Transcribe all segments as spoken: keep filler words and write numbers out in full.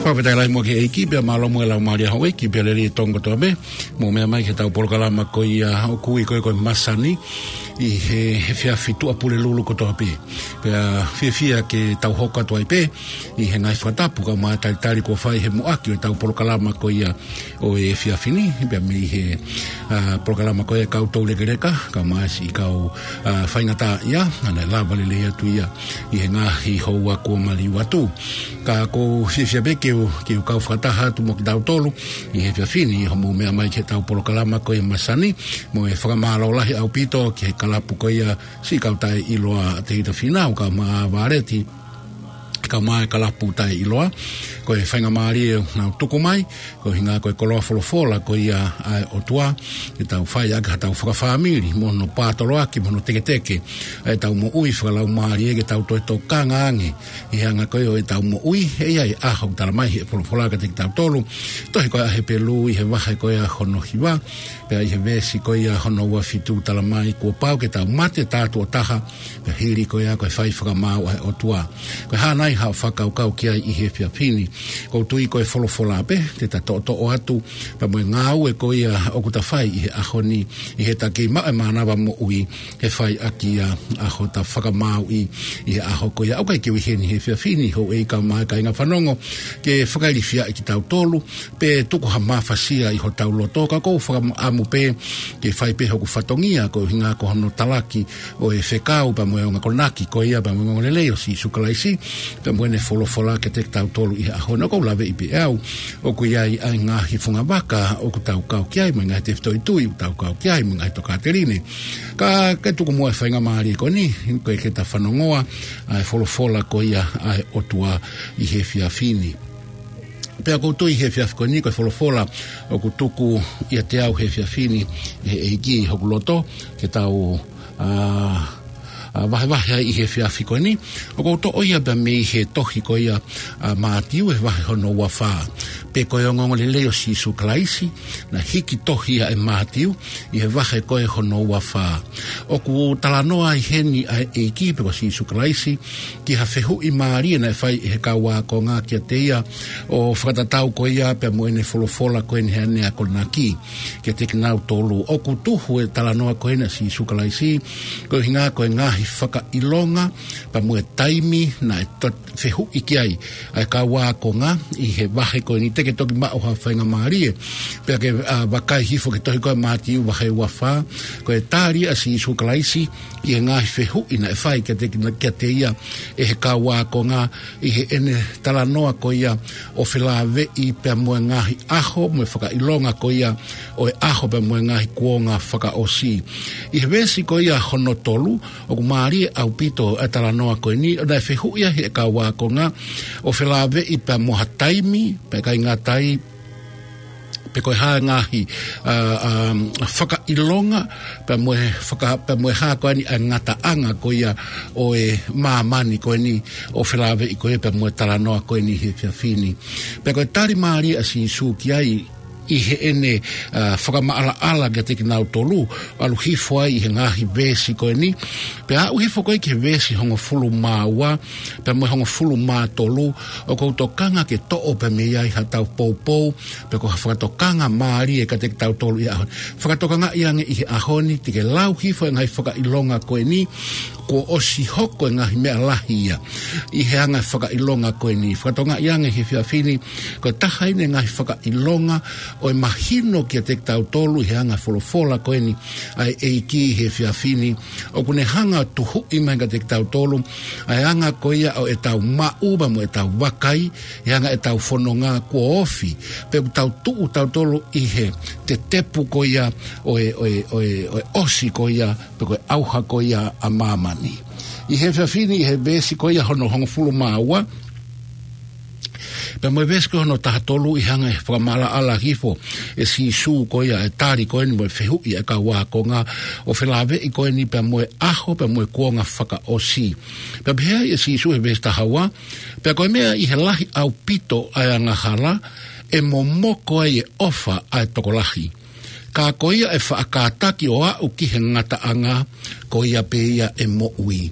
Fakafetaʻi lahi muʻa ki he ʻEiki, pea mālō muʻa e laumālie ʻa houʻeiki, pea lelei e Tonga kotoa pē, mou meʻa mai ki heʻetau polokalama ko ia ʻoku ui ko e, ko e Masani, ʻi he, he efiafi Tuʻapulelulu kotoa pē. Pea fiefia ke tau hoko atu ai pē ʻi he ngaahi fakatapu kae ʻumaʻā e talitali kuo fai he muʻaki ʻo ʻetau polokalama ko ia ʻo e efiafi ni, pea mei he, ʻa, polokalama ko ia ʻa e kau toulekeleka, kae ʻumaʻā siʻi kau, ʻa, faingataʻaʻia, ʻa ia naʻe lava lelei atu ia ʻi he ngaahi houa kuo maliu atu. Ka ʻoku ou fiefia pē ke u, ke u kau fakataha atu mo kitautolu ʻi he efiafi ni, ʻi hoʻomou meʻa mai ki heʻetau polokalama ko ia Masani, mo e fakamālō lahi ʻaupito ki he kalapu ko ia siʻi kau taʻeʻiloa ʻa Tēvita Fīnau kae ʻumaʻā Vāleti, kae ʻumaʻā e kalapu taʻeʻiloa. Ko e faingamālie ʻoku nau tuku mai, koeʻuhinga ko e koloa folofola ko ia ʻa e ʻOtua, ke tau fai ʻaki haʻatau fakafāmili, mo hono pātoloaki, mo hono teketeke ʻetau moʻui fakalaumālie, ke tau toe tokanga ange ʻi he anga ko ia ʻo ʻetau moʻui, ʻe ʻi ai e ʻaho ʻoku talamai ʻe he folofola kiate kitautolu, tohi ko ia ʻa Hepelū ʻi he vahe ko ia hono hiva, pea ʻi he veesi ko ia hono ua fitu talamai, kuo pau ke tau mate tātuʻo taha, pea hili ko ia ko e fai fakamaau ʻa e ʻOtua. Ko e hā nai haʻo fakakaukau ki ai ʻi he efiafi ni? ʻOku ou tui ko e folofola pē te ta toʻotoʻo atu, pea mo e ngāue ko ia ʻoku ta fai ʻi he ʻaho ni, ʻi heʻeta kei maʻu e mānava moʻui, he fai ʻaki ia ʻa hota fakamaauʻi ʻi he ʻaho ko ia. ʻOku ʻikai ke u ʻi heni he efiafi ni, houʻeiki kae ʻumaʻā e kāinga fanongo, ke fakailifiaʻi kitautolu, pe tuku ha mafasia ʻi hotau loto, ka ʻoku ou fakaʻamu pē ke fai pē hoku fatongia, koeʻuhinga ko hono talaki ʻo e fekau pea mo e ongo akonaki ko ia pea mo e ongoongolelei ʻo Sīsū Kalaisi, pea mo ʻene folofola kiate kitautolu ʻi he ʻaho ni. ʻOku ou laveʻi pē ʻe au ʻoku ʻi ai ʻa e ngaahi fungavaka ʻoku tau kau ki ai, mo e ngaahi tefitoʻi tui ʻoku tau kau ki ai, mo e ngaahi tokāteline. Ka ke tuku muʻa e faingamālie ko eni, ko e ke ta fanongoa ʻa e folofola ko ia ʻa e ʻOtua ʻi he efiafi ni. Pea ʻoku ou tui he efiafi ko eni ko e folofola ʻoku tuku ʻiate au he efiafi ni ʻe he ʻEiki ʻi hoku loto ke tau, ʻa, ʻa, vahevahe ai ʻi he efiafi ko eni. ʻOku ou toʻo ia pea mei he tohi ko ia ʻa Mātiu he vahe hono ua fā. Pe ko e ongoongolelei ʻo Sīsū Kalaisi, naʻe hiki tohi ia ʻe Mātiu ʻi he vahe ko ē hono ua fā. ʻOku talanoa ai heni ʻa e ʻEiki pe ko Sīsū Kalaisi ki ha fehuʻi mālie naʻe fai ʻe he kau ākonga kiate ia, ʻo fakatatau ko ia pea mo ʻene folofola ko eni heʻene akonaki kiate kinautolu. ʻOku tuhu e talanoa ko eni ʻa Sīsū Kalaisi, koeʻuhinga ko e ngaahi fakaʻilonga pea mo e taimi naʻe to-, fehuʻi ki ai ʻa e kau ākonga ʻi he vahe ko eni. Te ke toki maʻu ha faingamālie pea ke, ʻa, vakai hifo ki he tohi ko ē Mātiu vahe ua fā, ko e tali ʻa Sīsū Kalaisi ki he ngaahi fehuʻi naʻe fai kiate, kiate ia ʻe he kau ākonga ʻi heʻene talanoa ko ia ʻo felāveʻi pea mo e ngaahi ʻaho mo e fakaʻilonga ko ia ʻo e ʻaho pea mo e ngaahi kuonga fakaʻosi. ʻI he veesi ko ia hono tolu, ʻoku mālie ʻaupito e talanoa ko eni, ʻo naʻe fehuʻi ai ʻe he kau ākonga ʻo felāveʻi pea mo ha taimi, pea ʻikai ngata ai, pe ko e hā e ngaahi, ʻa, ʻa, fakaʻilonga, pea mo e faka-, pea mo e hā ko eni ʻa e ngataʻanga ko ia ʻo e māmani ko eni, ʻo felāveʻi ko ia pea mo e talanoa ko eni he efiafi ni. Pea ko e tali mālie ʻa Sīsū ki ai, ʻi heʻene, ʻa, fakamaʻalaʻala kiate kinautolu, ʻalu hifo ai ʻi he ngaahi veesi ko eni. Pea aʻu hifo ko ē ki he veesi hongofulu mā ua pea mo e hongofulu mā tolu, ʻoku ou tokanga ke toʻo pea mei ai haʻatau poupou, pe ko ha fakatokanga mālie kiate kitautolu ʻi he ʻaho ni. Fakatokangaʻi ange ʻi he ʻaho ni, te ke lau hifo e ngaahi fakaʻilonga ko eni, kuo ʻosi hoko e ngaahi meʻa lahi ia ʻi he anga e fakaʻilonga ko eni. Fakatokangaʻi ange he efiafi ni, ko e taha eni e ngaahi fakaʻilonga ʻo e mahino kiate kitautolu ʻi he anga e folofola ko eni ʻa e ʻEiki he efiafi ni, ʻoku ne hanga ʻo tuhuʻi mai kiate kitautolu ʻa e anga ko ia ʻo ʻetau maʻu pea mo ʻetau vakai, ʻi he anga ʻetau fononga kuo ofi, pe ʻoku tau tuʻu tautolu ʻi he tetepu ko ia ʻo e, ʻo e, ʻo e, ʻo e ʻosi ko ia, pe ko e ʻauha ko ia ʻa māmani. ʻI he efiafi ni, ʻi he veesi ko ia hono hongofulu mā ua, pea mo e veesi ko ia hono taha tolu, ʻi he anga e fakamaʻalaʻala hifo ʻe Sīsū ko ia e tali ko eni mo e fehuʻi ʻa e kau ākonga, ʻo felāveʻi ko eni pea mo e ʻaho pea mo e kuonga fakaʻosi. Pea pehē ai ʻe Sīsū he veesi taha ua, pea ko e meʻa ʻi he lahi ʻaupito ʻa e angahala, ʻe momoko ai e ʻofa ʻa e tokolahi. Ka ko ia ʻe faʻa kātaki ʻo aʻu ki he ngataʻanga, ko ia pē ia ʻe moʻui.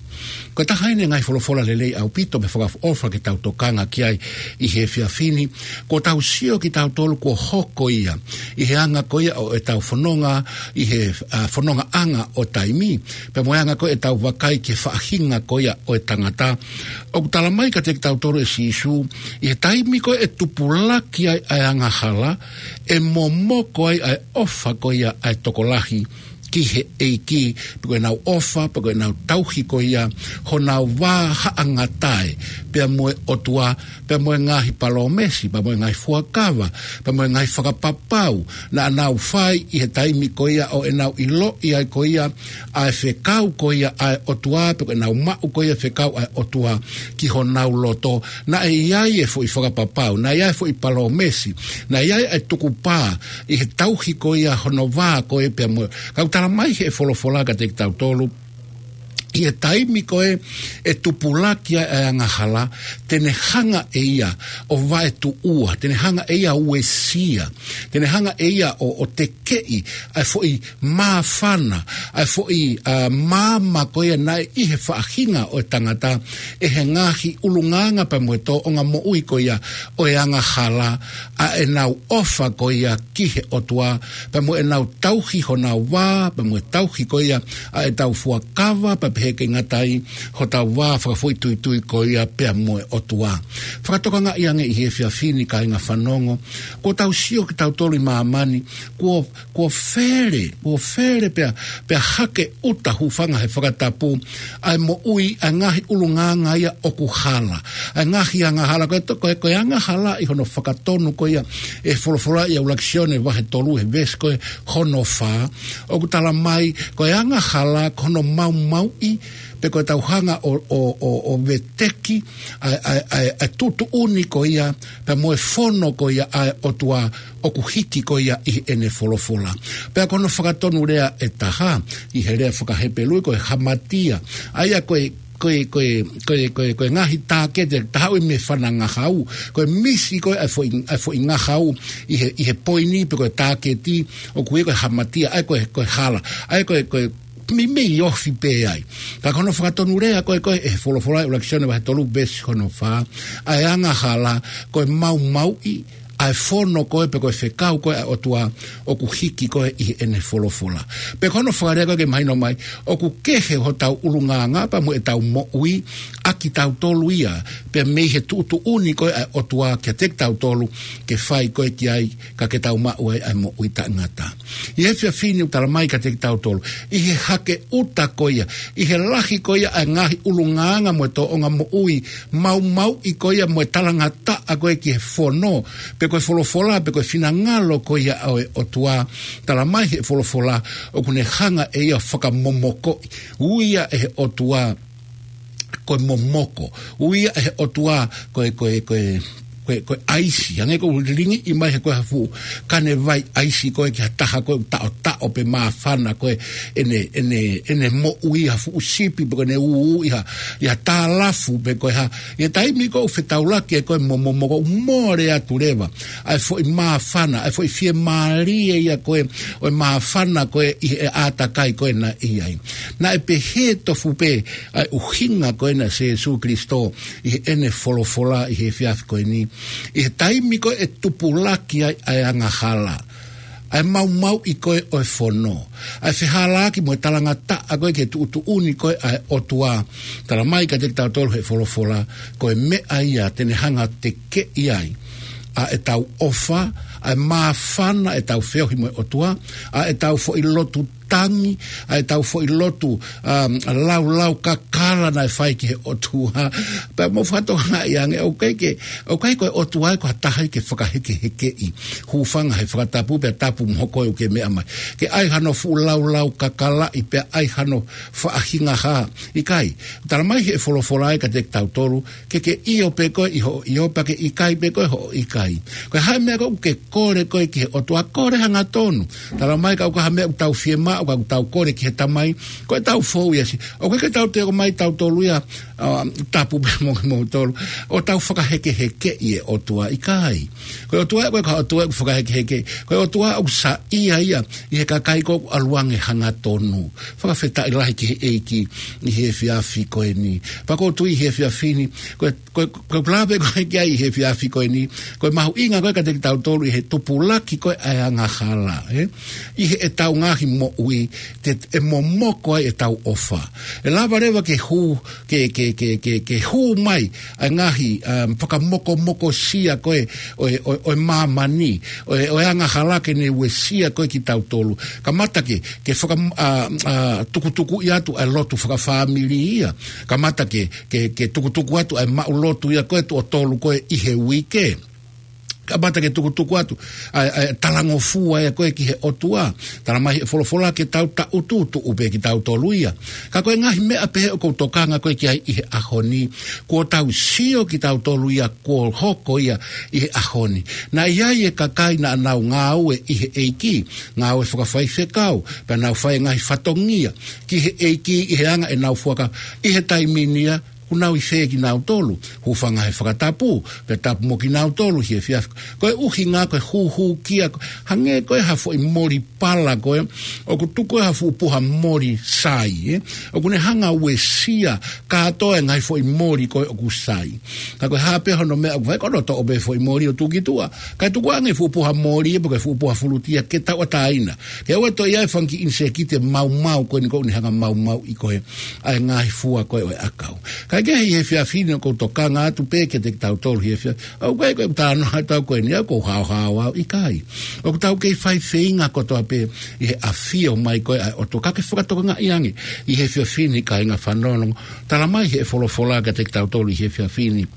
Ko e taha eni e ngaahi folofola lelei ʻaupito mo fakaʻofoʻofa ke tau tokanga ki ai ʻi he efiafi ni. Kuo tau sio kitautolu kuo hoko ia ʻi he anga ko ia ʻo ʻetau fononga, ʻi he, ʻa, fonongaʻanga ʻo taimi, pea mo e anga ko ia ʻetau vakai ki he faʻahinga ko ia ʻo e tangata. ʻOku tala mai kiate kitautolu ʻe Sīsū, ʻi he taimi ko ia ʻe tupulaki ai ʻa e angahala, ʻe momoko ai ʻa e ʻofa ko ia ʻa e tokolahi ki he ʻEiki, pe ko ʻenau ʻofa, pe ko ʻenau tauhi ko ia honau vā haʻangatae pea mo e ʻOtua, pea mo e ngaahi palōmesi, pea mo e ngaahi fuakava, pea mo e ngaahi fakapapau naʻa nau fai ʻi he taimi ko ia ʻo ʻenau ʻiloʻi ai ko ia ʻa e fekau ko ia ʻa e ʻOtua, pe ko ʻenau maʻu ko ia fekau ʻa e ʻOtua ki honau loto. Naʻe ʻi ai e foʻi fakapapau, naʻe ʻi ai e foʻi palōmesi, naʻe ʻi ai e tukupā ʻi he tauhi ko ia hono vā ko ē pea mo e. Ka ʻoku tala mai he folofola kiate kitautolu, ʻi he taimi ko ē ʻe tupulaki ai ʻa e angahala, te ne hanga ʻe ia ʻo vaetuʻua, te ne hanga ʻe ia ʻo uesia, te ne hanga ʻe ia ʻo, ʻo tekeʻi ʻa e foʻi māfana, ʻa e foʻi, ʻa, maama ko ia naʻe ʻi he faʻahinga ʻo e tangata, ʻe he ngaahi ʻulungaanga pea mo e tōʻonga moʻui ko ia ʻo e angahala, ʻa ʻenau ʻofa ko ia ki he ʻOtua, pea mo ʻenau tauhi honau vā, pea mo e tauhi ko ia ʻa ʻetau fuakava, pea pehē ʻikai ngata ai hotau vā fakafoʻituitui ko ia pea mo e ʻOtua. Fakatokangaʻi ange ʻi he efiafi ni kāinga fanongo, kuo tau sio kitautolu ʻi māmani, kuo, kuo fele, kuo fele pea, pea hake ʻuta, hūfanga he fakatapu, ʻa e moʻui ʻa e ngaahi ʻulungaanga ia ʻoku hala, ʻa e ngaahi angahala. Ko e to-, ko e, ko e angahala ʻi hono fakatonu ko ia ʻe he folofola ʻia ʻUluaki Sione vahe tolu he veesi ko ē hono fā, ʻoku tala mai ko e angahala ko hono maumauʻi, pe ko ʻetau hanga ʻo, ʻo, ʻo, ʻo veteki ʻa e, ʻa e, ʻa e, ʻa e tuʻutuʻuni ko ia pea mo e fono ko ia ʻa e ʻOtua ʻoku hiki ko ia ʻi heʻene folofola. Pea ko hono fakatonu lea ʻe taha, ʻi he lea faka-Hepelū ko e hamatia. ʻA ia ko e, ko e, ko e, ko e, ko e, ko e ngaahi tāketi, taha ʻoku ʻi ai e meʻa fana ngahau, ko e misi ko ē ʻa e foʻi, ʻa e foʻi ngahau ʻi he, ʻi he poini pe ko e tāketi, ʻoku ui ko e hamatia, ʻa ia ko e, ko e hala, ʻa ia ko e, ko e meimei ofi pē ai. Ka ko hono fakatonu lea ko ē, ko ē ʻe he folofola ʻUluaki Sione vahe tolu veesi hono fā, ʻa e angahala ko e maumauʻi ʻa e fono ko ē pe ko e fekau ko ē ʻa e ʻOtua ʻoku hiki ko ē ʻi heʻene folofola. Pea ko hono fakalea ko ē ke mahino mai, ʻoku kehe hotau ʻulungaanga pea mo ʻetau moʻui ʻa kitautolu ia, pea mei he tuʻutuʻuni ko ē ʻa e ʻOtua kiate kitautolu ke fai ko ē ki ai, ka ke tau maʻu ai ʻa e moʻui taʻengata. ʻI he efiafi ni ʻoku tala mai kiate kitautolu, ʻi he hake ʻuta ko ia, ʻi he lahi ko ia ʻa e ngaahi ʻulungaanga mo e tōʻonga moʻui maumauʻi ko ia mo e talangataʻa ko ē ki he fono, pe ko e folofola, pe ko e finangalo ko ia ʻo e ʻOtua, tala mai he folofola, ʻoku ne hanga ʻe ia ʻo fakamomokoʻi. Ui ia ʻe he ʻOtua ko e momoko. Ui ia ʻe he ʻOtua ko e, ko e, ko e, ko e, ko e ʻaisi. Hangē ko e lilingiʻi mai he ko e ha fuʻu kane vai ʻaisi ko ē ki ha taha ko ē ʻoku taʻotaʻo pe māfana ko ē ʻene, ʻene, ʻene moʻui, ha fuʻu sipi pe ko ʻene ū ʻi ha, ʻi ha tālafu pe ko e hā. ʻI he taimi ko ē ʻoku fetaulaki ai ko ē mo e momoko, ʻoku mole atu leva ʻa e foʻi māfana, ʻa e foʻi fiemālie ia ko ē ʻo e māfana ko ē ʻi he ʻātakai ko ē naʻe ʻi ai. Naʻe pehē tofu pē ʻa e ʻuhinga ko ena ʻa Sīsū Kalaisi ʻi heʻene folofola ʻi he efiafi ko eni. ʻI he taimi ko ē ʻe tupulaki ai ʻa e angahala, ʻa e maumauʻi ko ē ʻo e fono, ʻa e fehalaaki mo e talangataʻa ko ē ki he tuʻutuʻuni ko ē ʻa e ʻOtua, tala mai kiate kitautolu he folofola, ko e meʻa ia te ne hanga ʻo tekeʻi ai ʻa ʻetau ʻofa, ʻa e māfana ʻetau feohi mo e ʻOtua, ʻa ʻetau foʻi lotu tangi, ʻa ʻetau foʻi lotu, um, laulau kakala naʻe fai ki he ʻOtua. Pea mou fakatokangaʻi ange, ʻoku ʻikai ke, ʻoku ʻikai ko e ʻOtua ia ko ha taha ia ke fakahekehekeʻi. Hūfanga he fakatapu pea tapu mo koe ʻoku ke meʻa mai. Ke ʻai hano fuʻu laulau kakalaʻi pea ʻai hano faʻahinga hā. ʻIkai, tala mai he folofola ia kiate kitautolu, ke ke ʻio pē koe ʻi hoʻo ʻio, pea ke ʻikai pē koe hoʻo ʻikai. Ko e hā e meʻa ko ē ʻoku ke kole koe ki he ʻOtua, kole hangatonu. Tala mai kapau ko ha meʻa ʻoku tau fiemaʻu, ʻoku tau kole ki he Tamai, ko ʻetau fou ia si. ʻOku ʻikai ke tau toe ō mai tautolu ia, ʻa, tapu pē mo kimoutolu, ʻo tau fakahekehekeʻi e ʻOtua, ʻikai. Ko e ʻOtua, ko e ka ʻOtua ʻoku fakahekeheke. Ko e ʻOtua ʻoku saiʻia ia ʻi he kakai ʻoku ʻalu ange hangatonu. Fakafetaʻi lahi ki he ʻEiki ʻi he efiafi ko eni. Pea ʻoku ou tui ʻi he efiafi ni, ko e, ko e, ko e lave ko ē ki ai ʻi he efiafi ko eni, ko e mahuʻinga ko ē kiate kitautolu ʻi he tupulaki ko ē ʻa e angahala, ē? ʻI heʻetau ngaahi moʻui, te, ʻe momoko ai ʻetau ʻofa. ʻE lava leva ke hū, ke, ke, ke, ke, ke hū mai ʻa e ngaahi, um, fakamokomokosia ko ē ʻo e, ʻo e, ʻo e māmani, ʻo e, ʻo e angahala ke ne uesia ko ē kitautolu. Kamata ke, ke faka-, a, a, tukutukuʻi atu ʻa e lotu fakafāmili ia. Kamata ke, ke, ke tukutuku atu ʻa e maʻu lotu ia ko ē tuʻo tolu ko ē ʻi he uike. Kamata ke tukutuku atu ʻa e, ʻa e talangofua ia ko ē ki he ʻOtua. Talamai ʻe he folofola ke tau taʻutu, tuʻu pē kitautolu ia. Ka ko e ngaahi meʻa pehē ʻoku ou tokanga ko ē ki ai ʻi he ʻaho ni, kuo tau sio kitautolu ia, kuo hoko ia ʻi he ʻaho ni. Naʻe ʻi ai e kakai naʻa nau ngāue ʻi he ʻEiki, ngāue fakafaifekau, pea nau fai e ngaahi fatongia ki he ʻEiki ʻi he anga ʻenau fuakava, ʻi he taimi ni ia, kuo nau ʻi fē kinautolu? Hūfanga he fakatapu, pea tapu mo kinautolu ʻi he efiafi. Ko e ʻuhinga ko e hūhūkia, ko e hangē ko ē ha foʻi moli pala ko ē, ʻoku tuku ʻe ha fuʻu puha moli sai, ē? ʻOku ne hanga ʻo uesia kātoa e ngaahi foʻi moli ko ē ʻoku sai. Ka ko e hā pē hono meʻa ʻoku fai, ko hono toʻo pē foʻi moli ʻo tuku ki tuʻa. Kae tuku ange fuʻu puha moli, pe ko e fuʻu puha fulutia ke tauʻatāina. Ke ʻoua toe ʻi ai e fanga kiʻi ʻinisēkiti maumau ko eni ʻoku ne hanga ʻo maumauʻi ko ē ʻa e ngaahi fua ko ē ʻo e ʻakau. Kae kehe ʻi he efiafi ni ʻoku ou tokanga atu pē kiate kitautolu ʻi he efiafi. ʻOku ʻikai ko e talanoa atu au ko eni au ʻoku ou haohaoa au, ʻikai. ʻOku tau kei fai feinga kotoa pē ʻi he ʻafio mai ko ē ʻa e ʻOtua, ka ke fakatokangaʻi ange ʻi he efiafi ni kāinga fanongo. Talamai ʻe he folofola kiate kitautolu ʻi he efiafi ni.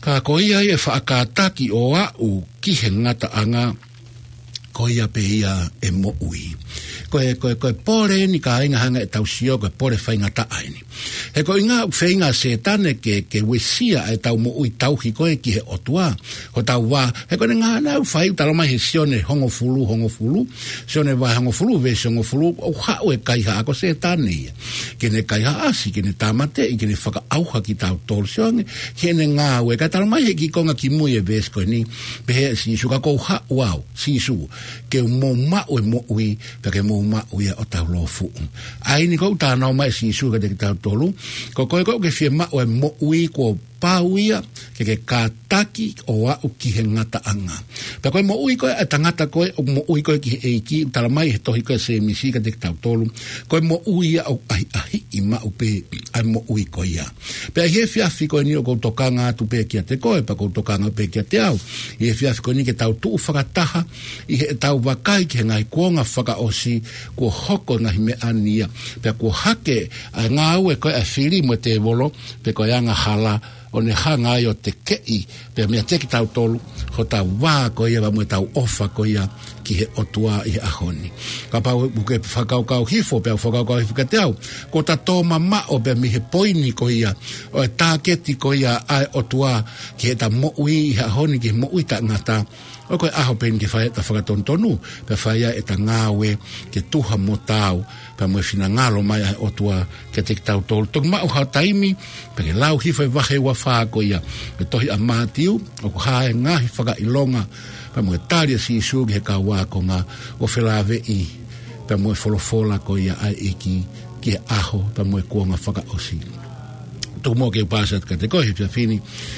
Ka ko ia ʻe faʻa kātaki ʻo aʻu ki he ngataʻanga, ko ia pē ia ʻe moʻui. Ko e, ko e, ko e pole eni kāinga hanga ʻe tau sio, ko e pole faingataʻa eni. He ko e ʻuhinga ʻoku feinga ʻa Sētane ke, ke uesia ʻa ʻetau moʻui tauhi ko ē ki he ʻOtua. Ko ʻetau vā, he ko ʻene ngāue naʻa nau fai, talamai ʻe he Sione hongofulu, hongofulu. Sione vahe hongofulu, veesi hongofulu, ʻoku haʻu e kaihaʻa ko Sētane ia. Ke ne kaihaʻasi, ke ne tāmateʻi, ke ne fakaʻauha kitautolu. Sio ange ki heʻene ngāue, kae talamai ʻe he kiʻi konga kimui e veesi ko eni, pehē ʻe Sīsū, ka ʻoku ou haʻu au, Sīsū, ke mou maʻu e moʻui, pea ke mou maʻu ia ʻo taulōfuʻu. ʻA eni ʻoku talanoa mai ʻa Sīsū kiate kitautolu, ko koe ʻoku ke fiemaʻu e moʻui kuo pau ia, ke ke kātaki ʻo aʻu ki he ngataʻanga. Pea ko e moʻui ko ē ʻa e tangata ko ē ʻoku moʻui ko ē ki he ʻEiki, talamai ʻe he tohi ko ē ʻa Sēmisi kiate kitautolu, ko e moʻui ia ʻoku ʻahiʻahiʻi maʻu pē ʻa e moʻui ko ia. Pea ʻi he efiafi ko eni ʻoku ou tokanga atu pē kiate koe, pea ʻoku ou tokanga pē kiate au. ʻI he efiafi ko eni ke tau tuʻu fakataha ʻi heʻetau vakai ki he ngaahi kuonga fakaʻosi, kuo hoko e ngaahi meʻa ni ia. Pea kuo hake ʻa e ngāue ko ē ʻa e fili mo e tēvolo, pe ko e angahala, ʻo ne hanga ai ʻo tekeʻi pē meiate kitautolu hotau vā ko ia, pea mo ʻetau ʻofa ko ia ki he ʻOtua ʻi he ʻaho ni. Kapau ʻoku ke fakakaukau hifo, pea u fakakaukau hifo kiate au, kuo ta tō mamaʻo pē mei he poini ko ia, ʻo e tāketi ko ia ʻa e ʻOtua ki heʻeta moʻui ʻi he ʻaho ni, ki he moʻui taʻengata, ʻoku ko e ʻaho pē eni ke fai ʻeta fakatonutonu, pea fai ai ʻeta ngāue ke tuha mo taau, pea mo e finangalo mai ʻa e ʻOtua kiate kitautolu. Toki maʻu ha taimi, pea ke lau hifo e vahe ua fā ko ia ʻo e tohi ʻa Mātiu, ʻoku hā e ngaahi fakaʻilonga, pea mo e tali ʻa Sīsū ki he kau ākonga ʻo felāveʻi pea mo e folofola ko ia ʻa e ʻEiki ki he ʻaho pea mo e kuonga fakaʻosi. Tuku muʻa ke u paasi atu kiate koe he efiafi ni,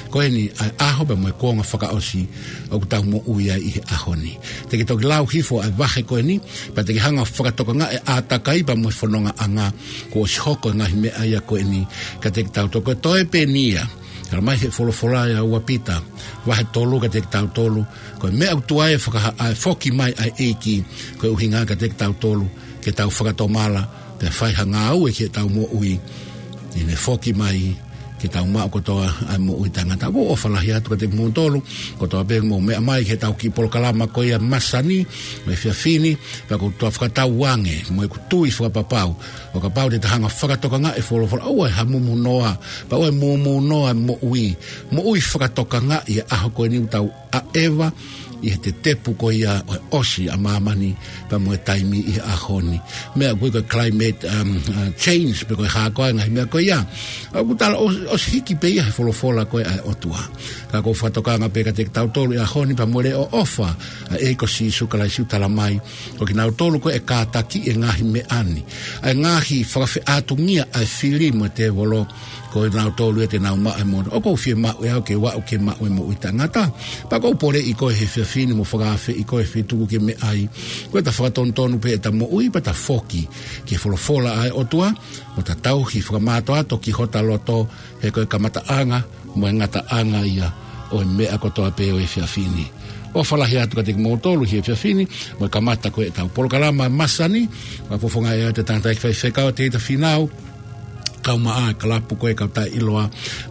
ko eni ʻa e ʻaho pea mo e kuonga fakaʻosi ʻoku tau moʻui ai ʻi he ʻaho ni. Te ke toki lau hifo ʻa e vahe ko eni, pea te ke hanga ʻo fakatokangaʻi e ʻātakai pea mo e fonongaʻanga kuo ʻosi hoko e ngaahi meʻa ia ko eni kiate kitautolu. Ko e toe pē eni ia, talamai ʻe he folofola ʻia ua Pita vahe tolu kiate kitautolu, ko e meʻa ʻoku tuai ʻe fakaha-, ʻa e foki mai ʻa e ʻEiki, ko e ʻuhinga kiate kitautolu ke tau fakatomala, pea fai ha ngāue ki heʻetau moʻui, ʻi heʻene foki mai ke tau maʻu kotoa ʻa e moʻui taʻengata. ʻOku ou ʻofa lahi atu kiate kimoutolu kotoa pē ʻoku mou meʻa mai ki heʻetau kiʻi polokalama ko ia ʻa e māsani, mo e efiafi ni, pea ʻoku ou toe fakatauange mo ʻeku tui fakapapau, ʻo kapau te ta hanga ʻo fakatokangaʻi e folofola, ʻoua ʻe hamumunoa, pea ʻoua ʻe mumunoa e moʻui, moʻui fakatokangaʻi e ʻaho ko eni ʻoku tau ʻa ʻEva ʻi he tetepu ko ia ʻo e ʻosi ʻa māmani pea mo e taimi ʻi he ʻaho ni. Meʻa ko e climate, um, uh, change, pe ko e hā koā e ngaahi meʻa ko ia. ʻOku tala ʻo, ʻosi hiki pē ia he folofola ko ē ʻa e ʻOtua. Ka ʻoku ou fakatokanga pē kiate kitautolu ʻi he ʻaho ni pea mo e leʻo ʻofa ʻa e ʻEiki ko Sīsū Kalaisi ʻoku tala mai, ko kinautolu ko ē ʻe kātakiʻi e ngaahi meʻa ni, ʻa e ngaahi fakafeʻātungia ʻa e fili mo e tēvolo, ko kinautolu ia te nau maʻu e moʻui. ʻOku ou fiemaʻu ʻe au ke u aʻu ke maʻu e moʻui taʻengata. Pea ʻoku ou poleʻi koe he efiafi ni mo fakaafeʻi koe he feituʻu ʻoku ke meʻa ai, ko ʻeta fakatonutonu pē ʻeta moʻui pea ta foki ki he folofola ʻa e ʻOtua, ʻo ta tauhi fakamātoato ki hota loto, he ko e kamataʻanga mo e ngataʻanga ia ʻo e meʻa kotoa pē ʻo e efiafi ni. ʻOfa lahi atu kiate kimoutolu he efiafi ni, mo e kamata ko ē ʻetau polokalama masani, ʻoku fofonga ʻe au ʻa e tangataʻeiki faifekau Tēvita Fīnau, kae ʻumaʻā e kalapu ko ē kau taʻeʻiloa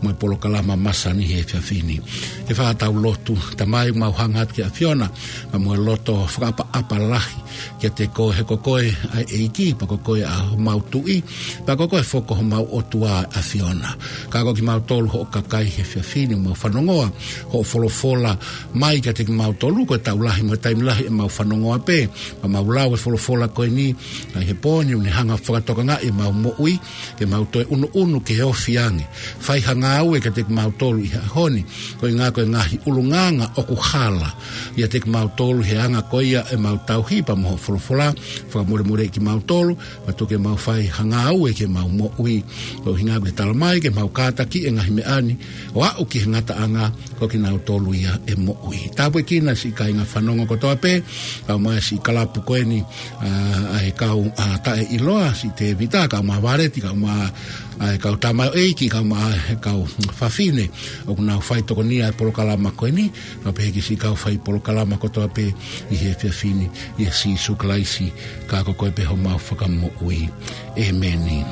mo e polokalama masani he efiafi ni. Ke fai ʻetau lotu. Tamai, mau hanga atu ki he ʻAfiona, pea mo e loto fakaʻapaʻapa lahi kiate koe he ko koe ʻa e ʻEiki, pea ko koe ʻa homau Tuʻi, pea ko koe foki ko homau ʻOtua ʻAfiona. Ka ko kimautolu hoʻo kakai he efiafi ni, mau fanongoa hoʻo folofola mai kiate kimautolu, ko e taʻu lahi mo e taimi lahi ʻemau fanongoa pē, pea mau lau e folofola ko eni ʻi he pō ni, ʻoku ne hanga fakatokangaʻi ʻemau moʻui, ke mau toe ʻunuʻunu ke ofi ange. Fai ha ngāue kiate kimautolu ʻi he ʻaho ni, koeʻuhi ko e ngaahi ʻulungaanga ʻoku hala ʻiate kimautolu he anga ko ia ʻemau tauhi pea mo hoʻo folofola, fakamolemoleʻi kimautolu, pea tuku ke mau fai ha ngāue ki heʻemau moʻui, koeʻuhi ko e tala mai ke mau kātakiʻi e ngaahi meʻa ni, ʻo aʻu ki he ngataʻanga, ko kinautolu ia ʻe moʻui. Tāpuekina siʻi kāinga fanongo kotoa pē, kae ʻumaʻā siʻi kalapu ko eni, ʻa, ʻa e kau, ʻa, taʻeʻiloa, siʻi Tēvita, kae ʻumaʻā Valeti, kae ʻumaʻā ʻa e kau tamaioʻeiki, kae ʻumaʻā e kau fafine ʻoku nau fai tokonia e polokalama ko eni, kae pehē ki siʻi kau fai polokalama kotoa pē ʻi he efiafi ni, ʻia Sīsū Kalaisi, ka ko koe pē homau Fakamoʻui. ʻĒmeni.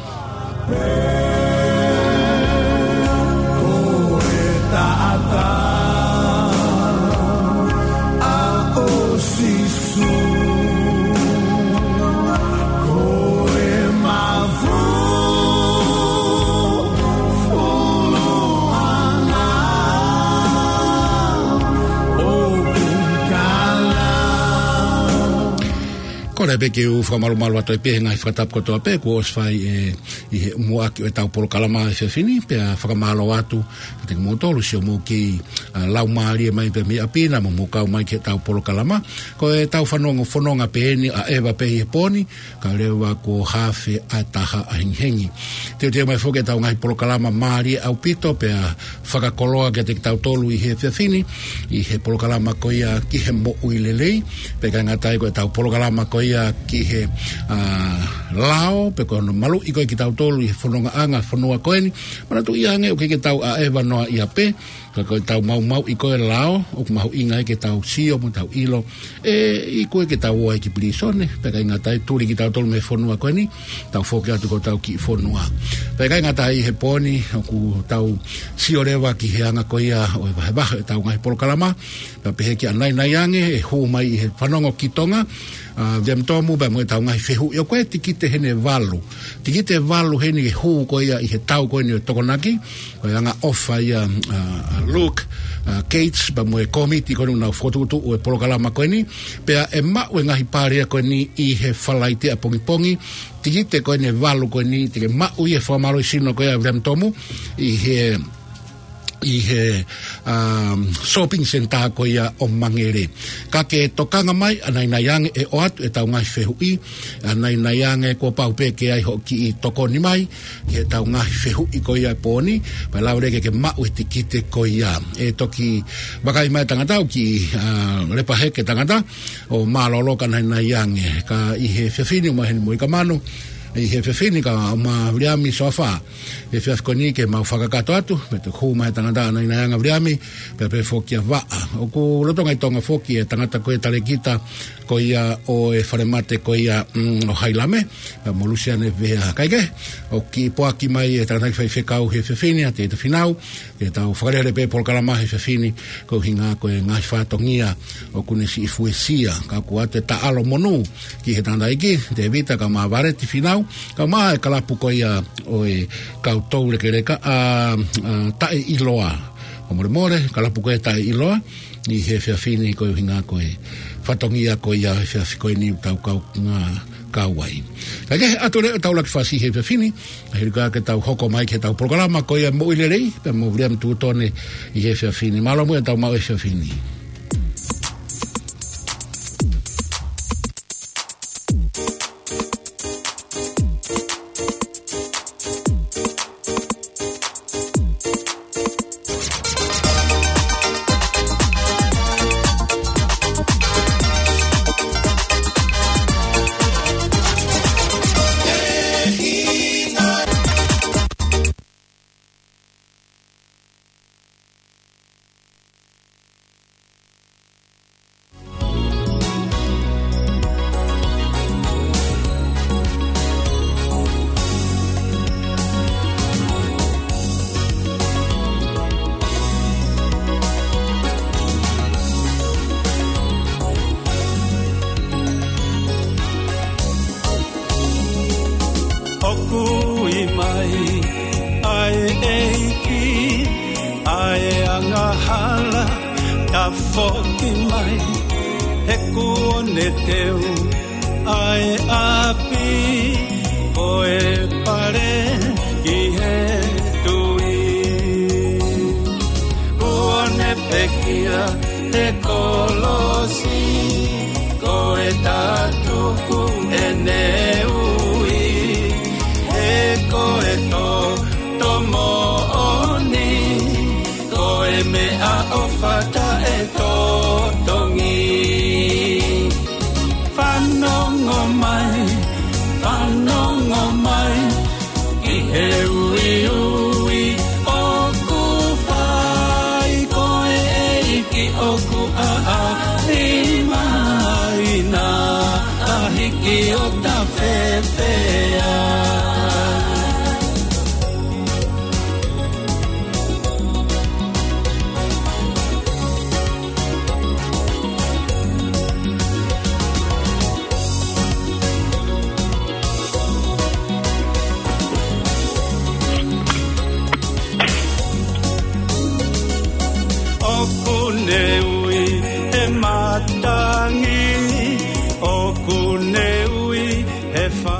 Ko e taʻataʻa ʻo Sīsū, ko e mafu fuluʻanga ʻoku kala. Kole pē ke u fakamalumalu atu ai pē he ngaahi fakatapu kotoa pē kuo ʻosi fai ʻe, ʻi he muʻaki ʻo ʻetau polokalama he efiafi ni, pea fakamālō atu kiate kimoutolu siʻomou kei, ʻa, laumālie mai pē mei ʻapi na mo mou kau mai ki heʻetau polokalama. Ko ʻetau fanongo fononga pē eni ʻa ʻEva pē ʻi he pō ni, kae leva kuo hafe ʻa e taha ʻahengihengi. Teuteu mai foki ʻetau ngaahi polokalama mālie ʻaupito, pea fakakoloa kiate kitautolu ʻi he efiafi ni, ʻi he polokalama ko ia ki he moʻui lelei, pea ʻikai ngata ai ko ʻetau polokalama ko ia ki he, ʻa, lao, pea ko hono maluʻi ko ē kitautolu ʻi he fonongaʻanga fonua ko eni. Manatuʻi ange ʻoku ʻikai ke tau ʻaʻeva noa ia pē, ka ko ʻetau maumauʻi ko ē lao, ʻoku mahuʻinga ai ke tau sio mo tau ʻilo, ʻe iku ē ke tau ō ai ki pilīsone, pea ʻikai ngata ai tuli kitautolu mei he fonua ko eni, tau foki atu ki hotau kiʻi fonua. Pea ʻikai ngata ai he pō ni, ʻoku tau sio leva ki he anga ko ia ʻo e vahevahe ʻetau ngaahi polokalama, pea pehē ki ʻAnainaiange, ʻe hū mai ʻi he fanongo ki Tonga, ʻa, William Tomu, pea mo ʻetau ngaahi fehuʻi. ʻOku ʻi ai e tikite heni ʻe valu. Tikite ʻe valu heni ʻe hū ko ia ʻi he tau ko eni ʻo e Tokonaki, ko e angaʻofa ia, ʻa, ʻa Luke, ʻa, Gates, pea mo e kōmiti ko eni ʻoku nau fokotuʻutuʻu e polokalama ko eni, pea ʻe maʻu e ngaahi pale ko eni ʻi he Falaite ʻapongipongi, tikite ko eni ʻe valu ko eni, te ke maʻu ʻi he fakamālohisino ko ia William Tomu, ʻi he, ʻi he, um, shopping centre ko ia ʻo Mangere. Ka ke tokanga mai, ʻAnainaiange ʻe ʻoatu ʻetau ngaahi fehuʻi, ʻAnainaiange kuo pau pē ke ʻi ai hoʻo kiʻi tokoni mai, ki heʻetau ngaahi fehuʻi ko ia he pō ni, pea lava leva ke ke maʻu e tikite ko ia. ʻE toki vakai mai e tangata ʻoku kiʻi, ʻa, lepa hake e tangata, ʻo mālōlō ka ʻAnainaiange. Ka ʻi he efiafi ni ʻoku ʻomai heni mo e kamanu, ʻi he efiafi ni kae ʻumaʻā Viliami Soafa. He efiafi ko eni ke mau fakakakato atu, pea toki hū mai e tangata ʻAnainaiange Viliami, pea pehē foki kia Vaʻa. ʻOku lolotonga ʻi Tonga foki e tangata ko ē talēkita, ko ia ʻo e falemate ko ia, mm, ʻo Hailame, pea mo Lusiane Vea. Kae kehe, ʻoku kiʻi poaki mai e tangataʻeiki faifekau he efiafi ni, ʻa Tēvita Fīnau, ke tau fakalele pē polokalama he efiafi ni, koeʻuhi ko e ngaahi fatongia ʻoku ne siʻi fuesia, ka ʻoku ʻoatu e taʻalo monū ki he tangataʻeiki Tēvita kae ʻumaʻā Valeti Fīnau, kae ʻumaʻā e kalapu ko ia ʻo e kau toulekeleka, ʻa, ʻa, taʻeʻiloa. Mole mole, ka lapu ko e taʻeʻiloa, ʻi he efiafi ni ko e ʻuhinga ko e fatongia ko ia he efiafi ko eni ʻoku tau kau ngā kau ai. Ka ke atu leva ʻetau laki fasi he efiafi ni, ʻa hili ka ke tau hoko mai ki heʻetau polokalama ko ia Moʻui Lelei, pea mo Viliami Tutone ʻi he efiafi ni. Mālō muʻa ʻetau maʻu he efiafi ni. ʻOku ʻi mai ʻa e ʻEiki, ʻa e angahala, tafoki mai, he kuo ne teu ʻa e ʻapi, ko e pale ki he tui. Kuo ne pekia he kolosi, ko e tatuku ʻene ui, he ko e toto moʻoni, ko e meʻaʻofa taʻetotongi. Fanongo mai, fanongo mai, ʻi he uiui ʻoku fai, ko e ʻEiki ʻoku ʻaʻahi mai, naʻa hiki ʻo tafefea. ʻOku ne ui he matangi, ʻoku ne ui he fa-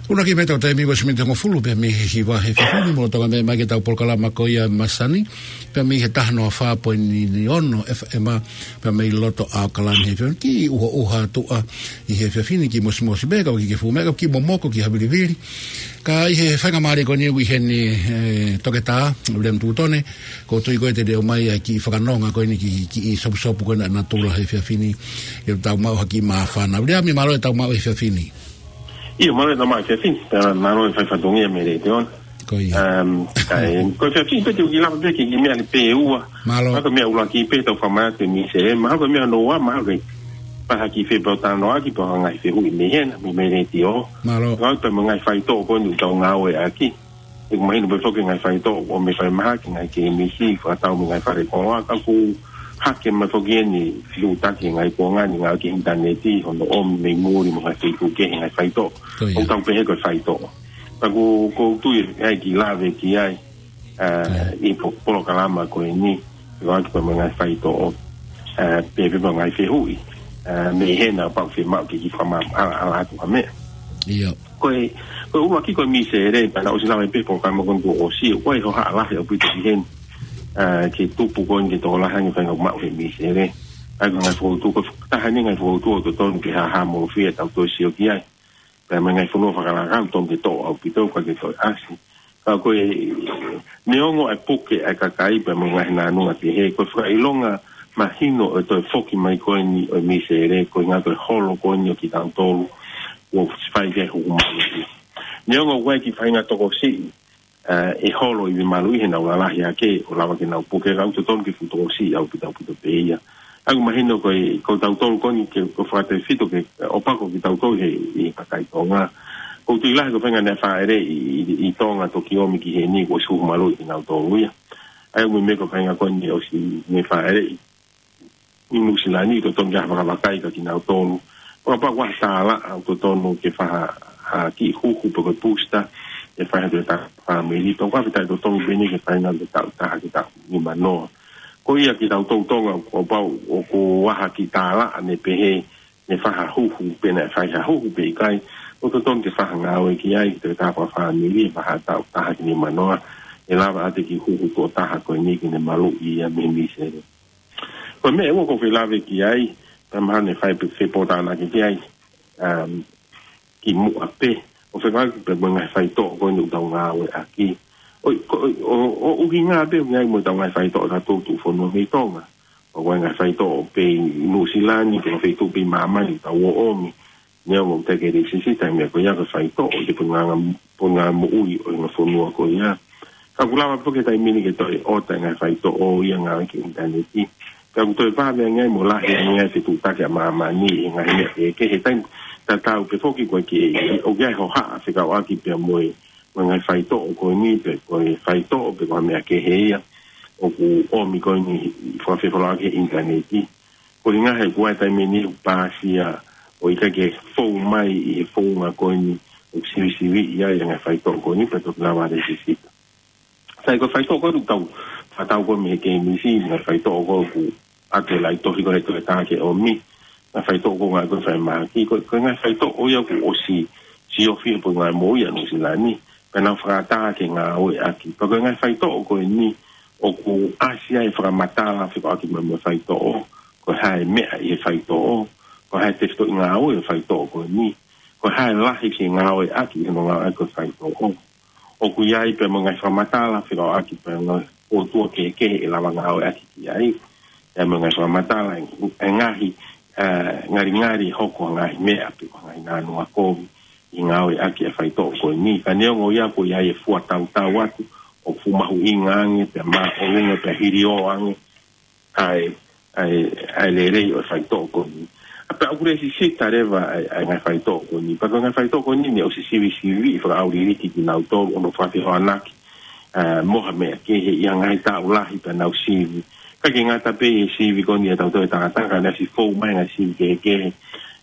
Ua ki meta o taimi ua miniti hongofulu pē mei he hiva he efiafi ni, mo tonga me mai ki heʻetau polokalama ko ia masani, pea mei he taha noa fā poini ono FM, pea mei loto ʻAokalani he efiafi ni, kiʻi ʻuhoʻuha atu ʻa ʻi he efiafi ni, kiʻi mosimosi pē, ka ʻoku ʻikai ke fuʻu meʻa, ka kiʻi momoko, kiʻi havilivili. Ka ʻi he faingamālie ko eni ʻoku ʻi heni, e, Toketā Viliami Tutone, ʻoku ou tui ko e te leo mai ʻa e kiʻi fakanonga ko eni ki, kiʻi sopusopu ko ena natula he efiafi ni, ʻi heʻetau maʻu ha kiʻi māfana. Viliami, mālō ʻetau maʻu he efiafi ni. ʻIo, mālō ʻetau maʻu he efiafi ni, pea mālō e fai fatongia mei Letiona. Ko ia. Um, kae, ko e efiafi ni pē te u kiʻi lava pē ki he kiʻi meʻa ni pē ʻe ua. Mālō. Mahalo ko e meʻa ʻuluaki pē ʻetau fakamālō atu e misi, e, mahalo ko e meʻa hono ua, mahalo ko e pehē ha kiʻi fepōtalanoaʻaki pe ko e ngaahi fehuʻi mei hena, mei, mei Letio. Mālō. Ngaahi pē mo e ngaahi faitoʻo ko eni ʻoku tau ngāueʻaki. ʻOku mahino pē foki e ngaahi faitoʻo ʻoku ʻomai ʻe he falemahaki, ngaahi kemisi, fakatau mo e ngaahi falekoloa, ka ʻoku hake mai foki eni, fiutaki e ngaahi kuonga ni, ngāueʻaki e ʻinitaneti, hono ʻomi mei muli mo e ngaahi feituʻu kehe e ngaahi faitoʻo. Ko ia. ʻOku tau pehē ko e faitoʻo. Ka ʻoku, ʻoku ou tui ʻe ʻi ai e kiʻi lave ki ai, ʻa, ʻi he po-, polokalama ko eni, ʻo ʻaki pē mo e ngaahi faitoʻo, ʻa, pea pehē mo e ngaahi fehuʻi, ʻa, mei hena pau fiemaʻu ke kiʻi fakamaʻalaʻala atu ha meʻa. ʻIo. Ko e, ko e ʻuluaki ko e misele, pea naʻe ʻosi lava pē he polokalama ko eni kuo ʻosi, ʻoku ʻi ai e hohaʻa lahi ʻaupito ki heni, ʻa, ke tupu ko eni ke tokolahi ange e faʻahinga ʻoku maʻu he misele. ʻA ia ko e ngaahi fokotuʻu, ko e taha eni e ngaahi fokotuʻu ʻoku totonu ke hāhāmolofia ʻetau toe sio ki ai. Pea mo e ngaahi fonua fakalakau totonu ke toʻo ʻaupito, ʻikai ke toe ʻasi. Ka ko e, neongo e puke ʻa e kakai pea mo e ngaahi nānunga kehe, ko e fakaʻilonga mahino ʻo e toe foki mai ko eni ʻo e misele, ko e ʻuhinga ko e holo ko eni ʻo kitautolu, ʻoku fai ki ai e huhu maluʻi. Neongo ʻoku ʻi ai e kiʻi faʻahinga tokosiʻi, ʻa, ʻe holo ʻi he maluʻi he nau lalahi hake, ʻo lava ke nau puke, ka ʻoku totonu ke fuʻu tokosiʻi ʻaupito ʻaupito pē ia. ʻA ia ʻoku mahino ko e, ko tautolu ko eni ke, ko e fakatefito ke, ʻo pako kitautolu he, ʻi he kakai Tonga. ʻOku ou tui lahi ko e faʻahinga naʻe fāʻeleʻi ʻi, ʻi, ʻi Tonga toki ʻomi ki heni kuo ʻosi huhu maluʻi kinautolu ia. ʻA ia ʻoku ou meimei ko e faʻahinga ko eni ʻosi ne fāʻeleʻi ʻi Nuʻu Sila ni, totonu ke fakavakai kia kinautolu. Fakapapau ʻoku ʻi ai ha tālaʻa ʻoku totonu ke fai ha, ha kiʻi huhu pe ko e booster. ʻe fai ha toe taha fāmili, tau ka fita e totongi pē eni ke fai ʻa e taʻu taha ki he taʻu nimanoa. Ko ia kitautolu Tonga, kuo pau ʻoku ʻi ai ha kiʻi tālaʻa ne pehē ne fai ha huhu, pe naʻe fai ha huhu pe ʻikai, ʻoku totonu ke fai ha ngāue ki ai, ki he toe taha fāmili, ʻe fai ha taʻu taha ki he nimanoa, ʻe lava ʻa e kiʻi huhu tuʻo taha ko eni ke ne maluʻi ia mei he misele. Ko e meʻa ʻe ua ʻoku ou fie lave ki ai, pea mahalo ne fai pē fepōtalanoaʻaki ki ai, um, kimuʻa pē, ʻo fekauʻaki pē mo e ngaahi faitoʻo ko eni ʻoku tau ngāueʻaki. ʻO, ko, ʻo, ʻo, ʻo ʻuhinga pē ʻoku ʻi ai mo ʻetau ngaahi faitoʻo ʻatautolu tuʻufonua mei Tonga. ʻOku ʻi ai e ngaahi faitoʻo pē ʻi Nuʻusila ni, pe ko e feituʻu pē ʻi māmani ʻoku tau ō ʻo ʻomi. Neongo ʻoku teʻeki ke lēsisita e meʻa ko ia ko e faitoʻo, ʻi he pononga, pononga moʻui ʻo e ngaahi fonua ko ia. Ka ʻoku lava pē ki he taimi ni ke toe ʻoatu e ngaahi faitoʻo ia ʻo ngāueʻaki e ʻinitaneti. Ka ʻoku toe vave ange ai mo lahi ange ai e fetuʻutaki ʻa māmani ʻi he ngaahi meʻa kehekehe, he taimi tatau pē foki ko e ke, ʻoku ʻi ai e hohaʻa fekauʻaki pea mo e, mo e ngaahi faitoʻo ko eni pe ko e faitoʻo pe ko ha meʻa kehe ia ʻoku ʻomi ko eni ʻi he fakafeʻiloaki he ʻinitaneti. Ko e ʻuhinga he ʻoku ʻi ai e taimi ni ʻoku pāsia ʻo ʻikai ke fou mai ʻi he founga ko eni ʻoku sivisiviʻi ai e ngaahi faitoʻo ko eni pea toki lava lēsisita. Sai ko e faitoʻo ko eni ʻoku tau, fakatau ko ē mei he kēmisi, ngaahi faitoʻo ko ē ʻoku ʻoatu ʻe he laʻi tohi ko ē he toe taha ke ʻomi. Ngaahi faitoʻo ko ē ngaahi ko e falemahaki, ko, ko e ngaahi faitoʻo ia kuo ʻosi siofi he pononga moʻui ʻa Nuʻusila ni, pea nau fakaʻatā ke ngāueʻaki. Pea ko e ngaahi faitoʻo ko eni ʻoku ʻasi ai e fakamatala fekauʻaki mo e faitoʻo, ko e hā e meʻa ʻi he faitoʻo, ko e hā e tefitoʻi ngāue ʻo e faitoʻo ko eni, ko e hā e lahi ke ngāueʻaki ʻi hono ngāueʻaki ʻo e faitoʻo. ʻOku ʻi ai pē mo e ngaahi fakamatala fekauʻaki pea mo e ʻotua kehekehe ʻe lava ngāueʻaki ki ai. ʻI ai mo e ngaahi fakamatala e ngaahi, ē, ngalingali hoko e ngaahi meʻa pe ko e ngaahi nāunau kovi ʻi he ngāueʻaki e faitoʻo ko eni. Ka neongo ia ʻoku ʻi ai e fua tautau atu, ʻoku fuʻu mahuʻinga ange, pea māʻolunga, pea hilio ange ʻa e, ʻa e, ʻa e lelei ʻo e faitoʻo ko eni. ʻA pea ʻoku lēsisita leva ʻa e, ʻa e ngaahi faitoʻo ko eni. Pea ko e ngaahi faitoʻo ko eni ne ʻosi sivisiviʻi fakaʻauliliki kinautolu ʻo nau fakafehoanaki, ē, mo ha meʻa kehe ʻi ha ngaahi taʻu lahi pea nau sivi. ʻIkai ke ngata pē ʻi he sivi ko eni ʻa tautolu e tangata, ka naʻe ʻosi fou mai e ngaahi sivi kehekehe,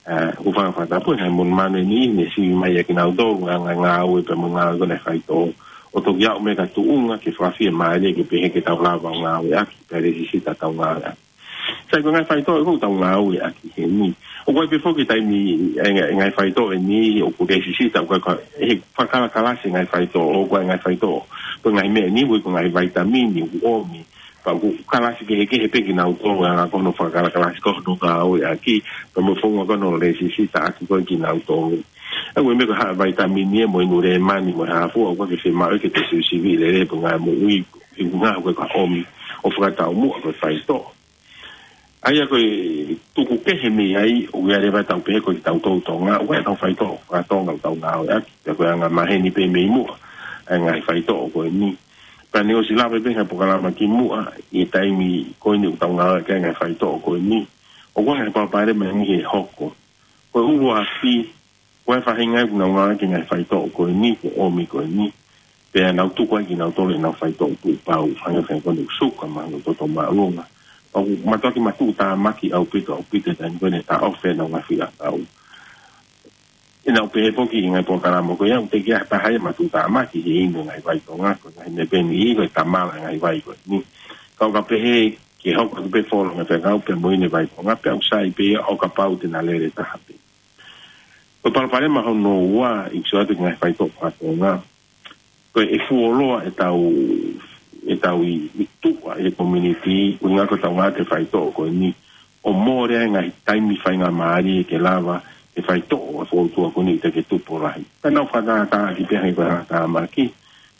ē, ʻoku fakafakatapu e ngaahi monumanu ʻe niʻihi ne sivi mai ʻa kinautolu, ngaahi ngāue pea mo e ngāue ko eni ʻa e faitoʻo. ʻO toki aʻu mai ki ha tuʻunga ke fakafiemālie ke pehē ke tau lava ʻo ngāueʻaki, pea lēsisita ʻetau ngāueʻaki. Sai ko e ngaahi faitoʻo ʻoku tau ngāueʻaki heni. ʻOku ʻi ai pē foki e taimi ʻe, ʻe ngaahi faitoʻo ʻe niʻihi ʻoku lēsisita, ʻoku ʻikai ko e fakakalakalasi e ngaahi faitoʻo, ʻoku ʻi ai e ngaahi faitoʻo, ko e ngaahi meʻa ʻe niʻihi, ko e ngaahi vaitamini ʻoku ʻomi, pea ʻoku kalasi kehekehe pē kinautolu, ʻa ia ko hono fakakalakalasi ko hono ngāueʻaki, pea mo e founga ko hono lēsisitaʻaki ko ē kinautolu. ʻA ia ko e meʻa ko e hā e vaitamini ʻe mo e inu lēmani mo e hā fua, ʻoku ʻikai ke fiemaʻu ke toe sivisiviʻi lelei e pononga moʻui, ʻi he ngaahi ko ē ka ʻomi ʻo fakataumuʻa ko e faitoʻo. ʻA ia ko e tuku kehe mei ai, ʻoku ʻi ai leva ʻetau pehē ko kitautolu Tonga, ʻoku ʻi ai ʻetau faitoʻo faka-Tonga ʻoku tau ngāueʻaki, pea ko e anga maheni pē mei muʻa ʻa e ngaahi faitoʻo ko eni. Pea ne ʻosi lave pē he polokalama kimuʻa, ʻi he taimi ko eni ʻoku tau ngāueʻaki e ngaahi faitoʻo ko eni. ʻOku ʻi ai e palopalema ʻe niʻihi ʻe hoko. Ko e ʻuluaki, ko e faʻahinga ʻoku nau ngāueʻaki e ngaahi faitoʻo ko eni, ko e ʻomi ko eni, pea nau tuku ai kinautolu ʻenau faitoʻo tuʻupau, hangē ko e ngaahi suka mo e ngaahi toto māʻolunga. ʻOku mātuʻaki matuʻutāmaki ʻaupito, ʻaupito e taimi ko ē ne taʻofi ai ʻenau ngaahi fuʻu ʻakau. ʻI heʻenau pehē foki ʻi he ngaahi polokalama ko ia, ʻoku teʻeki ai ha taha ia ʻe matuʻutāmaki he inu e ngaahi vai Tonga, ko e ngaahi meʻa pē ʻe niʻihi ko e tamala e ngaahi vai ko eni. Ka ʻoku pehē ke hoko atu pē folo e ngaahi fekau pea mo e inu e vai Tonga, pea ʻoku sai pē ia ʻo kapau te na lele taha pē. Ko e palopalema hono ua ʻoku sio atu ki he ngaahi faitoʻo faka-Tonga, ko e fuoloa ʻetau, ʻetau ʻi, ʻi tuʻa ʻi he community, ʻuhinga ko ʻetau ngāueʻaki e faitoʻo ko eni, ʻo mole ai e ngaahi taimi faingamālie ke lava e faitoʻo ʻa e foutua ko eni ʻo teʻeki ke tupu lahi. Ka nau fakatātā ki pē hangē ko e fakatāmaki,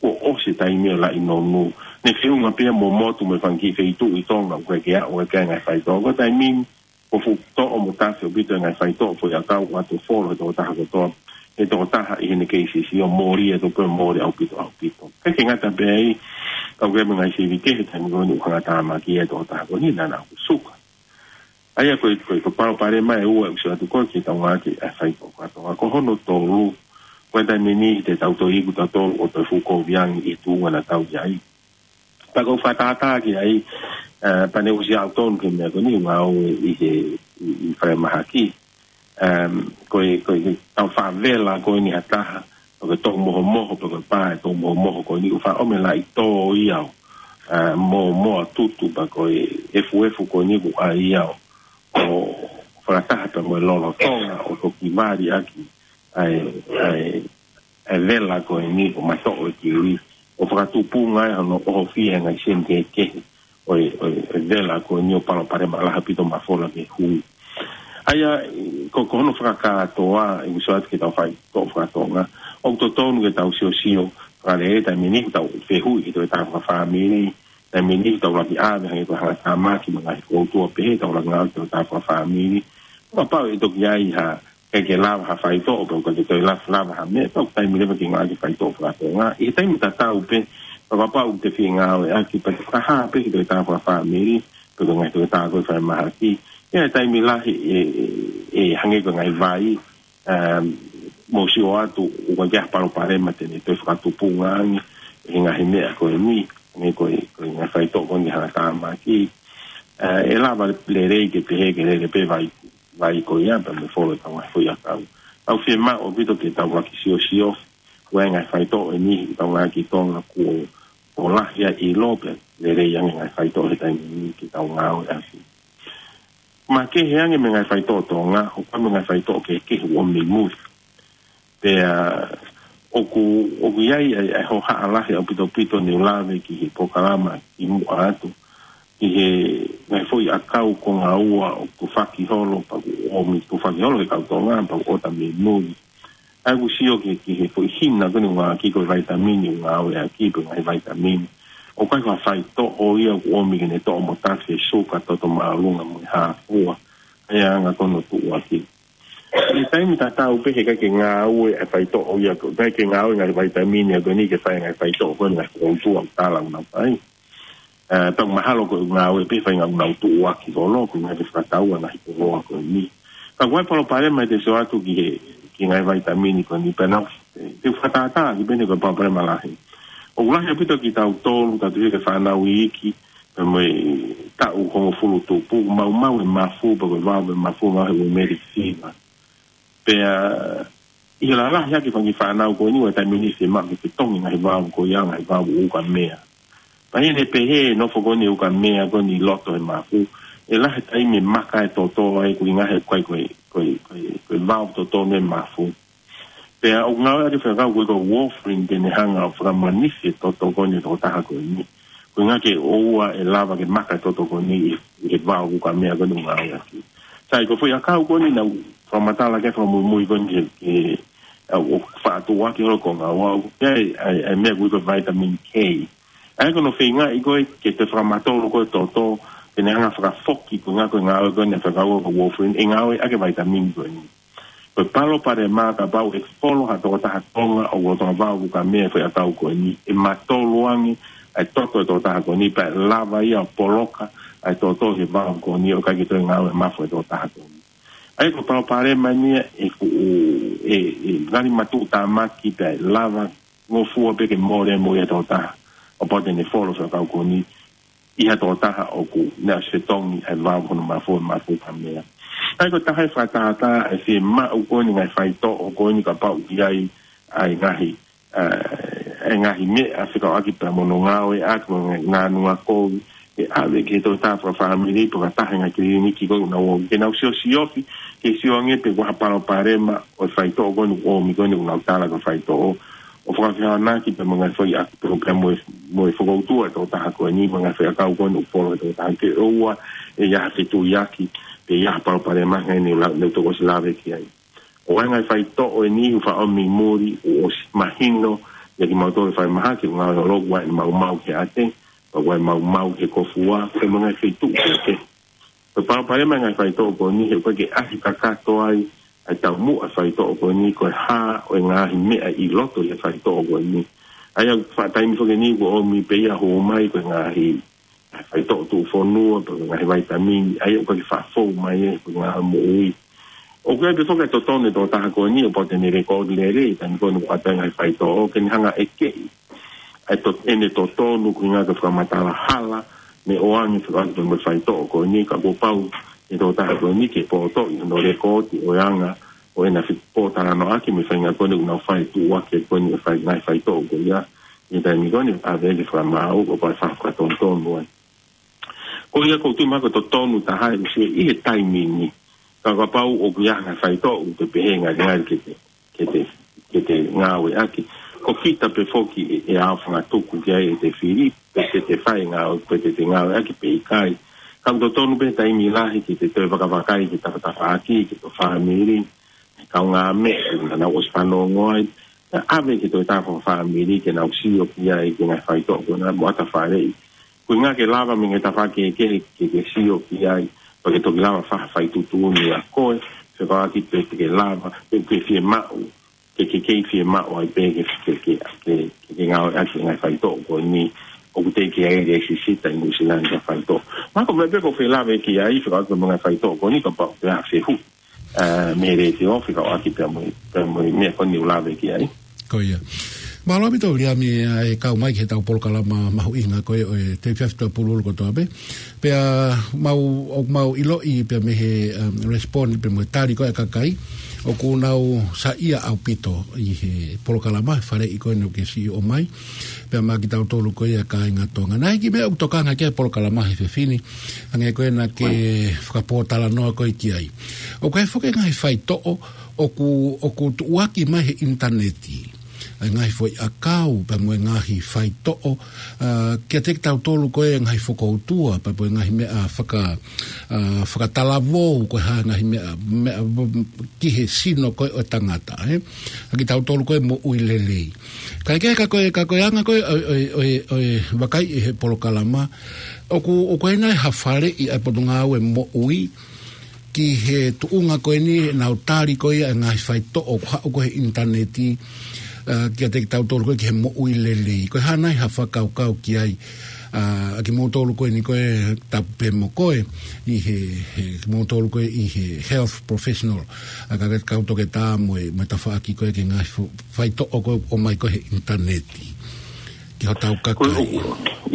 kuo ʻosi e taimi ʻo e laʻi nonu. Ne feʻunga pē ia mo e motu mo e fanga kiʻi feituʻu ʻi Tonga, ʻoku ʻikai ke aʻu ki ai e ngaahi faitoʻo. Ko e taimi ni, kuo fuʻu toʻo mo tafe ʻaupito e ngaahi faitoʻo foʻi ʻakau ʻoku ʻoatu ʻo folo he tokotaha kotoa, he tokotaha ʻi heʻene kei sisi ʻo mole atu pē mole ʻaupito, ʻaupito. ʻIkai ke ngata pē ai, ka ʻoku ʻi ai mo e ngaahi sivi kehe he taimi ko eni ʻoku hanga ʻo tāmaki ai e tokotaha ko eni naʻa nau suka. ʻA ia ko e, ko e, ko e palopalema ʻe ua ʻoku sio atu ko ē ki heʻetau ngāueʻaki e faitoʻo faka-Tonga. Ko hono tolu, ko e taimi ni te tau toe iku tautolu ʻo toe fuʻu kovi ange ʻi he tuʻunga naʻa tau ʻi ai. Pea ʻoku ou fakatātā ki ai, ē, pea ne ʻosi aʻu tonu ki he meʻa ko eni ʻoku ngāue ʻi he, ʻi, ʻi falemahaki. Em, ko e, ko e, ko e tau faʻa vela ko eni ha taha, Ko e tō mohomoho, pe ko e pā ʻe tō mohomoho ko eni, ʻoku faʻa ʻomi e laʻi tō ia ʻo, ā, mo, mo a tutu, pe ko e efuefu ko eni ʻoku ʻai ia ʻo, ʻo fakataha pea mo e lolotonga, ʻo toki vali ʻaki ʻa e, ʻa e, ʻa e vela ko eni ʻo matoʻo e kiwi, ʻo fakatupunga ai hono ʻohofia e ngaahi seni kehekehe ʻo e, ʻo e, ʻo e vela ko eni ʻo palopalema lahi ʻaupito mafola ke hui. ʻA ia, ko, ko hono fakakātoa, ʻoku sio atu ki heʻetau faitoʻo faka-Tonga, ʻoku totonu ke tau siosio fakalelei taimi ni ʻoku tau fehuʻi ki he tokotaha fakafāmili, taimi ni ʻoku tau laki ʻave hangē ko e hangatāmaki mo e ngaahi koutua pehē, tau laki ngāue ki he tokotaha fakafāmili. Kapau ʻe toki ʻi ai ha, ʻikai ke lava ha faitoʻo, pe ʻikai ke toe lava, lava ha meʻa, tau taimi leva ke ngāue ki he faitoʻo faka-Tonga. ʻI he taimi tatau pē, kapau te fie ngāueʻaki, pea ke fakahā pē ki he tokotaha fakafāmili, pe ko e ngaahi tokotaha ko ē fai mahaki. ʻI he taimi lahi ʻe, ʻe, ʻe hangē ko e ngaahi vai, um, mou sio atu, ʻoku ʻikai ke ʻi ai ha palopalema te ne toe fakatupunga ange ʻe he ngaahi meʻa ko eni, hangē ko e, ko e ngaahi faitoʻo ko eni hangatāmaki. Uh, ʻe lava lelei ke pehē ke lele pē vai, vai ko ia, pea mo e folo ʻetau ngaahi foʻiʻakau. Tau fiemaʻu ʻaupito ke tau laki siosio, ko e ngaahi faitoʻo eni, ʻi heʻetau ngāue ki Tonga kuo, kuo lahi ʻa e ʻilo pea lelei ange ngaahi faitoʻo he taimi ni ke tau ngāueʻaki. Makehe ange mei he ngaahi faitoʻo Tonga, ʻoku ʻi ai mo e ngaahi faitoʻo kehekehe ʻoku ʻomi mei muli. Pea ʻoku, ʻoku ʻi ai ʻa e, ʻa e hohaʻa lahi ʻaupito ʻaupito ne u lave ki he polokalama ʻi muʻa atu, ki he ngaahi foʻiʻakau konga ua ʻoku tufaki holo, pea ʻoku ʻomi tufaki holo ki he kau Tonga, pea ʻoku ʻota mei muli. ʻA ia ʻoku sio ki, ki he foʻi hina ko eni ʻoku ngāueʻaki ko e vaitamini ʻoku ngāueʻaki, pe ngaahi vaitamini. ʻOku ʻikai ko ha faitoʻo ia ʻoku ʻomi ke ne toʻo mo tafe e suka, toto māʻolunga mo e hā fua. ʻA ia anga ko hono tuʻuaki. ʻI he taimi tatau pē he ʻikai ke ngāue ʻa e faitoʻo ia, ʻikai ke ngāue ngaahi vaitamini ia ko eni ke fai ngaahi faitoʻo ko eni ngaahi koutua ʻoku tala ʻoku nau fai. Ā, pea mahalo ko e ngāue pē fai ngāue ʻoku nau tuʻuaki holo, ko e ngaahi fakatau ʻa e ngaahi koloa ko eni. Ka ʻoku ʻi ai e palopalema ʻi he sio atu ki he, ki he ngaahi vaitamini ko eni pea nau, ē, te u fakatātā ki pehē ko e palopalema lahi. ʻOku lahi ʻaupito kitautolu, tau tuʻu ke fānau iiki, pea mo e taʻu hongofulu tupu, maumau e mafu, pea ko e vao e mafu, maumau he rheumatic fever. Pea, ʻi he lalahi ʻaki e fanga kiʻi fānau ko eni, ʻoku ʻi ai e taimi ʻe niʻihi ʻe maʻu ke ke tongi ngaahi vao ko ia, ngaahi vao ukamea. Pea ʻi heʻene pehē, nofo ko eni ukamea ko eni ʻi loto he mafu, ʻe lahi e taimi ʻe maka e toto ai, ko e ngaahi, ko e, ko e, ko e, ko e, ko e vao toto ne mafu. Pea ʻoku ngāueʻaki e fekau ko ē ko e warfarin ke ne hanga ʻo fakamanisi e toto ko eni ʻo e tokotaha ko eni. Ko e ʻuhinga ke ʻoua ʻe lava ke maka e toto ko eni ʻi, ʻi he vao ukamea ko eni ʻoku ngāueʻaki. Sai, ko e foʻiʻakau ko eni naʻa ku fakamatala ki ai fakamuimui ko eni ke, ke, ʻa, ʻoku faʻa tuʻuaki holo ko e ngāue, ʻoku ʻi ai, ʻa e, ʻa e meʻa ko ē ko e vitamin K. ʻA ia ko hono feingaʻi ko ē ke toe fakamatolu ko ē e toto, ke ne hanga ʻo fakafoki ko e ʻuhinga ko e ngāue ko eni ʻa e fekau ko e warfarin, ʻe ngāueʻaki e vitamin ko eni. Ko e palopalema kapau ʻe folo ha tokotaha Tonga ʻoku lolotonga vao ukamea e foʻiʻakau ko eni, ʻe matolu ange ʻa e toto e tokotaha ko eni, pea ʻe lava ia ʻo poloka ʻa e toto he vao ko eni, ʻo ʻikai ke toe ngāue e mafu e tokotaha ko eni. ʻA ia ko e palopalema eni ia ʻe fuʻu, ʻe, ʻe ngali matuʻutāmaki pea ʻe lava ngofua pē ke mole mo ia e tokotaha, ʻo kapau te ne folo e foʻiʻakau ko eni ʻi ha tokotaha ʻoku ne ʻosi fetongi ʻa e vao hono mafu, mafu ukamea. ʻA ia ko e taha e fakatātā ʻa e fiemaʻu ko eni ngaahi faitoʻo ko eni kapau ʻoku ʻi ai ʻa e ngaahi, ā, ʻa e ngaahi meʻa fekauʻaki pea mo hono ngāueʻaki mo e ngaahi nganuʻanga kovi, ke ʻave ki he tokotaha fakafāmili pe ko ha taha e ngaahi kiliniki ko ē ʻoku nau ō, ke nau siosiofi, ke sio ange pe ko e hā e palopalema ʻo e faitoʻo ko eni ʻoku ʻomi ko eni ʻoku nau tala ko e faitoʻo, ʻo fakafehoanaki pea mo e ngaahi foʻiʻakau pea mo e, mo e fokoutua e tokotaha ko eni, mo e ngaahi foʻiʻakau ko eni ʻoku folo he tokotaha, ke ʻoua ʻe ʻi ai ha fetuiaki, pe ʻi ai ha palopalema hangē ne u la-, ne u toki ʻosi lave ki ai. ʻOku ʻi ai e ngaahi faitoʻo eni ʻoku faʻa ʻomi mei muli, ʻoku ʻosi mahino ʻia kimautolu e fai mahaki, ʻoku ngāue holo, ʻoku ʻi ai e maumau ki he ʻate, ʻoku ʻi ai e maumau ki he kofua, pea mo e ngaahi feituʻu kehekehe. Ko e palopalema e ngaahi faitoʻo ko eni, he ʻoku ʻikai ke ʻasi kakato ai ʻa e taumuʻa e faitoʻo ko eni, ko e hā ʻo e ngaahi meʻa ʻi loto ʻi he faitoʻo ko eni. ʻA ia ʻoku faʻa taimi foki eni ʻoku ʻomi pē ia ʻo hū mai ko e ngaahi, ngaahi faitoʻo tuʻufonua, pe ko e ngaahi vitamin, ʻa ia ʻoku ʻikai ke faʻa fou mai ʻe he ngaahi moʻui. ʻOku ʻi ai pē foki e totonu e tokotaha ko eni, ʻo kapau te ne lēkooti lelei, taimi ko eni ʻoku ʻoatu ai e ngaahi faitoʻo, ke ne hanga ʻo ʻekeʻi ʻa e to-, ʻene totonu, ko e ʻuhinga ke fakamatala hala ne ʻoange fekauʻaki mo e faitoʻo ko eni, ka kuo pau e tokotaha ko eni ke potoʻi hono lēkooti ʻo e anga ʻo ʻena fepōtalanoaʻaki mo e faʻahinga ko eni ʻoku nau fai tuʻuaki ko eni e fai ngaahi faitoʻo ko ia. ʻI he taimi ko eni ʻave ke fakamaau ko e fakatonutonu ai. Ko ia ʻoku ou tui mahalo ko e totonu taha ʻe ʻusi ʻi he taimi ni. Ka kapau ʻoku ʻi ai ha faitoʻo ʻoku te pehē ngalingali ke te, ke te, ke te ngāueʻaki. Ko kita pē foki ʻe, ʻe ʻaofangatuku ki ai ʻete fili, pe te te fai ngāue, pe te te ngāueʻaki pe ʻikai. Ka ʻoku totonu pē taimi lahi ke te toe vakavakai ki he tafatafaʻaki, ki ho fāmili, kaungāmeʻa, naʻa nau ʻosi fanongo ai. Naʻa ʻave ke toe tā ho fāmili, ke nau sio ki ai, ki he ngaahi faitoʻo ko ena mo ʻatā faleʻi. Ko e ʻuhinga ke lava mei he tafaʻaki kehe ke, ke sio ki ai, pea ke toki lava fai ha faituʻutuʻuni ʻa koe, fekauʻaki pe te ke lava, pe ke fiemaʻu, ke, ke kei fiemaʻu ai pē ke, ke, ke, ke, ke ngāueʻaki e ngaahi faitoʻo ko eni, ʻoku teʻeki ai ke sisita ʻi Nuʻusila ni ha faitoʻo. Mahalo ko e meʻa pē ʻoku ou fie lave ki ai, fekauʻaki mo e ngaahi faitoʻo ko eni, kapau ʻe ʻi ai ha fehuʻi, ā, mei he letiō, fekauʻaki pea mo e, pea mo e meʻa ko eni ʻoku ou lave ki ai. Ko ia. Mālō ʻaupito Viliami, ā, e kau mai ki heʻetau polokalama mahuʻinga ko ē ʻo e Tefia Fitapululu kotoa pē. Pea mau, ʻoku mau ʻiloʻi pea mei he, um, respond pea mo e tali ko ē ʻa e kakai, ʻoku nau saiʻia ʻaupito ʻi he polokalama, faleʻi ko eni ʻoku ke siʻi ʻomai. Pea maʻa kitautolu ko ia kāinga Tonga. Naʻe ʻi ai e kiʻi meʻa ʻoku tokanga ki ai e polokalama he efiafi ni, hangē ko ē naʻa ke fakapōtalanoa ko ē ki ai. ʻOku ʻi ai foki e ngaahi faitoʻo ʻoku, ʻoku tuʻuaki mai he ʻinitaneti. ʻA e ngaahi foʻiʻakau, pea mo e ngaahi faitoʻo, ā, kiate kitautolu ko ē ngaahi fokoutua, pea mo e ngaahi meʻa faka-, ā, fakatalavou, ko e hā e ngaahi meʻa, meʻa, ki he sino ko ē ʻo e tangata, ē? ʻA kitautolu ko ē moʻui lelei. Kae kehe ka ko e, ka ko e anga ko ē ʻo e, ʻo e, ʻo e, ʻo e vakai ʻi he polokalama, ʻoku, ʻoku ʻi ai nai ha faleʻi ʻa e Potungāue Moʻui, ki he tuʻunga ko eni ʻenau tali ko ia e ngaahi faitoʻo ʻoku haʻu ko ē he ʻinitaneti, ā, kiate kitautolu ko ē ki he moʻui lelei. Ko e hā nai ha fakakaukau ki ai, ā, ʻa kimoutolu ko eni ko ē tapu pē mo koe, ʻi he, he, kimoutolu ko ē ʻi he health professional, ā, ka, ka kau toketā mo e, mo e tafaʻaki ko ē ki he ngaahi fo-, faitoʻo ko ē ʻoku ʻomai ko ē he ʻinitaneti. Ki hotau kakai. Ko e ʻoku,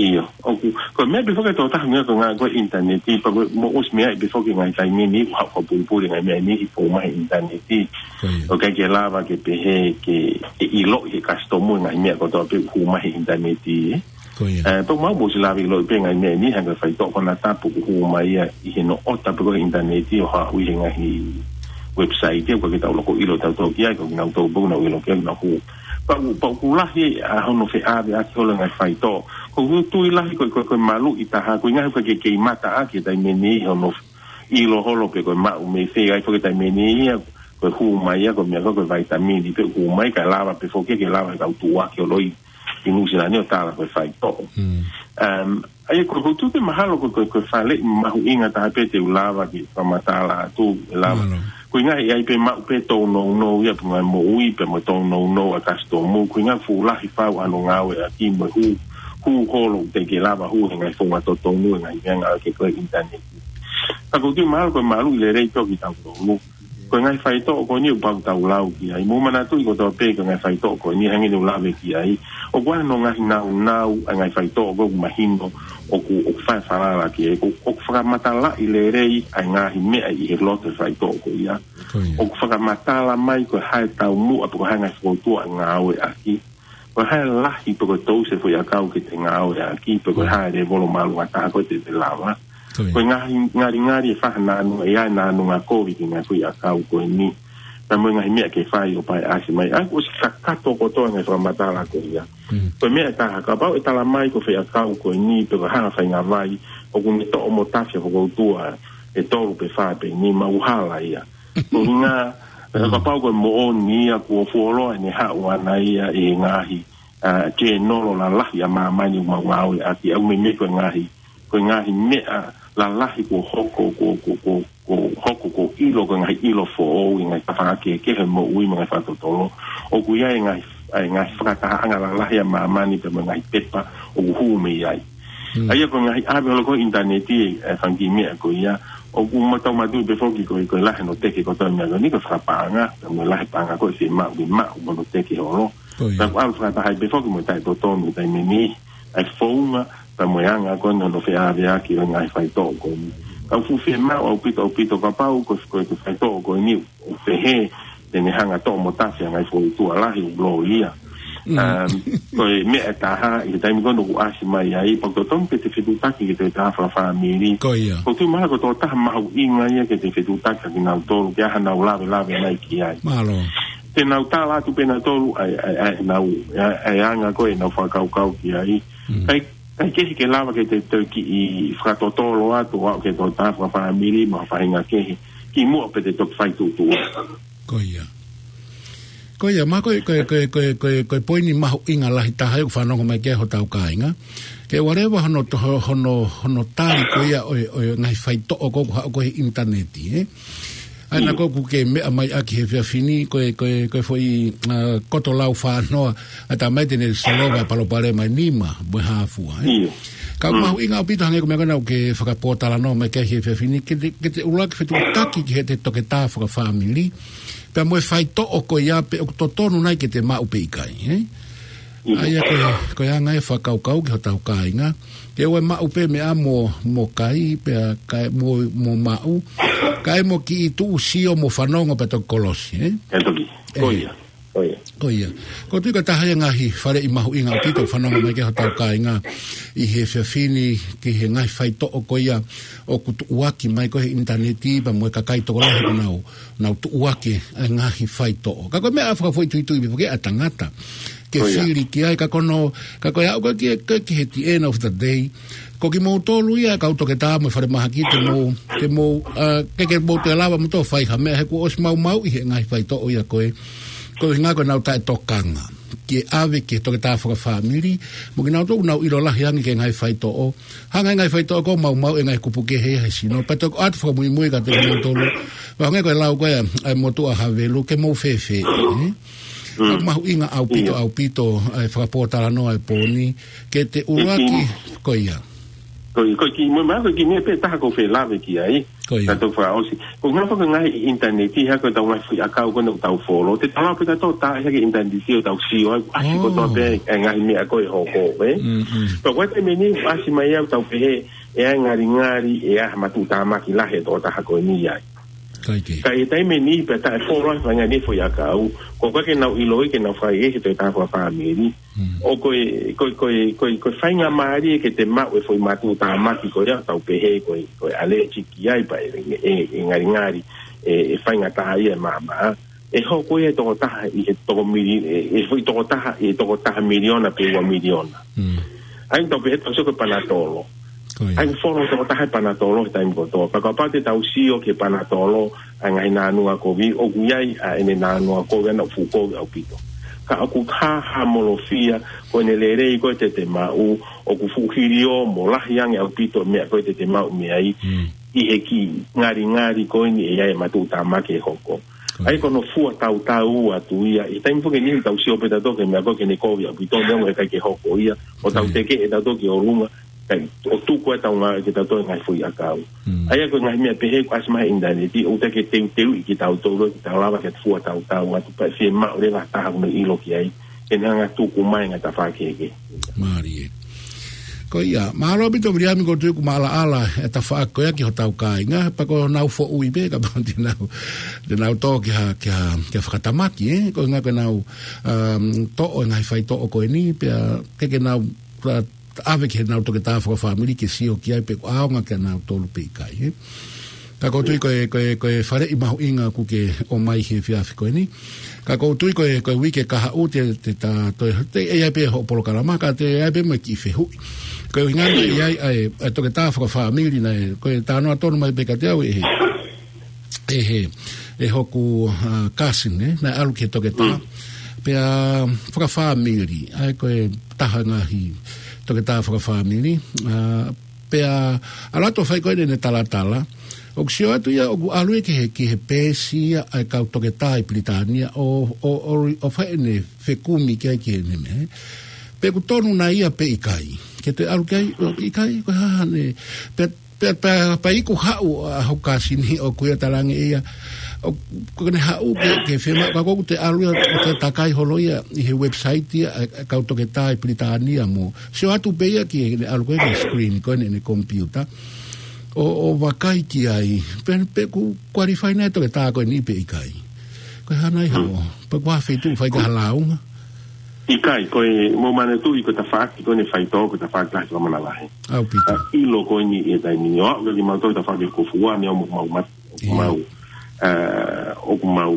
ʻio. ʻOku, ko e meʻa pē foki ʻe tō taha meʻa ko e ngaahi ko e ʻinitaneti, pea ko e mo ʻosi meʻa pē foki ngaahi taimi ni, ʻoku haʻu ko e pulipuli ngaahi meʻa ni, ʻi he fou mai he ʻinitaneti. Ko ia. ʻOku ʻikai ke lava ke pehē ke, ke ʻiloʻi he kasitomu ngaahi meʻa kotoa pē ʻoku hū mai he ʻinitaneti, ē. Ko ia. Ē, pea mau ʻosi lava ʻiloʻi pē ngaahi meʻa ni, hangē ko e faitoʻo konatapu ʻoku hū mai ia ʻi he noʻota pē ko ē he ʻinitaneti ʻo haʻu ʻi he ngaahi website, ʻoku ʻikai ke tau loko ʻilo tautolu ki ai, ko kinautolu pē ʻoku nau ʻilo ki ai, nau hū. Pea ʻoku, pea ʻoku lahi ʻa hono feʻaveʻaki holo e ngaahi faitoʻo. ʻOku ou tui lahi ko e, ko e, ko e maluʻi taha, ko e ngaahi ʻoku ʻikai ke kei mata ʻaki he taimi ni hono ʻilo holo pe ko e maʻu mei fē, ʻa ia foki he taimi ni ia, ko e hū mai ia, ko e meʻa ko ē, ko e vaitamini pē ʻoku hū mai, kae lava pē foki ke lava e kau tuʻuaki holo ʻi ʻi Nuʻusila ni ʻo tala ko e faitoʻo. Mm. Um, ʻa ia ko e, ko e tuʻu pē mahalo ko e, ko e, ko e faleʻi mahuʻinga taha pē te u lava ke fakamatala atu, ʻe lava. Mālō. Ko e ngaahi ʻi ai pē maʻu pē tōnounou ia pē ngaahi moʻui pea mo tōnounou ʻa e kasitomu, ko e ngaahi fuʻu lahi fau hono ngāueʻaki mo e hū, hū holo teʻeki lava hū he ngaahi founga totonu, he ngaahi meʻa ngāueʻaki ko ē ʻinitaneti. Ka ʻoku ou tui mahalo ko e maluʻi lelei pē ʻo kitautolu. Ko e ngaahi faitoʻo ko eni ʻoku pau ke tau lau ki ai. Mou manatuʻi kotoa pē ko e ngaahi faitoʻo ko eni hangē ne u lave ki ai. ʻOku ʻi ai hono ngaahi naunau ʻa e ngaahi faitoʻo ko ē ʻoku mahino ʻoku, ʻoku fai falala ki ai. ʻOku, ʻoku fakamatalaʻi lelei ʻa e ngaahi meʻa ʻi he loto e faitoʻo ko ia. Ko ia. ʻOku fakamatala mai ko e hā e taumuʻa pe ko e hā e ngaahi fokoutua ʻe ngāueʻaki. Ko e hā e lahi pe ko e tousi e foʻiʻakau ke te ngāueʻaki, pe ko e hā e lēvolo māʻolunga taha ko ē te te lava. Ko ia. Ko e ngaahi ngalingali e faʻahinga nāunau, ʻe ʻi ai e nāunau kovi ki he ngaahi foʻiʻakau ko eni. Pea mo e ngaahi meʻa ke fai ʻo paeʻasi mai. ʻA ia kuo ʻosi kakato kotoa e ngaahi fakamatala ko ia. Mm. Ko e meʻa ʻe taha, kapau ʻe tala mai ko e foʻiʻakau ko eni, pe ko e hā e faʻahinga vai, ʻoku ne toʻo mo tafi ʻa e fokoutua ʻe tolu pe fā pe nima, ʻoku hala ia. Ko e ʻuhinga, Mm. kapau ko e moʻoni ia kuo fuoloa ʻene haʻu ʻana ia ʻi he ngaahi, ā, journal lalahi ʻa māmani ʻoku mau ngāueʻaki, ʻoku meimei ko e ngaahi, ko e ngaahi meʻa lalahi kuo hoko, kuo, kuo, kuo, kuo hoko, kuo ʻilo, ko e ngaahi ʻilo foʻou ʻi he ngaahi tafaʻaki kehekehe moʻui mo e ngaahi fakatotolo. ʻOku ʻi ai e ngaahi, ʻa e ngaahi fakatahaʻanga lalahi ʻa māmani pea mo e ngaahi pepa ʻoku hū mei ai. Mm. ʻA ia ko e ngaahi ʻave holo ko ē ʻinitaneti, ʻa e fanga kiʻi meʻa ko ia, ʻoku mau tau manatuʻi pē foki ko e, ko e lahi hono teke kotoa e meʻa ko eni ko e fakapaʻanga, pea mo e lahi paʻanga ko ē ʻe fiemaʻu ke maʻu mo hono teke holo. Ko ia. Pea ʻoku ʻalu fakataha ai pē foki mo e taʻetotonu he taimi ni, ʻa e founga, pea mo e anga ko eni hono feʻaveʻaki ʻo e ngaahi faitoʻo ko eni. Ka ʻoku fuʻu fiemaʻu ʻaupito, ʻaupito kapau ko e, ko e, ko e faitoʻo ko eni ʻoku pehē, te ne hanga toʻo mo tafe ʻa e ngaahi fōtunga lahi ʻoku loi ia. Mm. Um, ko e meʻa ʻe taha, ʻi he taimi ko ē ʻoku ʻasi mai ai, pea ʻoku totonu pē ke te fetuʻutaki ki he tokotaha fakafāmili. Ko ia. ʻOku ou tui mahalo ko e tokotaha mahuʻinga ia ke te fetuʻutaki kia kinautolu, ke ʻi ai haʻanau lavelave mai ki ai. Mālō. Te nau tala atu pē nautolu, ʻa e, ʻa e, ʻa e, nau, ʻa e, ʻa e anga ko ē ʻenau fakakaukau ki ai. Mm. ʻIkai, ʻikai ke, ke lava ke te, te kiʻi fakatotolo atu ʻo aʻu ki he tokotaha fakafāmili mo ha faʻahinga kehe, kimuʻa pea te toki fai tuʻutuʻuni. Ko ia. Ko ia, ma ko e, ko e, ko e, ko e, ko e, ko e poini mahuʻinga lahi taha ʻoku fanongo mai ki ai hotau kāinga. Ke ʻoua leva hono to-, ho-, hono, hono tali ko ia ʻo e, ʻo e ngaahi faitoʻo ko ē ʻoku haʻu ko ē he ʻinitaneti, ē? ʻA ia naʻa ʻoku ke meʻa mai ʻaki he efiafi ni, ko e, ko e, ko e foʻi, ʻa, koto lau fānoa, ʻa e tamai te ne solova e palopalema ʻe nima mo e hā fua, ē? ʻIo. Ka ʻoku mahuʻinga ʻaupito hangē ko e meʻa ko ena ʻoku ke fakapōtalanoa mai ki ai he efiafi ni, ke te, ke te ʻuluaki fetuʻutaki ki heʻete toketā fakafāmili, pea mo e faitoʻo ko ia pe ʻoku totonu nai ke te maʻu pe ʻikai, ē? ʻIo. ʻA ia ko e, ko e anga e fakakaukau ki hotau kāinga, ke ʻoua ʻe maʻu pē meʻa mo, mo kai, pea kae mo, mo maʻu, kae mo kiʻi tuʻu sio mo fanongo pea toki kolosi, ē? Pea toki. Ko ia. Ko ia. Ko ia. ʻOku ou tui ko e taha ia e ngaahi faleʻi mahuʻinga ʻaupito ʻoku fanongo mai ki ai hotau kāinga ʻi he efiafi ni ki he ngaahi faitoʻo ko ia ʻoku tuʻuaki mai ko ē he ʻinitaneti pea mo e kakai tokolahi ʻoku nau, nau tuʻuaki e ngaahi faitoʻo. Ka ko e meʻa fakafoʻituitui pē ʻa e tangata ke fili ki ai, ka ko hono, ka ko e aʻu ko ē ki, ki, ki he the end of the day, ko kimoutolu ia kau toketā mo e falemahaki te mou, te mou, ʻa, ke, ke mou toe lava moutolu ʻo fai ha meʻa he kuo ʻosi maumauʻi he ngaahi faitoʻo ia ko ē. Ko e ʻuhinga ko ʻenau taʻetokanga ke ʻave ki he toketā fakafāmili, mo kinautolu ʻoku nau ʻilo lahi ange ki he ngaahi faitoʻo. Hanga ʻe he ngaahi faitoʻo ko ē ʻo maumauʻi e ngaahi kupu kehe ia he sino. Pea toki ʻoatu fakamuimui kiate kinautolu. Pea hangē ko e lau ko ē ʻa e motuʻa Havelu, ke mou fēfē, ē? Mm. ʻOku mahuʻinga ʻaupito, ʻIo. ʻaupito, ʻa e fakapōtalanoa ʻo e pō ni, ke te ʻuluaki, Ko ia. ko ia. Ko e, ko e kiʻi, mo e meʻa, ko e kiʻi meʻa pē taha ʻoku ou fie lave ki ai. Ko ia. Ka tau fakaʻosi. Ko e ngaahi faka-, ngaahi ʻinitaneti, ha ko ʻetau ngaahi foʻi ʻakau ko ena ʻoku tau folo. Te tau lava pē tautolu ʻo tā, ʻi he ʻinitaneti ʻo tau sio ai, ʻasi Oh. kotoa pē e ngaahi meʻa ko ē ʻoku hoko, ē? Mm, mm. Pea ko e taimi ni, ʻasi mai ʻoku tau pehē, ʻe ʻi ai e ngalingali, ʻe ʻi ai ha matuʻutāmaki lahi ʻe he tokotaha ko eni ai. Kae kehe. Ka ʻi he taimi ni pea taʻefolo ai e faʻahinga ni e foʻi ʻakau, ko e ʻikai ke nau ʻiloʻi ke nau fai ʻe he tokotaha fakafāmili. Mm. ʻO ko e, ko e, ko e, ko e, ko e faingamālie ke te maʻu e foʻi matuʻutāmaki ko ia ʻoku tau pehē ko e, ko e ʻalēsiki ai pea ʻe, ʻe, ʻe ngalingali, ʻe, ʻe faingataʻaʻia e maama. ʻE hoko ia he tokotaha ʻi he toko mili-, ʻe, ʻe foʻi tokotaha, ʻi he tokotaha miliona pe ua miliona. Mm. ʻA ia ʻoku tau pehē ʻoku tau sio ki he panatolo. Ko ia. ʻA ia ʻoku folo e tokotaha e panatolo he taimi kotoa. Pea kapau te tau sio ki he panatolo, ʻa e ngaahi nānunga kovi, ʻoku ʻi ai ʻa ʻene nānunga kovi ʻana ʻoku fuʻu kovi ʻaupito. Ka ʻoku hāhāmolofia, ko ʻene lelei ko ē te te maʻu, ʻoku fuʻu hilio mo lahi ange ʻaupito e meʻa ko ē te te maʻu mei ai, Mm. ʻi he kiʻi ngalingali ko eni ʻe ʻi ai e matuʻutāmaki ʻe hoko. Ko ia. ʻA ia ko hono fua tautau atu ia, ʻi he taimi foki ni ʻoku tau sio pē tautolu ki he meʻa ko ē ke ne kovi ʻaupito, neongo he ʻikai ke hoko ia, ʻo tau Ko ia. teke ʻe tautolu ki ʻolunga, kae ʻoua ʻe tuku ʻetau ngā-, ke tautolu ngaahi foʻi ʻakau. Mm. ʻA ia ko e ngaahi meʻa pehē ʻoku ʻasi mai he ʻinitaneti, ʻoku ʻikai ke teuteuʻi kitautolu, ke tau lava ke fua tautau atu pea fiemaʻu leva ha taha ʻoku ne ʻilo ki ai, ke ne hanga ʻo tuku mai e ngaahi tafaʻaki kehekehe. Mālie. Ko ia, mālō ʻaupito Viliami, ʻoku ou tui ʻoku maʻalaʻala e tafaʻaki ko ia ki hotau kāinga, pea ko ʻenau foʻui pē, kapau te nau, te nau tō ki ha, ki ha, ki ha fakatamaki, ē? Ko e ʻuhinga ko ʻenau, um, toʻo e ngaahi faitoʻo ko eni, pea ke ke nau, uh, ʻave ki heʻenau toketā fakafāmili ke sio ki ai pe ʻoku ʻaonga kia nautolu pe ʻikai, ē? Ka ʻoku ou tui ko e, ko e, ko e faleʻi mahuʻinga ʻoku ke ʻomai he efiafi ko eni. Ka ʻoku ou tui ko e, ko e uike kahaʻu te, te ta, toe, te ʻi ai pē hoʻo polokalama, ka te ʻi ai pē mo e kiʻi fehuʻi. Ko e ʻuhinga naʻe ʻi ai ʻa e, ʻa e toketā fakafāmili naʻe, ko e talanoa tonu mai pē kiate au ʻe he, ʻe he, ʻe hoku, uh, cousin, ē, naʻe ʻalu ki he toketā. Mm. Pea fakafāmili, ʻa ia ko e taha ngaahi toketā fakafāmili, uh, Pea ʻalu atu ʻo fai ko ē ʻene talatala, ʻoku sio atu ia ʻoku ʻalu ia ki he, ki he peesi ia ʻa e kau toketā ʻi Pilitānia ʻo, ʻo, ʻo, ʻo fai ʻene fekumi ki ai ki heʻene meʻa. Pe ʻoku tonu nai ia pe ʻikai. Ke te ʻalu ki ai, ʻo ʻikai, ko e hā ʻene, pea, pea, pea, pea iku haʻu ʻa hoku cousin ʻoku ʻi ai e talaange ia, ʻo, ko ʻene haʻu ke, ke fiemaʻu, ka ʻoku te ʻalu ia, ʻo te takai holo ia, ʻi he website ia, ʻa, ʻa e kau toketā ʻi Pilitānia mo, sio atu pē ia ki heʻene ʻalu ko ē ki he screen ko ē ʻene, ʻene computer. ʻO, ʻo vakai ki ai, pe, pe ʻoku qualify nai e toketā ko eni pe ʻikai. Pea hā nai hao. Pea ko ha feituʻu fai ka ha lāunga. ʻIkai, ko e mou manatuʻi ko e tafaʻaki ko eni faitō, ko e tafaʻaki lahi ko e manavahē. ʻAupito. ʻA e ʻilo ko eni ʻi he taimi ni ʻo aʻu ki he mau tō tafaʻaki ko Fua, ne ʻoku mau mat-, ʻoku mau, ʻa, ʻoku mau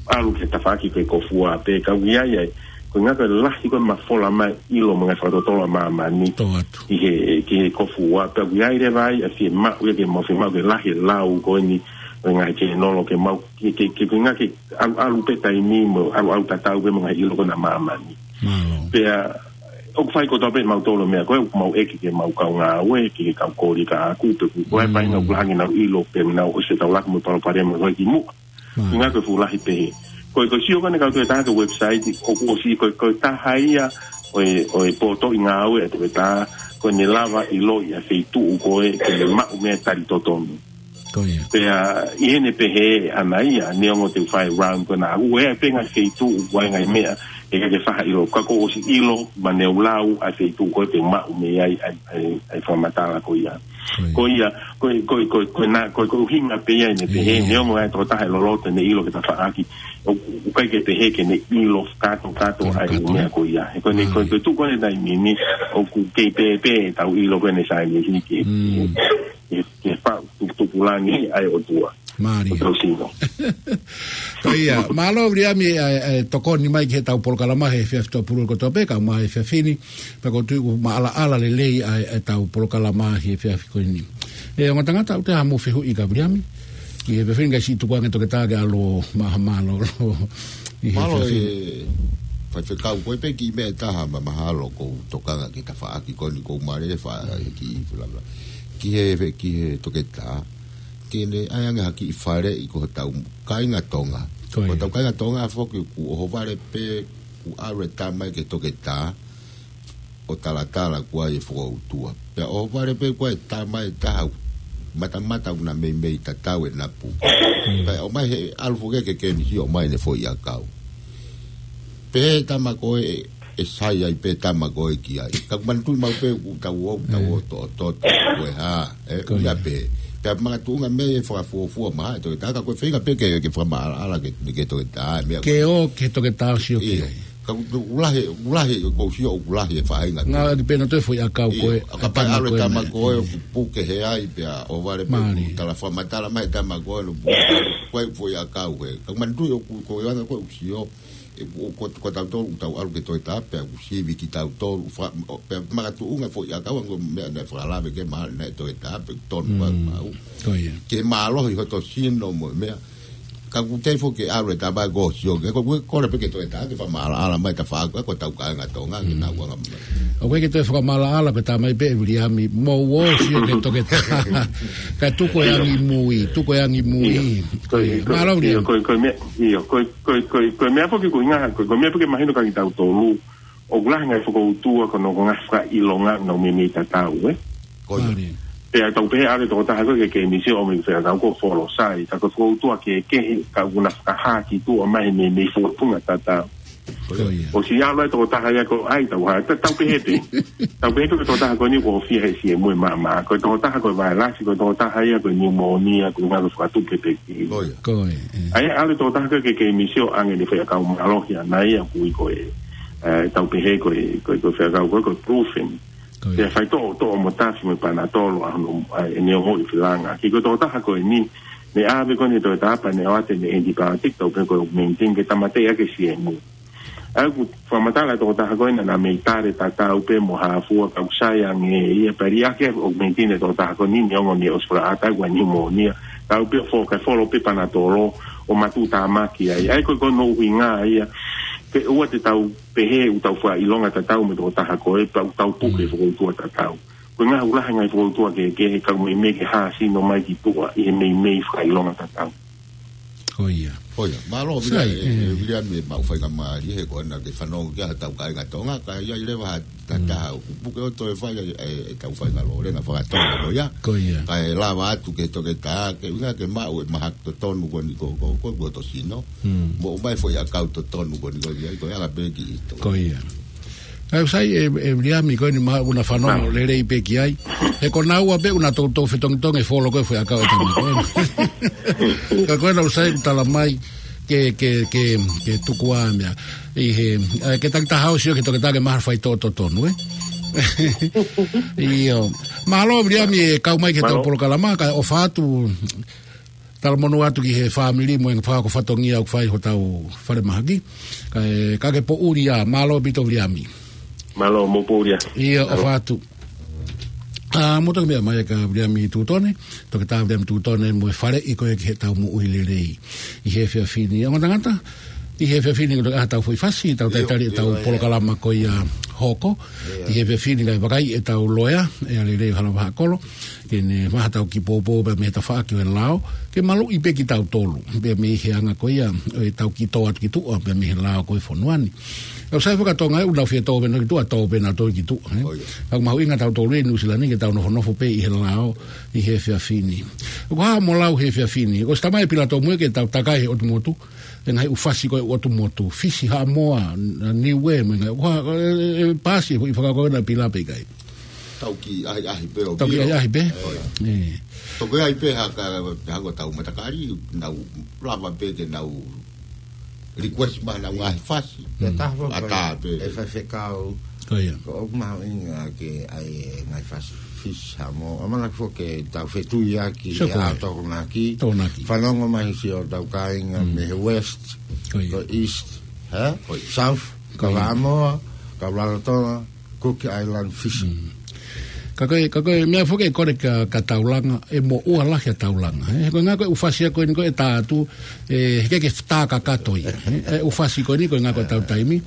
ʻalu ki he tafaʻaki ko e ko Fua, pea ka ui ai ai. Ko e ʻuhinga ko e lahi ko e mafola mai ʻilo mo e ngaahi fakatotolo ʻa māmani. Tō atu. Ki he, ki he ko Fua, pea ui ai leva ai, ʻa e fiemaʻu ia ke mau fiemaʻu ke lahi e lau ko eni, ʻo e ngaahi ke nolo ke mau, ke, ke, ke, ke ʻuhinga ke ʻalu, ʻalu pē taimi mo, ʻalu, ʻalu tatau pē mo e ngaahi ʻilo ko ena ʻa māmani. Mālō. Pea, ʻoku fai kotoa pē ʻe mautolu e meʻa ko ē, ʻoku mau ʻeke ki he mau kau ngāue, ki he kau koli ka aku, pe ko e, mm, paʻanga ʻoku lahi ange ʻenau ʻilo, pea nau ʻosi ʻetau laku mo e palopalema ko ē ki muʻa. Mālō. ʻUhinga ko e fuʻu lahi pehē. Ko e, ko e sio ko eni kau toe taha ki he website, ʻoku ʻosi, ko e, ko e taha ia ʻo e, ʻo e potoʻi ngāue ʻa e toketā, ko ʻene lava ʻiloʻi ʻa e feituʻu ko ē, ke ne maʻu mei ai e tali totonu. Ko ia. Pea, ʻi heʻene pehē ʻana ia, neongo te u fai e round ko ena, ʻoku ʻi ai pē ngaahi feituʻu, ʻoku ʻi ai e ngaahi meʻa, ʻe ʻikai ke faʻa ʻilo, ka ʻoku ʻosi ʻilo, mo ʻene lau ʻa e feituʻu ko ē te u maʻu mei ai ʻa e, ʻa e, ʻa e fakamatala ko ia. Ko ia. Ko ia, ko e, ko e, ko e, ko ena, ko e, ko e ʻuhinga pē ia ʻene pehē, ʻio, neongo ʻa e tokotaha ʻe loloto ʻene ʻilo ki he tafaʻaki, ʻoku, ʻoku ʻikai ke pehē ke ne ʻilo kātoa, kātoa ʻa e, kātoa, meʻa ko ia. He ko ʻene, ko e, ko e tuʻu ko eni he taimi ni, ʻoku kei pēpē ʻetau ʻilo ko eni he saienisi ke, mm, ke, ke faʻu tuputupulangi ʻa e ʻOtua. Mālie. ʻOtua sino. Ko ia, mālō Viliami, ʻa e, ʻa e tokoni mai ki heʻetau polokalama he efiafi Tuʻapulelulu kotoa pē, kae ʻumaʻā e efiafi ni, pea ʻoku ou tui ʻoku maʻalaʻala lelei ʻa e, ʻa ʻetau polokalama he efiafi ko eni. ʻE, ongo tangata, ʻoku toe ʻi ai haʻamou fehuʻi kia Viliami? ʻI he efiafi ni kae siʻi tuku ange e toketā ke ʻalu ʻo maha mālōlō. ʻI he efiafi ni. Mālō e faifekau, ko e pē kiʻi meʻa ʻe taha ma mahalo ʻoku ou tokanga ki he tafaʻaki ko eni ʻoku ou mālieʻia ai e kiʻi fuʻu lava. Ki he, ki he toketā, ke ne ʻai ange ha kiʻi faleʻi ko hotau kāinga Tonga. Ko ia. Ko hotau kāinga Tonga foki ʻoku ʻohovale pē ʻoku ʻalu e tama ia ki he toketā ʻo talatala ʻoku ʻi ai e fokoutua. Pea ʻohovale pē ʻoku ʻi ai e tama ʻe taha matamata ʻoku na meimei tatau e napu. Mm. Pea ʻomai he ʻalu foki ki he kēmisi ʻo ʻomai ʻene foʻi ʻakau. Pehē ʻe he tama ko ē ʻe sai ai pē e tama ko ē ki ai. Ka ʻoku manatuʻi maʻu pē ʻoku tau ō, tau ō, ē, toʻotoʻo, ko e hā, ē, ko ia, ʻuhinga pē. Pea makatuʻunga mei he fakafuofua mai ʻa e toketā, ka ko e feinga pē ke, ke fakamaʻalaʻala ki he, ki he toketā, meʻa. Ke ō ki he toketā ʻo sio ki ai. ʻIo. Ka ʻoku lahi, ʻoku lahi, ʻoku ou sio ʻoku lahi e faʻahinga. Ngāueʻaki pē ʻe nautolu e foʻi ʻakau ko ē, ʻio, ka ʻe pehē ʻe he tama ko ē, ʻoku puke he ai, pea ʻohovale pē, mālie, ʻoku tala fakamatala mai e tama ko ē, ʻoku puke, ko e foʻi ʻakau ko ē. Ka ʻoku manatuʻi ʻoku, ko e anga ko ē ʻoku sio, ʻe, ʻoku, ko, ko tautolu ʻoku tau ʻalu ki he toketā pea ʻoku sivi kitautolu, fa-, ʻo, pea makatuʻunga e foʻi ʻakau ʻa e ongo meʻa naʻe fakalave ki ai mahalo naʻe toketā pē ʻoku tonu, mm, pea mau. Ko ia. Ke mālohi hoto sino mo e meʻa. Ka ʻoku teʻeki foki ke ʻalu e tama ko ē ʻo sio ki ai, ko e kole pē ki he toketā ke fakamaʻalaʻala mai e tafaʻaki ko ē ʻo hotau kāinga Tonga, ke, mm, nau anga mai. ʻOku ʻikai ke toe fakamaʻalaʻala pē, tala mai pē ʻe Viliami, mou ō ʻo sio ki he toketā. Kae tuku e, ʻio, angi mui, tuku e angi mui. ʻIo. Ko e, ko e, mālō, ʻio, Viliami. Ko e, ko e meʻa, ʻio, ko e, ko e, ko e, ko e meʻa foki ko e ʻuhinga, ko e, ko e meʻa foki ke mahino kia kitautolu, ʻoku lahi e ngaahi fokoutua ko hono ngaahi fakaʻilonga ʻoku nau meimei tatau, ē? Ko ia. Mālie. Pea tau pehē ʻalu e tokotaha ko ē ki he kēmisi ʻo ʻomai e fekau ko e folosai, ka ko e fokoutua kehekehe, ka ʻoku na fakahā ki tuʻa mai he meimei fōtunga tatau. Ko ia. ʻOsi ʻalu e tokotaha ia ko ē, ʻai tau hā, ta-, tau pehē pē. Tau pehē ko e tokotaha ko eni ʻoku ʻofeina he siemu ʻe maʻamaʻa. Ko e tokotaha ko e vailasi, ko e tokotaha ia ko e niumōnia, ko e ngaahi fakatupu pē ki. Ko ia. Ko ia, ē. ʻAi, ʻalu e tokotaha ko ē ki he kēmisi ʻo ʻoange ʻene foʻi ʻakau mālohi ʻana ia ʻoku ui ko e, ē, tau pehē ko e, ko e, ko e fekau ko e, ko e brufen. Ko ia. Pea fai toʻo, toʻo mo tafi mo e panatolo ʻa hono, ʻa ʻene ongoʻi filanga. Ki he tokotaha ko eni, ne ʻave ko eni ki he toketā pea ne ʻoatu ʻene antibiotic, tau pehē ko e Augmentin, ke tāmateʻi ʻaki e siemu. ʻA ia ʻoku fakamatala e tokotaha ko ē naʻa na meimei tali tatau pē mo ha fua, ka ʻoku sai ange ia, pea liʻaki ʻa e Augmentin ʻe he tokotaha ko eni, neongo ne ʻosi fakaʻatā ʻoku ʻi ai e niumōnia. Ka ʻoku pē fo-, kae folo pē panatolo ʻo matuʻutāmaki ai. ʻA ia ko e, ko hono ʻuhinga ia, ke ʻoua te tau pehē ʻoku tau fakaʻilonga tatau mo e tokotaha ko ē, pea ʻoku tau puke, mm, fokoutua tatau. Ko e ngaahi ʻoku lahi e ngaahi fokoutua kehekehe, ka ʻoku meimei ke hā sino mai ki tuʻa ʻi he meimei fakaʻilonga tatau. Ko ia. Ko ia, mālō, sai, Viliami, ē, ē, Viliami, ʻoku mau faingamālie he ko ena ke fanongo ki ai hotau kāinga Tonga, ka ʻi ai leva ha, ha, mm, taha ʻoku puke ʻo toe fai ai, ē, ʻetau faingamālie, lōlenga fakatonga ko ia. Ko ia. Kae lava atu ki he toketā, ke ʻuhinga ke maʻu e mahaki totonu ko eni ko, ko, ko, ko hoto sino. Mm. Mo ʻomai e foʻi ʻakau totonu ko eni ko ia, ko e anga pē ki he toketā. Ko ia. ʻOku sai ē, ē Viliami, ko eni mahalo ʻoku na fanongo lelei pē ki ai. He ko naua pē ʻoku na toutou fetongitongi e folo ko ē e foʻi ʻakau ʻa e tama ko ē. Ka ko ena ʻoku sai ʻoku tala mai, ke, ke, ke, ke tuku ʻa e meʻa. ʻI he, ē, ke taki taha ʻo sio ki he toketā ke maha fai tō totonu, ē? ʻIo. Mālō, Viliami, ʻe kau mai ki he tau Mālō. Polokalama, kae ʻofa atu, talamonū atu ki he fāmili mo e fakaakofatongia ʻoku fai hotau falemahaki. Kae, ka ke poʻuli ā, mālō ʻaupito, Viliami. Mālō, mou poʻuli ā. ʻIo, Mālō. ʻOfa atu. ʻA, mou toki meʻa mai kia Viliami Tutone, toketā Viliami Tutone mo e faleʻi ko ē ki he tau moʻui lelei ʻi he efiafi ni. Ongo tangata, ʻi he efiafi ni ko e ʻaho tau foʻi fasi, tau ʻIo, talitali ʻetau ʻio, ʻio. polokalama ko ia hoko. ʻIo. ʻI he efiafi ni kae vakai ʻetau loea, ʻEa Lelei ʻo Halavahakolo, ke ne maha tau kiʻi poupou pea mei he tafaʻaki ʻo e lao, ke maluʻi pē kitautolu, pea mei he anga ko ia, ʻo e tau kiʻi tō atu ki tuʻa, pea mei he lao ko ē fonua ni. ʻOku sai fakatonga ē, ʻoku nau fie tō pē nau ki tuʻa, tō pē nau tō ki tuʻa, ē? ʻO ia. Ka ʻoku mahuʻinga tautolu ē Nuʻu Sila ni ke tau nofonofo pē ʻi he lao, ʻi he efiafi ni. ʻOku hā mo lau he efiafi ni. ʻOsi talamai ʻe Pilato muʻa ke tau takai he ʻotu motu, ʻe ngaahi ʻū fasi ko ē ʻotu motu, Fisi, Haʻamoa, Niuē, mo e ngaahi, ʻoku hā, ē, ē, ʻe pasi, ʻi fakakaukau ʻa Pilato pe ʻikai. Tau kiʻi ʻahiʻahi pē ʻo Tau kiʻi Pilato. ʻAhiʻahi pē. ʻO ia. ʻE. Toki ʻai pē ha ka, ha ko e tau matakali, nau lava pē ke nau request mai ʻenau ngaahi fasi. Mm. Pea taha foki ʻAtā pē. ʻE faifekau. Ko ia. Ko ʻoku mahuʻinga ke ʻai e ngaahi fasi Fisi, Haʻamoa. ʻAmanaki foki ke tau fetuiaki Sio he ko ē. ʻAho Tokonaki. Tokonaki. Fanongo mai siʻotau kāinga Mm. mei he West, Ko ia. ko East, hē? Ko ia. South, Ko ia. Kau Haʻamoa, kau Rarotonga, Cook Island, Fisi. Mm. Ka ko e, ka ko e meʻa foki ʻe kole kia, kia Taulanga, ʻe moʻua lahi ʻa Taulanga, ē? Ko e ngaahi ko e ʻū fasi ko eni ko ē ʻe tā atu, ē, heʻikai ke tā kakato ia, ē? ʻA e ʻū fasi ko eni ko e ngaahi ko e tau taimi.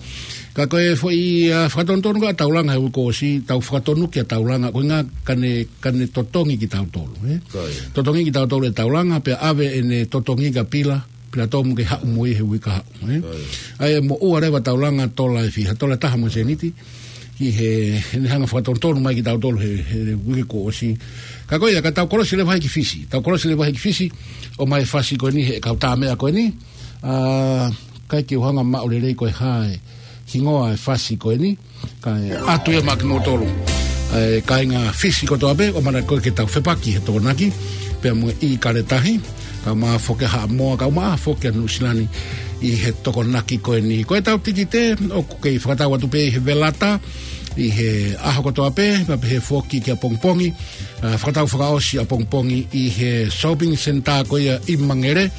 Ka ko e foʻi, ʻa, fakatonutonu ko ē ʻa Taulanga he uike kuo ʻosi, tau fakatonu kia Taulanga, ko e ngaahi ka ne, ka ne totongi kitautolu, ē? Ko ia. Totongi kitautolu ʻe Taulanga, pea ʻave ʻene totongi kia Pila, Pilato mo ke haʻu mo ia he uike ka haʻu, ē? ʻIo. ʻA ia ʻe moʻua leva Taulanga tola ʻe fiha, tola ʻe taha mo e sēniti, ki he, he ne hanga fakatonutonu mai kitautolu he, he uike kuo ʻosi. Ka ko ia, ka tau kolosi leva hake ki Fisi, tau kolosi leva hake ki Fisi, ʻomai e fasi ko eni he kau tā meʻa ko eni, ʻa, ʻikai ke u hanga maʻu lelei ko e hā e hingoa e fasi ko eni, kae ʻatu ia maʻa kimoutolu. ʻA e kāinga Fisi kotoa pē, ʻoku ʻamanaki ko ē ke tau fepaki he Tokonaki, pea mo e ʻIkale Tahi, kae ʻumaʻā foki ʻa Haʻamoa, kae ʻumaʻā foki ʻa Nuʻu Sila ni ʻi he Tokonaki ko eni. Ko ʻetau tikite, ʻoku kei fakatau atu pē ʻi he velata, ʻi he ʻaho kotoa pē, pea pehē foki ki ʻapongipongi, ʻa, fakatau fakaʻosi ʻapongipongi ʻi he shopping centre ko ia ʻi Mangere,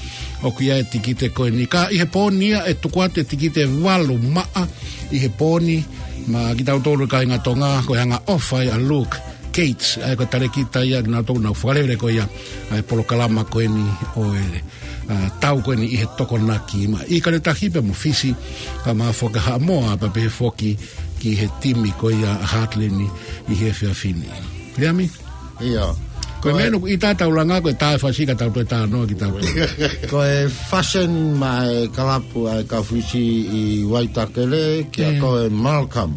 ʻoku ʻi ai e tikite ko eni. Ka ʻi he pō ni ia ʻe tuku atu e tikite ʻe valu maʻa ʻi he pō ni, maʻa kitautolu kāinga Tonga, ko e angaʻofa ia ʻa Luke Gates, ʻa ia ko e talēkita ia kinautolu naʻa nau fakalele ko ia ʻa e polokalama ko eni ʻo e, ʻa, tau ko eni ʻi he Tokonaki maʻa ʻIkale Tahi pea mo Fisi, kae ʻumaʻā foki ʻa Haʻamoa, pea pehē foki ki he timi ko ia ʻa Heartland ʻi he efiafi ni. Viliami? ʻIo. Ko e Ko e meʻa ʻoku ʻita Taulanga, ko e tā e fasi ka tau toe tā noa kitautolu. Ko e fasen maʻa e kalapu ʻa e kau Fisi ʻi Waitakere, kia Ē. ko e Malcolm.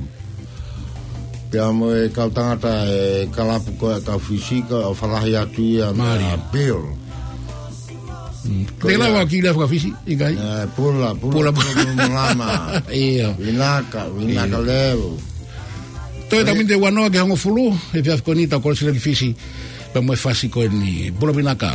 Pea mo e kau tangata e kalapu ko ē kau Fisi ko ē ʻoku falahi atu ia Mālie. maʻa Bill. Mm. Ko Te ia. lava ki lea faka-Fisi, ʻikai? Ē, pula, pula, Pula. pula, pula, pula, lama. ʻIo. Vinaka, vinaka ʻIo. leo. Toe Ko tau ia. miniti ʻe uanoa ki he hongofulu, he efiafi ko eni tau kolosi leva ki Fisi, pea mo e fasi ko eni. Pula vinaka.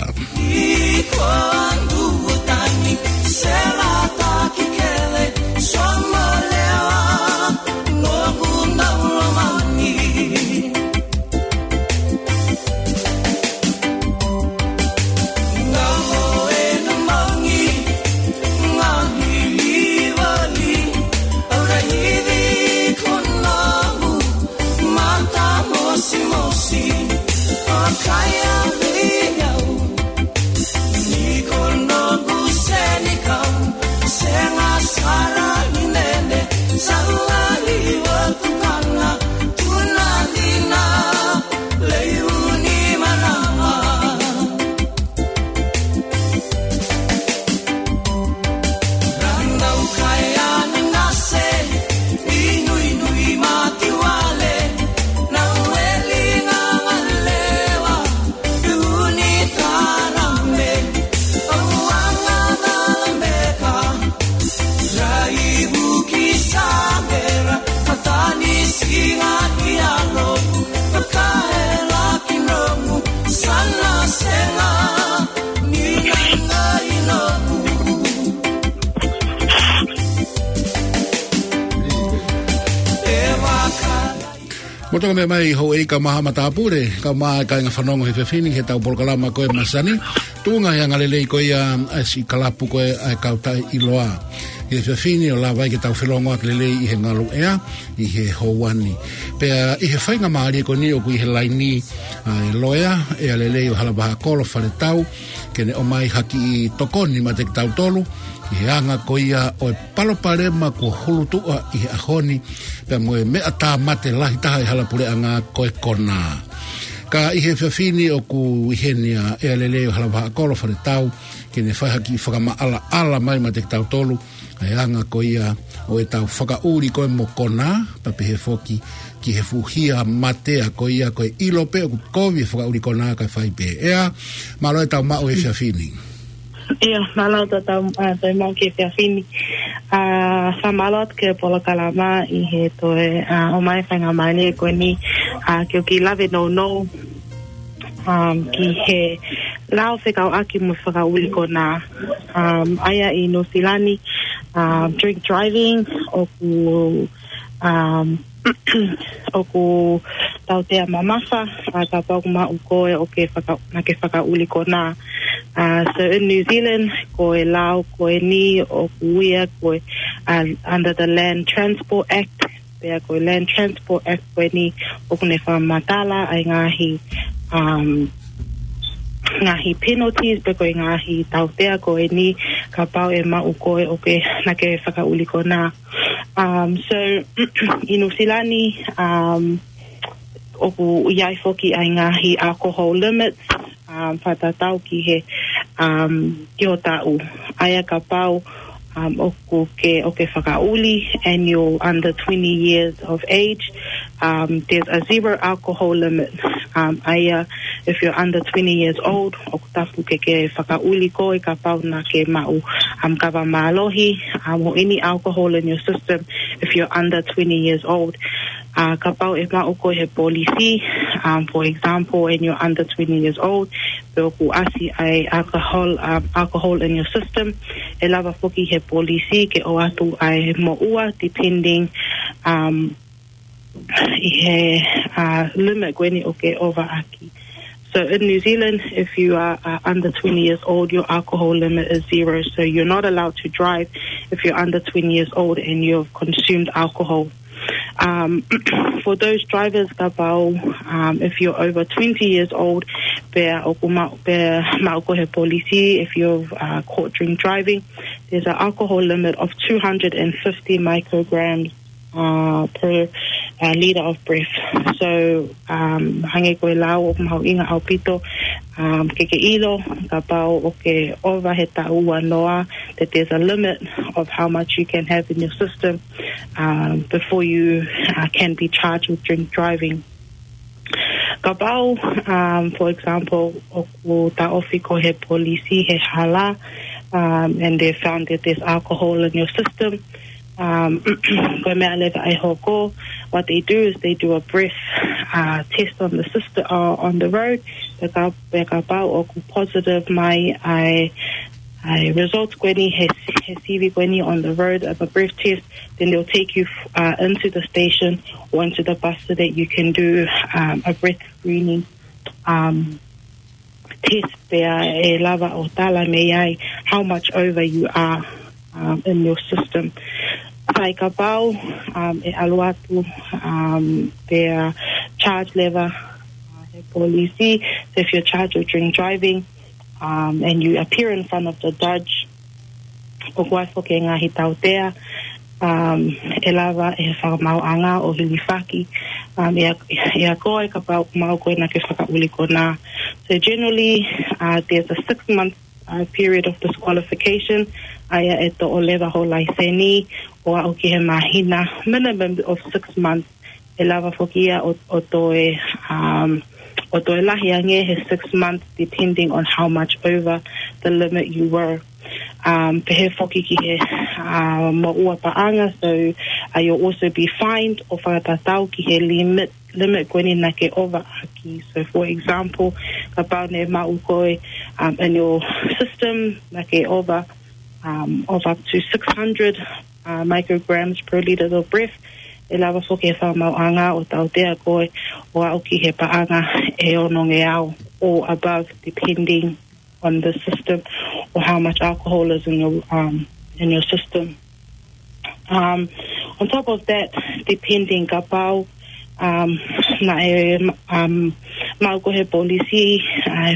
Tau toka mai houʻeiki mo e haʻa matāpule, kae ʻumaʻā e kāinga fanongo he efiafi ni he tau polokalama ko e masani. Tuʻunga he angalelei ko ia ʻa e siʻi kalapu ko e ʻa e kau taʻeʻiloa. He efiafi ni ʻo lava ai ke tau felongoaki lelei ʻi he ngaluʻea, ʻi he houa ni. Pea ʻi he faingamālie ko eni ʻoku ʻi he laini ʻa e loea, ʻEa Lelei ʻo Halavaha Kolo Faletau, ke ne ʻomai ha kiʻi tokoni maʻa kitautolu, ʻi he anga ko ia ʻo e palopalema kuo hulutuʻa ʻi he ʻaho ni, pea mo e meʻa tāmate lahi taha ʻi hala puleʻanga ko e konā. Ka ʻi he efiafi ni ʻoku ʻi heni ʻa ʻEa Lelei ʻo Halavaha Kolo Faletau, ke ne fai ha kiʻi fakamaʻalaʻala mai maʻa kitautolu, ʻa e anga ko ia ʻo e tau fakaʻuli ko e mo konā, pea pehē foki ki he fuʻu hia mate ʻa ko ia ko e ʻilo pē ʻoku kovi e fakaʻuli konā kae fai pē. ʻEa, mālō e tau maʻu he efiafi ni. ʻIa, mālō e tau, ʻa, tau maʻu he efiafi ni. ʻA, fakamālō atu ki he polokalama ʻi he toe, ʻa, ʻomai faingamālie ko eni, ʻa, ke u kiʻi lave nounou, um, ki he lao fekauʻaki mo e fakaʻuli konā. Um, ʻa ia ʻi Nuʻu Sila ni, um, drink driving, ʻoku, um, ʻoku tautea mamafa, ʻa, kapau ʻoku maʻu koe ʻoku ke faka-, naʻa ke fakaʻuli konā. Uh, so in New Zealand, ko e lao ko eni ʻoku ui ia ko e, uh, under the Land Transport Act, pea ko e Land Transport Act ko eni ʻoku ne fakamatala ʻa e ngaahi, um, ngaahi penalties, pe ko e ngaahi tautea ko eni kapau ʻe maʻu koe ʻoku ke, naʻa ke fakaʻuli konā. Um, so, ʻi Nuʻu Sila ni, um, ʻoku ʻi ai foki ʻa e ngaahi alcohol limits, um, fakatatau ki he, um, ki ho taʻu. ʻA ia kapau, um, ʻoku ke, ʻoku ke fakaʻuli and you're under twenty years of age, um, there's a zero alcohol limit. Um, ʻa ia, if you're under twenty years old, ʻoku tapu ke ke fakaʻuli koe kapau naʻa ke maʻu, um, kava mālohi, um, or any alcohol in your system if you're under twenty years old. Uh, kapau ʻe maʻu koe he polisi, um, for example, and you're under twenty years old, pe ʻoku ʻasi ʻa e alcohol, um, alcohol in your system, ʻe lava foki he polisi ke ʻoatu ʻa e moʻua, depending, um, ʻi he, uh, limit ko eni ʻoku ke ʻova ʻaki. So in New Zealand, if you are, uh, under twenty years old, your alcohol limit is zero. So you're not allowed to drive if you're under twenty years old and you've consumed alcohol. Um, for those drivers, kapau, um, if you're over twenty years old, pea ʻoku ma-, pea maʻu koe he polisi, if you've, uh, caught drink driving, there's an alcohol limit of two hundred and fifty micrograms, uh, per, uh, liter of breath. So, um, hangē ko e lao ʻoku mahuʻinga ʻaupito, um, ke ke ʻilo kapau ʻoku ke ʻova he taʻu ua noa, that there's a limit of how much you can have in your system, um, before you, uh, can be charged with drink driving. Kapau, um, for example, ʻoku taʻofi koe he polisi he hala, um, and they found that there's alcohol in your system, um, ko e meʻa leva ʻe hoko, what they do is they do a breath, uh, test on the system, uh, on the road. Pea ka-, pea kapau ʻoku positive mai ʻa e, ʻa e results ko eni he, he sivi ko eni on the road of a breath test, then they'll take you, uh, into the station or into the bus so that you can do, um, a breath screening, um, test pea ʻe lava ʻo tala mei ai how much over you are, um, in your system. Sai kapau, um, ʻe ʻalu atu, um, pea charge leva, uh, he polisi, so if you're charged with drink driving, um, and you appear in front of the judge, ʻoku ʻi ai foki e ngaahi tautea, um, ʻe lava ʻe he fakamaauʻanga ʻo hilifaki, um, ʻia, ʻia koe kapau ʻoku maʻu koe naʻa ke fakaʻuli konā. So generally, uh, there's a six month, uh, period of disqualification, ʻa ia ʻe toʻo leva ho laiseni ʻo aʻu ki he māhina, minimum of six months, ʻe lava foki ia ʻo, ʻo toe, um, ʻo toe lahi ange he six months, depending on how much over the limit you were. Um, pehē foki ki he, uh, moʻua paʻanga, so, uh, you'll also be fined ʻo fakatatau ki he limit, limit ko eni naʻa ke ʻova ʻaki. So, for example, kapau naʻe maʻu koe, um, in your system, naʻa ke ʻova, um, of up to six hundred, uh, micrograms per liter of breath, ʻe lava foki ʻe he fakamaauʻanga ʻo tautea koe ʻo aʻu ki he paʻanga ʻe onongeau or above, depending on the system or how much alcohol is in your, um, in your system. Um, on top of that, depending kapau, um, naʻe, um, maʻu koe ʻe he polisi, uh,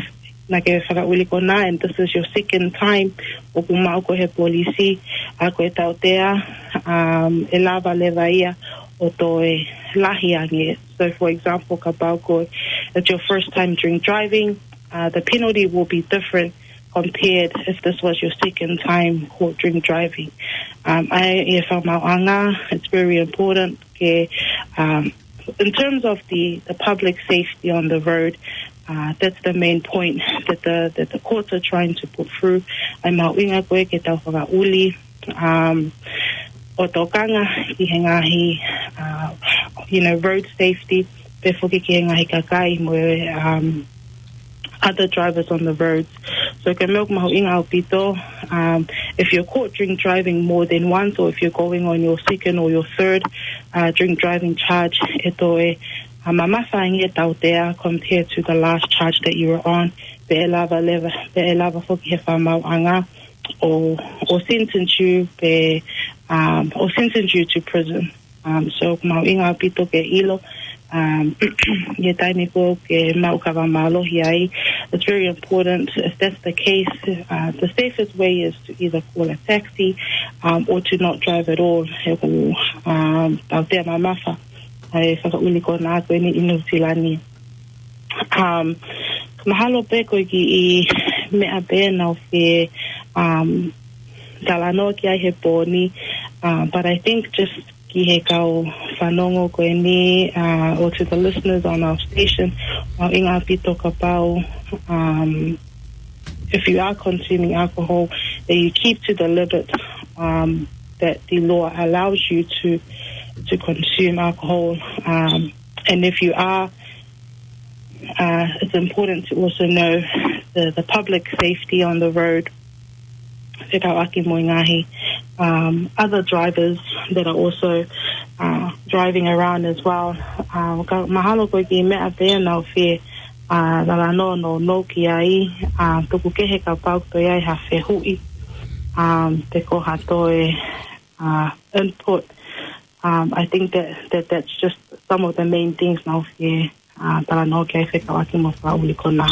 naʻa ke fakaʻuli konā, and this is your second time ʻoku maʻu koe ʻe he polisi, ʻa ko e tautea, um, ʻe lava leva ia ʻo toe lahi ange. So, for example, kapau ko e, it's your first time drink driving, uh, the penalty will be different compared if this was your second time caught drink driving. Um, ʻa e fakamaauʻanga, it's very important ke, um, in terms of the, the public safety on the road, uh, that's the main point that the, that the courts are trying to put through. ʻA e mahuʻinga ko ē ke tau fakaʻuli, um, ʻo tokanga ki he ngaahi, uh, you know, road safety, pea foki ki he ngaahi kakai mo e, um, other drivers on the roads. So ko e meʻa ʻoku mahuʻinga ʻaupito, um, if you're caught drink driving more than once, or if you're going on your second or your third, uh, drink driving charge, ʻe toe, uh, mamafa ange e tautea compared to the last charge that you were on. Pea ʻe lava leva, pea ʻe lava foki ʻe he fakamaauʻanga ʻo, ʻo sentence you, pea, um, ʻo sentence you to prison. Um, so, mahuʻinga ʻaupito ke ʻilo, um, ʻi he taimi ko ē ke maʻu kava mālohi ai. It's very important. If that's the case, uh, the safest way is to either call a taxi, um, or to not drive at all. He ʻoku, um, tautea mamafa ʻa e fakaʻuli konā ko eni ʻi Nuʻu Sila ni. Um, mahalo pē ko e kiʻi meʻa pē naʻa ku fie, um, talanoa ki ai he pō ni, uh, but I think just ki he kau fanongo ko eni, uh, or to the listeners on our station, mahuʻinga ʻaupito kapau, um, if you are consuming alcohol, that you keep to the limit, um, that the law allows you to, to consume alcohol. Um, and if you are, uh, it's important to also know the, the public safety on the road, fekauʻaki mo e ngaahi, um, other drivers that are also, uh, driving around as well. Um, ka mahalo ko e kiʻi meʻa pē naʻa ku fie, uh, talanoa nounou ki ai, uh, tuku kehe kapau ʻoku toe ʻi ai ha fehuʻi, um, pe ko ha toe, uh, input. Um, I think that, that that's just some of the main things naʻa ku fie, uh, talanoa ki ai fekauʻaki mo e fakaʻuli konā.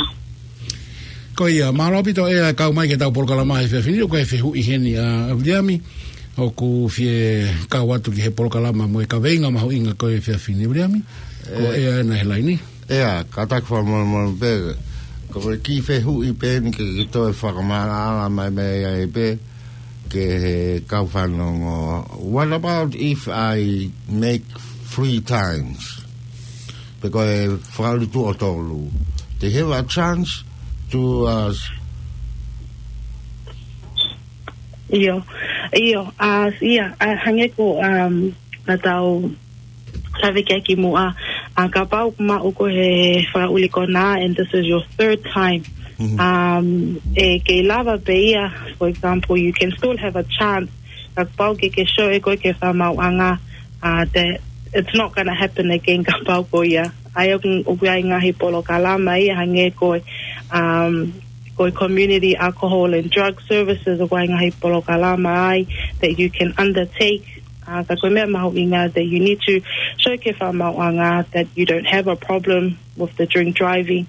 Ko ia, mālō ʻaupito ʻEa kau mai ki heʻetau polokalama he efiafi ni, ʻoku ʻi ai e fehuʻi heni ʻa Viliami, ʻoku fie kau atu ki he polokalama mo e kaveinga mahuʻinga ko ē he efiafi ni, Viliami. Ko ʻEa ena he laini. ʻEa, kātaki fakamolemole pē, ko e kiʻi fehuʻi pē eni ke, ke toe fakamaʻalaʻala mai mei ai pē, ki he kau fanongo. What about if I make three times? Pe ko e fakaʻuli tuʻo tolu. They have a chance to, uh, ʻIo, ʻio, uh, ʻio, uh, hangē ko, um, naʻa tau lave ki ai kimuʻa, uh, kapau ʻoku maʻu koe he fakaʻuli konā, and this is your third time. Mhm. Um, ʻe kei lava pē ia, for example, you can still have a chance. Kapau ke ke show ʻe koe ki he fakamaauʻanga, uh, that it's not gonna happen again kapau ko ia. ʻA ia ʻoku, ʻoku ʻi ai e ngaahi polokalama ia hangē ko e, um, ko e community alcohol and drug services, ʻoku ʻi ai e ngaahi polokalama ai that you can undertake. Uh, ka ko e meʻa mahuʻinga that you need to show ki he fakamaauʻanga that you don't have a problem with the drink driving,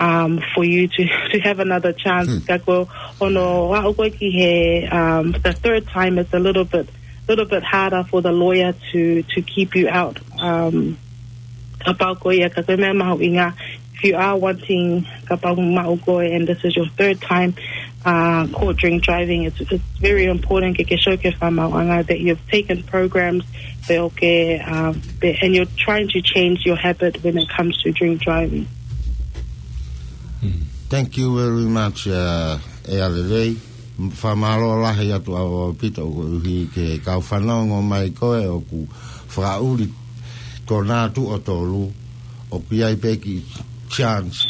um, for you to, to have another chance. Hmm. Ka ko hono aʻu ko ē ki he, um, the third time, it's a little bit, little bit harder for the lawyer to, to keep you out. Um, kapau ko ia, ka ko e meʻa mahuʻinga, if you are wanting, kapau ʻoku maʻu koe, and this is your third time, uh, caught drink driving, it's, it's very important ke ke show ki he fakamaauʻanga that you've taken programs, pe ʻoku ke, uh, pe-, and you're trying to change your habit when it comes to drink driving. Thank you very much, uh, ʻEa Lelei. Fakamālō lahi atu ʻaupito koeʻuhi ki he kau fanongo mai ko ē ʻoku fakaʻuli konā tuʻo tolu, ʻoku ʻi ai pē kiʻi chance,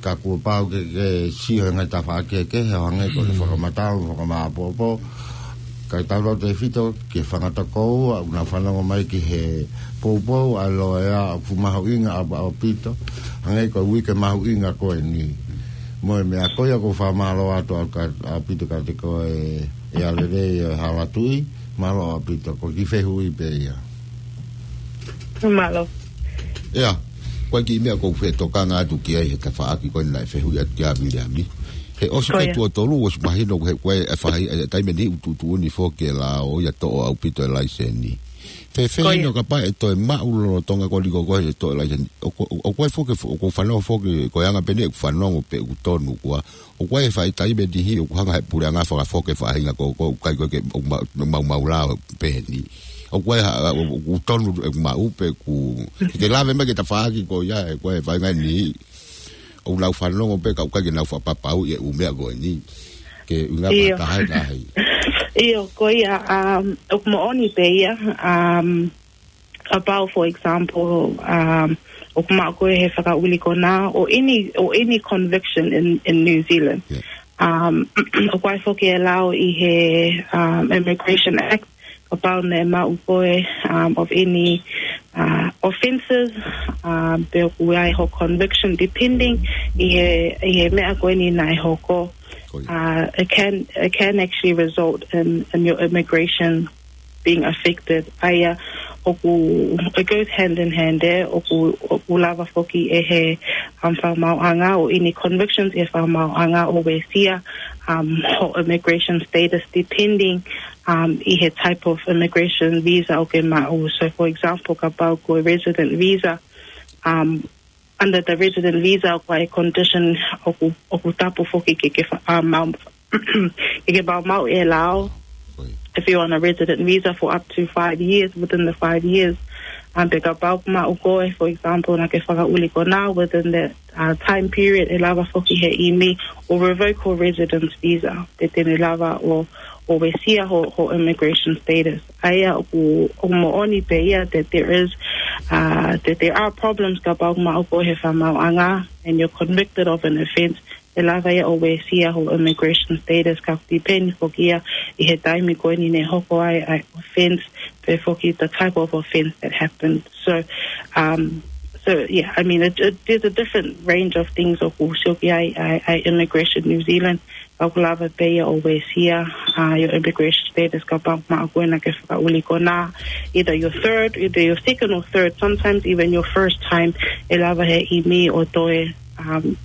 ka kuo pau ke, ke sio he ngaahi tafaʻaki kehekehe, ʻo hangē ko e fakamatala, fakamāʻopoʻopo. Kae tau lotu ʻaupito ki he fanga tokoua ʻoku nau fanongo mai ki he poupou ʻa e loea ʻoku mahuʻinga ʻaupito. Hangē ko e uike mahuʻinga ko eni. Mo e meʻa ko ia ʻoku ou fakamālō atu ʻaupito kiate koe ʻEa Lelei ʻo e Hala Tuʻi, mālō ʻaupito, ko e kiʻi fehuʻi pē ia. Mālō. ʻEa, ko e kiʻi meʻa ʻoku ou fetokanga atu ki ai he tafaʻaki ko eni naʻe fehuʻi atu kia Viliami. He ʻosi ko e tuʻo tolu, ʻosi mahino he ko e faʻahinga, e taimi ni ʻoku tuʻutuʻuni foki e lao ia toʻo ʻaupito e laiseni. Fēfē ʻi he kapau ʻe toe maʻu lolotonga ko eni ko e toʻo e laiseni. ʻOku, ʻoku, ʻoku ʻi ai foki, ʻoku ou fanongo foki, ko e anga pē eni ʻeku fanongo pe ʻoku tonu kuo ʻoku ʻi ai e faʻahinga taimi ʻe niʻihi ʻoku hanga he puleʻanga fakafoki e faʻahinga ko, ko, ʻikai ko e ke, ʻoku ma-, maumau lao pē eni. ʻOku ʻi ai ha, ʻoku tonu ʻeku maʻu pe ʻoku, ke lave mai ki he tafaʻaki ko ia, ʻoku ʻi ai e faʻahinga ʻe niʻihi ʻoku nau fanongo pē ka ʻoku ʻikai ke nau fakapapauʻi e ʻū meʻa ko eni. Ke ʻuhinga pē taha e taha. ʻIo, ko ia, um, ʻoku moʻoni pē ia, um, about, for example, um, ʻoku maʻu koe he fakaʻuli konā, or any, or any conviction in, in New Zealand. Yeah. Um, ʻoku ʻi ai foki e lao ʻi he, um, Immigration Act, kapau naʻe maʻu koe, um, of any, uh, offences, um, pe ʻoku ʻi ai hoʻo conviction depending ʻi he, ʻi he meʻa ko eni naʻe hoko. Ko ia. Uh, it can, it can actually result in, in your immigration being affected. ʻA ia, ʻoku, it goes hand in hand ē, ʻoku, ʻoku lava foki ʻe he, um, fakamaauʻanga or any convictions ʻe he fakamaauʻanga ʻo uesia, um, hoʻo immigration status depending, um, ʻi he type of immigration visa ʻoku ke maʻu. So, for example, kapau ko e resident visa, um, under the resident visa, ʻoku ʻi ai e condition ʻoku, ʻoku tapu foki ke, ke fa-, uh, mau-, ke, ke maumau e lao. Ko ia. If you're on a resident visa for up to five years, within the five years, um, pe kapau ʻoku maʻu koe, for example, naʻa ke fakaʻuli konā, within that, uh, time period, ʻe lava foki he ʻimi ʻo revoke hoʻo residence visa. Pea te ne lava ʻo, ʻo uesia hoʻo, hoʻo immigration status. ʻA ia ʻoku, ʻoku moʻoni pē ia that there is, uh, that there are problems kapau ʻoku maʻu koe he fakamaauʻanga and you're convicted of an offense, ʻe lava ia ʻo uesia hoʻo immigration status, ka ʻoku depend foki ia ʻi he taimi ko eni naʻe hoko ai ʻa e offense, pe foki the type of offense that happened. So, um, so yeah, I mean, it, it, there's a different range of things ʻoku sio ki ai ʻa e, ʻa e Immigration New Zealand, ka ʻoku lava pē ia ʻo uesia, uh, your immigration status kapau ʻoku maʻu koe naʻa ke fakaʻuli konā, either your third, either your second or third, sometimes even your first time, ʻe lava he ʻimi ʻo toe, um,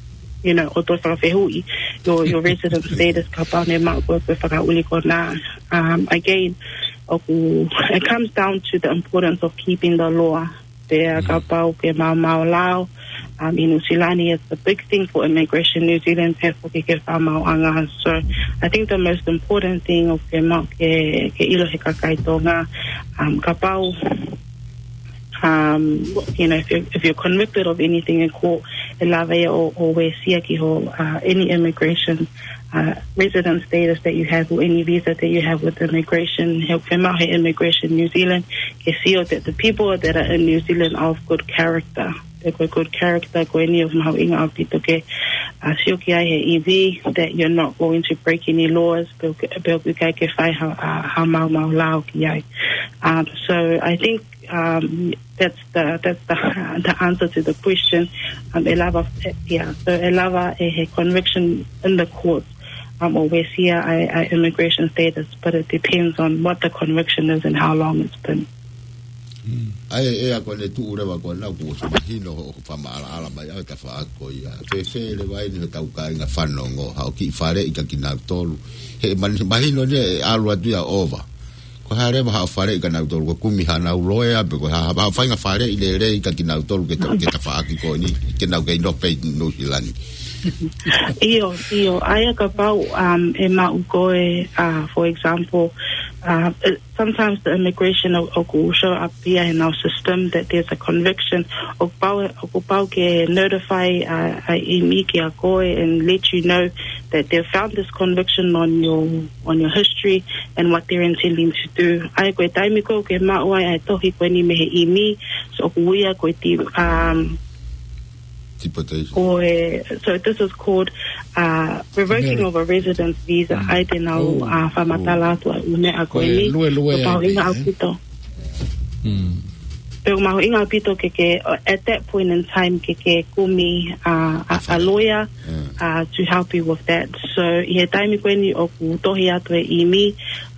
you know, ʻo toe fakafehuʻi your, your resident status kapau naʻe maʻu koe ko e fakaʻuli konā. Um, again, ʻoku, it comes down to the importance of keeping the law. Pea kapau ke maumau lao, um, ʻi Nuʻusila ni, it's a big thing for Immigration New Zealand, pea foki ki he fakamaauʻanga. So, I think the most important thing ʻoku ke maʻu ke, ke ʻilo he kakai Tonga, um, kapau, um, you know, if you're, if you're convicted of anything in court, ʻe lava ia ʻo, ʻo uesia ki hoʻo, uh, any immigration, uh, resident status that you have or any visa that you have with immigration. He ʻoku fiemaʻu he Immigration New Zealand ke sio that the people that are in New Zealand are of good character. Pea ko e good character ko eni ʻoku mahuʻinga ʻaupito ke, uh, sio ki ai he ʻimi that you're not going to break any laws, pe ʻoku, pe ʻoku ʻikai ke fai ha, uh, ha maumau lao ki ai. Um, so I think, um, that's the, that's the, the answer to the question. Um, ʻe lava, yeah, so ʻe lava ʻe he conviction in the court, um, ʻo uesia ʻa e, ʻa e immigration status, but it depends on what the conviction is and how long it's been. ʻA ia, ʻa ia ko ʻene tuʻu leva ko ena kuo ʻosi mahino hoʻo fakamaʻalaʻala mai ʻa e tafaʻaki ko ia. Fēfē leva eni hotau kāinga fanongo, haʻo kiʻi faleʻi kia kinautolu. He man-, mahino ni ʻe ʻalu atu ia ʻo ova. Ko e hā leva haʻo faleʻi kia nautolu, ko e kumi hanau loea, pe ko e hā, haʻo faʻahinga faleʻi lelei kia kinautolu ke ta-, ke tafaʻaki ko eni, ke nau kei nofo pē ʻi Nuʻusila ni. ʻIo, ʻio, ʻa ia kapau, um, ʻe maʻu koe, uh, for example, uh, uh, sometimes the immigration ʻo, ʻoku show up ia in our system that there's a conviction, ʻoku pau, ʻoku pau ke notify, uh, ʻa e ʻimi kia koe and let you know that they've found this conviction on your, on your history and what they're intending to do. ʻA ia ko e taimi ko ē ʻoku ke maʻu ai ʻa e tohi ko eni mei he ʻimi, so ʻoku ui ia ko e ti-, um, Deportation. Ko e, so this is called, uh, revoking of a residence visa. ʻA ia te nau, uh, fakamatala atu ʻa e ʻū meʻa ko eni. Ko e lue lue ʻa e, pea mahuʻinga ʻaupito. Pea mahuʻinga ʻaupito ke ke, uh, at that point in time ke ke kumi, uh, a, a lawyer, uh, to help you with that. So ʻi he taimi ko eni ʻoku tohi atu e ʻimi,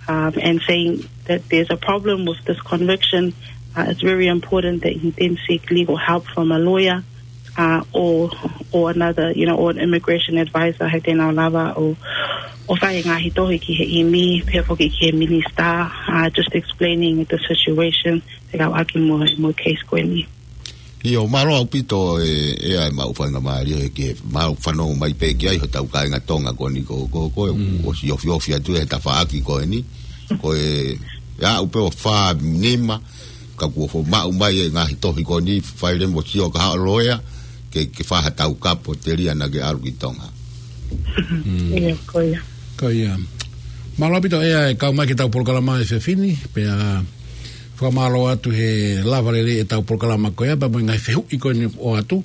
um, and saying that there's a problem with this conviction, uh, it's very important that he then seek legal help from a lawyer, uh, or, or another, you know, or an immigration advisor, he te nau lava ʻo, ʻo fai e ngaahi tohi ki he ʻimi, pea foki ki he minisitā, uh, just explaining the situation, fekauʻaki mo, mo e case ko eni. ʻIo, mālō ʻaupito e, e ʻa e maʻu faingamālie he ke maʻu fanongo mai pē ki ai hotau kāinga Tonga ko eni ko, ko, ko, ʻosi ofiofi atu he tafaʻaki ko eni. Ko e, ʻe aʻu pē ʻo fā nima, ka kuo foʻi maʻu mai e ngaahi tohi ko eni, fai leva mo sio ki ha loea, ke, ke fai ha taukapo telia naʻa ke ʻalu ki Tonga. ʻIo, ko ia. Ko ia. Mālō ʻaupito ʻEa e kau mai ki heʻetau polokalama he efiafi ni, pea fakamālō atu he lava lelei ʻetau polokalama ko ia, pea mo e ngaahi fehuʻi ko eni ʻoku ʻoatu.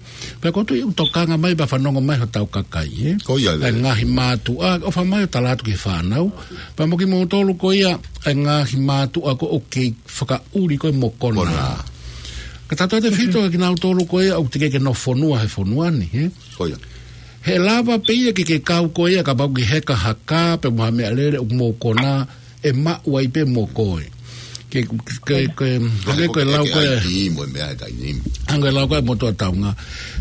Pea ʻoku ou tui ʻoku tokanga mai, pea fanongo mai hotau kakai, ē? Ko ia, ʻa e ngaahi mātuʻa, ʻofa mai ʻo tala atu ki he fānau. Pea mo kimoutolu ko ia, ʻa e ngaahi mātuʻa ko ē ʻoku kei fakaʻuli ko ē mo kona. Kona. Ka tatou te fito kinautolu ko ia ʻoku teʻeki ke nofo fonua he fonua ni, ē? Ko ia. He lava pē ia ke ke kau ko ia kapau ʻoku ke heka ha kā pe mo ha meʻalele ʻoku mou kona ʻe maʻu ai pē mo koe. Ke, ke, ke, hangē ko e lau ko ē. ʻAi ki mo e meʻa ʻe taimi. Hangē ko e lau ko ē ʻa e motuʻa taunga.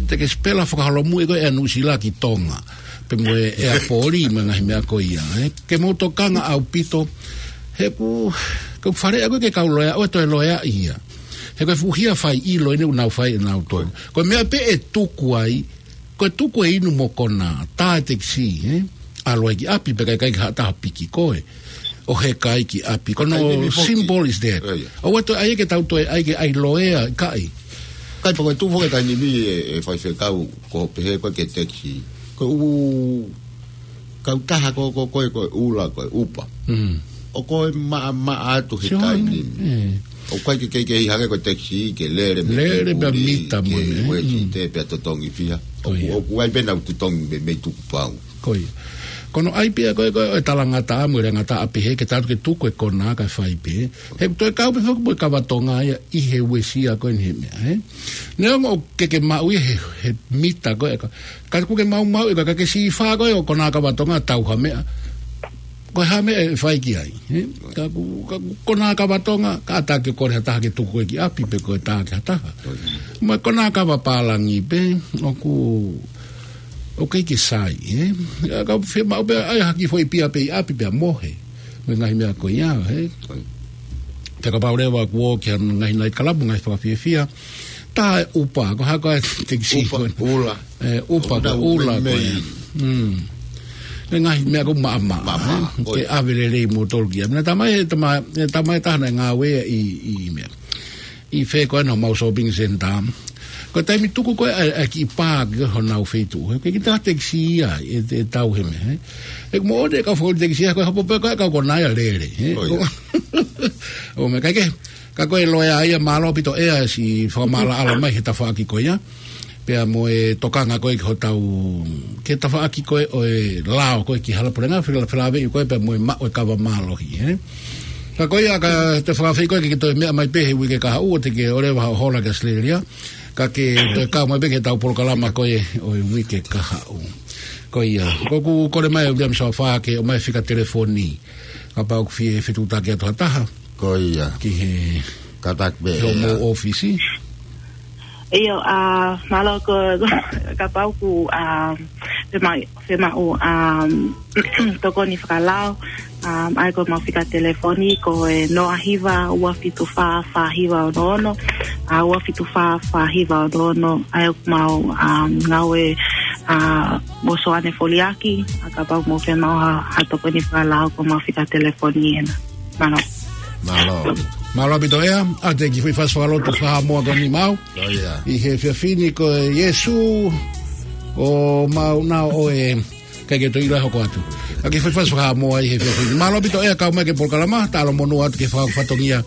Te ke sipela fakaholomui ko ē ʻa Nuʻusila ki Tonga. Pe mo e, ʻa e poli mo e ngaahi meʻa ko ia, ē. Ke mou tokanga ʻaupito. He ʻoku, ʻoku faleʻi ko ē ke kau loea, ʻoua toe loea ia. He ko e fuʻu hia fai ʻilo eni ʻoku nau fai ʻe nautolu. Ko e meʻa pē ʻe tuku ai, ko e tuku e inu mo kona, tā e tekisī, ē? ʻAlu ai ki ʻapi, pea ʻikai ke ʻi ai ha taha piki koe. ʻO heka ai ki ʻapi. Ko hono simple is that. ʻOua toe ʻai ke tau toe ʻai ke ʻai loea, ʻikai. ʻIkai, pea ko e tuʻu foki e taimi ni e, e faifekau, ko e pehē ko ē ki he tekisī. Ko e ʻū kautaha ko, ko, ko, ko e ʻula, ko e Uber. ʻOku maʻamaʻa atu he taimi ni. ʻOku ʻikai ke, ke, ke ʻi ai hangē ko e tekisī, ke lele mei Lele pea Puli, mita mo ke ne, Uēsite pea totongi fiha. Ko ia. ʻOku, ʻoku ʻi ai pē ʻenau totongi mei, mei tukupau. Ko ia. Ko hono ʻai pē ia ko ē, ko e talangataʻa mo e leangataʻa pehē ke tau ke tuku e kona kae fai pē. He ʻoku toe kau pē foki mo e kava Tonga ia ʻi he uesia ko eni he meʻa, ē? Neongo ʻoku ke, ke maʻu ia he, he mita ko ē, ka, ka ʻoku ke maumau ia ka, ka ke sīfā ko ē ʻo kona kava Tonga tau ha meʻa. Ko e hā e meʻa ʻe fai ki ai, ē? Ka ʻoku, ka ʻoku kona kava Tonga, kātaki ke kole ha taha ke tuku koe ki ʻapi pe ko e tā ki ha taha. Mo e kona kava pālangi pē, ʻoku, ʻoku ʻikai ke sai, ē? Ka fiemaʻu pē ʻai ha kiʻi foʻi pia pē ʻi ʻapi pea mohe. Mo e ngaahi meʻa ko ia, ē? Pea kapau leva kuo ō ki ha ngaahi night club, ngaahi fakafiefia. Tā e Uber, ko e hā ko ē e tekisī Uber, ko ē? ʻUla. ʻE, Uber, ko e ʻUla ko ē. Mei. Mm. E ngaahi meʻa ʻoku maʻamaʻa, maʻamaʻa, ē? Ko ia. Ke ʻave lelei moutolu ki ai. Naʻe talamai, talamai, talamai ʻe ha taha naʻe ngāue ʻi, ʻi meʻa. ʻI fē ko ē ʻenau maʻu shopping centre. Ko e taimi tuku ko ē ʻa e, ʻa e kiʻi pā ki honau feituʻu. He ʻikai ke ʻi ai ha tekisī ia, ʻe, ʻe tau he meʻa, ē? ʻE moʻoni e kau fakaʻuli tekisī ia, ko e hopo pē ko ē kau kona ia ʻo lele, ē? Ko ia. ʻO meʻa ʻikai ke, ka ko e loea ia mālō ʻaupito ʻEa siʻi fakamaʻalaʻala mai he tafaʻaki ko ia. Pea mo e tokanga ko ē ki hotau, ki he tafaʻaki ko ē ʻo e lao ko ē ki he hala puleʻanga, fela-, felāveʻi ko ē pea mo e maʻu e kava mālohi, ē? Ka ko ia ka te fakafeʻiloaki ko ē ke ke toe meʻa mai pē he uike kahaʻu ʻo te ke ʻalu leva ʻo hola ki ʻAositelēlia. Ka ke toe kau mai pē ki heʻetau polokalama ko ē ʻo e uike kahaʻu. Ko ia, ʻoku ou kole mai ʻe Uliami Soafa ke ʻomai e fika telefoni. Kapau ʻoku fie fetuʻutaki atu ha taha. Ko ia. Ki he Kātaki pē ki hoʻomou ʻEa. ʻŌfisi. ʻIo, ʻa, mālō ko, kapau ʻoku, ʻa, fema-, femaʻu, ʻa, tokoni fakalao, ʻa, ʻa ia ko ʻemau fika telefoni ko e noa hiva ua fitu fā fā hiva ono ono, ʻa, ua fitu fā fā hiva ono ono, ʻa ia ko ʻemau, ʻa, ngāue, ʻa, mo Soane Foliaki, ʻa kapau ʻoku mou femaʻu ha, ha tokoni fakalao ko ʻemau fika telefoni ena. Mālō. Mālō. Mālō ʻaupito ʻEa, ʻa e kiʻi foʻi fasi fakalotu fakaHaʻamoa ko eni maʻau. Ko ia. ʻI he efiafi ni ko e Sīsū ʻoku mau nau ʻo e, ʻikai ke toe ʻilo hoko atu. ʻA e kiʻi foʻi fasi fakaHaʻamoa ʻi he efiafi ni. Mālō ʻaupito ʻEa kau mai ki he polokalama, talamonū atu ki he fakafatongia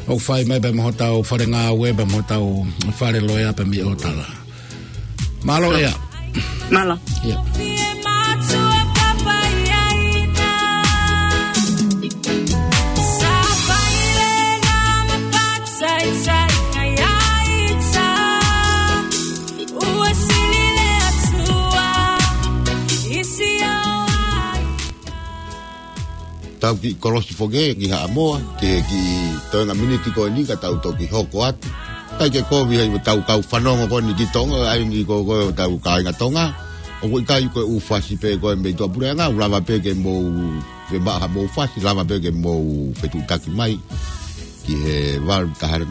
ʻoku fai mai pea mo hotau fale ngāue, pea mo hotau fale loea pea mei ʻOtala. Mālō ʻEa. Mālō. ʻIa. Tau kiʻi kolosi foki ki Haʻamoa, ke kiʻi toenga miniti ko eni ka tau toki hoko atu. ʻIkai ke kovi ai ʻetau kau fanongo ko eni ki Tonga, ʻa eni ko, ko ʻetau kāinga Tonga. ʻOku ʻikai ko e ʻū fasi pē ko e mei tuʻapuleʻanga, ʻoku lava pē ke mou, ke maʻa haʻamou fasi, lava pē ke mou fetuʻutaki mai ki he valu taha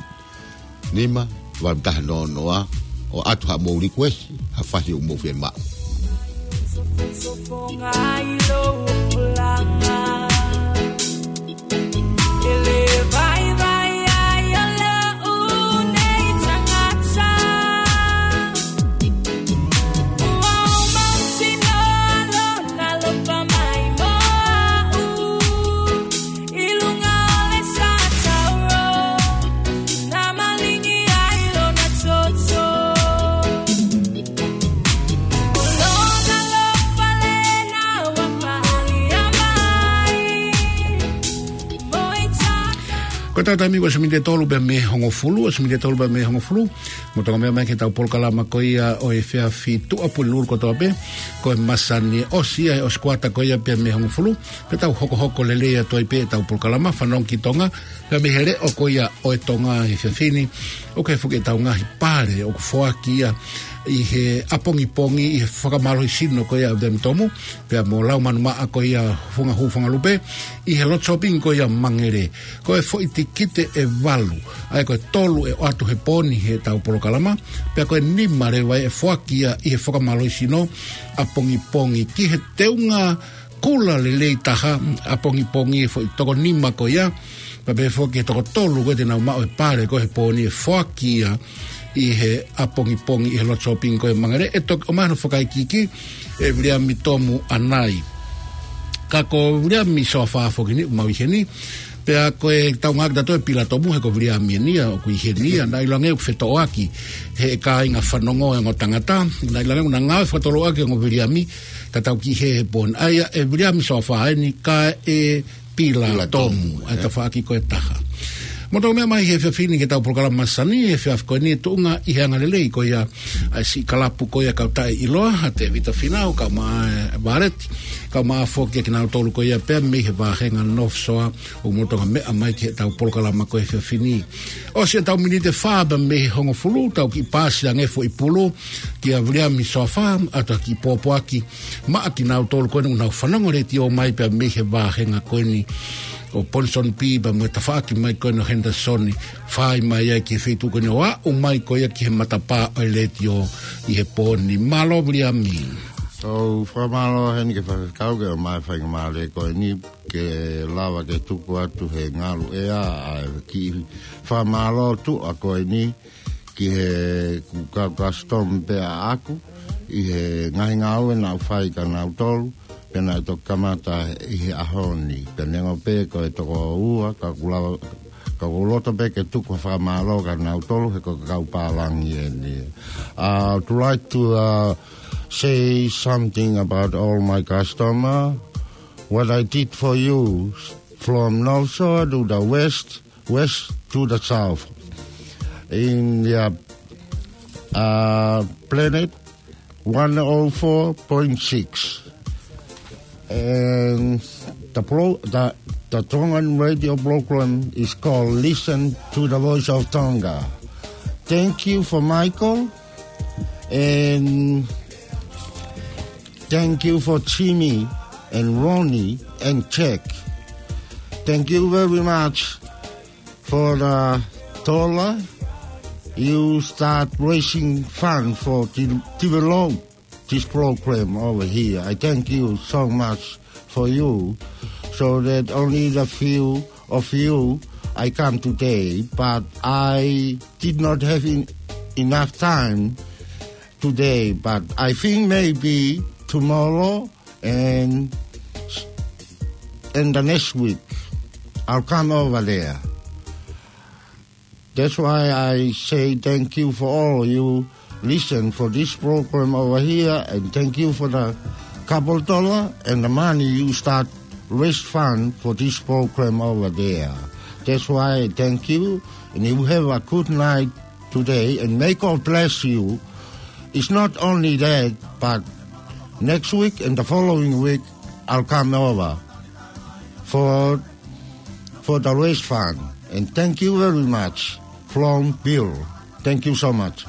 nima, valu taha noa noa, ʻo ʻatu haʻamou likuesi ha fasi ʻoku mou fiemaʻu. Ko ʻetau taimi ko e ʻosi miniti ʻe tolu pea mei he hongofulu, ʻosi miniti ʻe tolu pea mei he hongofulu. Mou toki meʻa mai ki heʻetau polokalama ko ia ʻo e efiafi Tuʻapulelulu kotoa pē, ko e masani ʻosi ia he ʻosi kuata ko ia pea mei he hongofulu, pea tau hokohoko lelei atu ai pē ʻetau polokalama Fanongo ki Tonga, pea mei he leʻo ko ia ʻo e Tonga he efiafi ni, ʻoku ʻi ai foki ʻetau ngaahi pale ʻoku foaki ia ʻi he ʻapongipongi, ʻi he fakamālohisino ko ia ʻa Viliami Tomu, pea mo Laumanu Maʻa ko ia Funga Hū Funga Lupe, ʻi he lotu sōpingi ko ia Mangere. Ko e foʻi tikite ʻe valu, ʻa ia ko e tolu ʻe ʻoatu he pō ni heʻetau polokalama, pea ko e nima leva ʻe foaki ia ʻi he fakamālohisino ʻapongipongi ki he teunga kula lelei taha ʻapongipongi, e foʻi toko nima ko ia, pea pehē foki ki he toko tolu ko ia te nau maʻu e pale ko ē he pō ni ʻe foaki ia ʻi he ʻapongipongi ʻi he lotu sōpingi ko ia Mangere. ʻE toki ʻomai hono fakaikiiki ʻe Viliami Tomu ʻanai. Ka ko Viliami Soafa foki eni ʻoku mau ʻi heni. Pea ko ʻetau ngāueʻaki ʻe tautolu e Pila Tomu he ko Viliami eni ia ʻoku ʻi heni ia, naʻe ʻiloange ʻoku fetoʻoaki he kāinga fanongo e ongo tangata, naʻe ʻiloange ʻoku na ngāue fakatouʻaki e ongo Viliami, ka tau kiʻi hē he pō ni. ʻA ia ʻe Viliami Soafa eni kae Pila Pila Tomu, Tomu, ʻa e ē. Tafaʻaki ko ē ʻe taha. Mou toki meʻa mai he efiafi ni ki heʻetau polokalama masani, he efiafi ko eni tuʻunga ʻi he angalelei ko ia ʻa e siʻi kalapu ko ia Kau Taʻeʻiloa, ʻa Tevita Finau, kae ʻumaʻā ʻa Valeti, kae ʻumaʻā foki kinautolu ko ia pea mei he vāhenga North Shore, ʻoku mou toki meʻa mai ki heʻetau polokalama ko ē he efiafi ni. ʻOsi ʻetau miniti ʻe fā pea mei he hongofulu, tau kiʻi paasi ange e foʻi pulu kia Viliami Soafa, ʻoatu ha kiʻi pōpoaki maʻa kinautolu ko eni ʻoku nau fanongo letiō mai pea mei he vāhenga ko eni ʻo Ponsonby pea mo e tafaʻaki mai ko eni ʻo Henderson, fai mai ai ki he feituʻu ko eni ʻo aʻu mai ko ia ki he matapā ʻo e letiō ʻi he pō ni. Mālō Viliami. So, fakamālō heni ki he faifekau ke ʻomai e faingamālie ko eni ke lava ke tuku atu he ngalu ʻea ʻa e kiʻi fakamālō tuʻa ko eni ki he kau customer pē ʻaʻaku ʻi he ngaahi ngāue naʻa ku fai kia nautolu, pea naʻe toki kamata ʻi he ʻaho ni. Pea neongo pē ko e toko ua, ka ʻoku lava, ka ʻoku ou loto pē ke tuku ha fakamālō kia nautolu he ko e kau pālangi eni. Uh, I would like to, uh, say something about all my customer. What I did for you from North Shore to the west, west to the south. In the, uh, Planet one oh four point six. And the pro-, the, the Tongan radio program is called Listen to the Voice of Tonga. Thank you for Michael. And thank you for Jimmy and Ronnie and Jack. Thank you very much for the dollar you start raising fund for de-, develop this program over here. I thank you so much for you, so that only the few of you I come today, but I did not have en-, enough time today, but I think maybe tomorrow and, and the next week, I'll come over there. That's why I say thank you for all of you listen for this program over here, and thank you for the couple dollar and the money you start raise fund for this program over there. That's why I thank you, and you have a good night today, and may God bless you. It's not only that, but next week and the following week, I'll come over for, for the raise fund. And thank you very much from Bill. Thank you so much.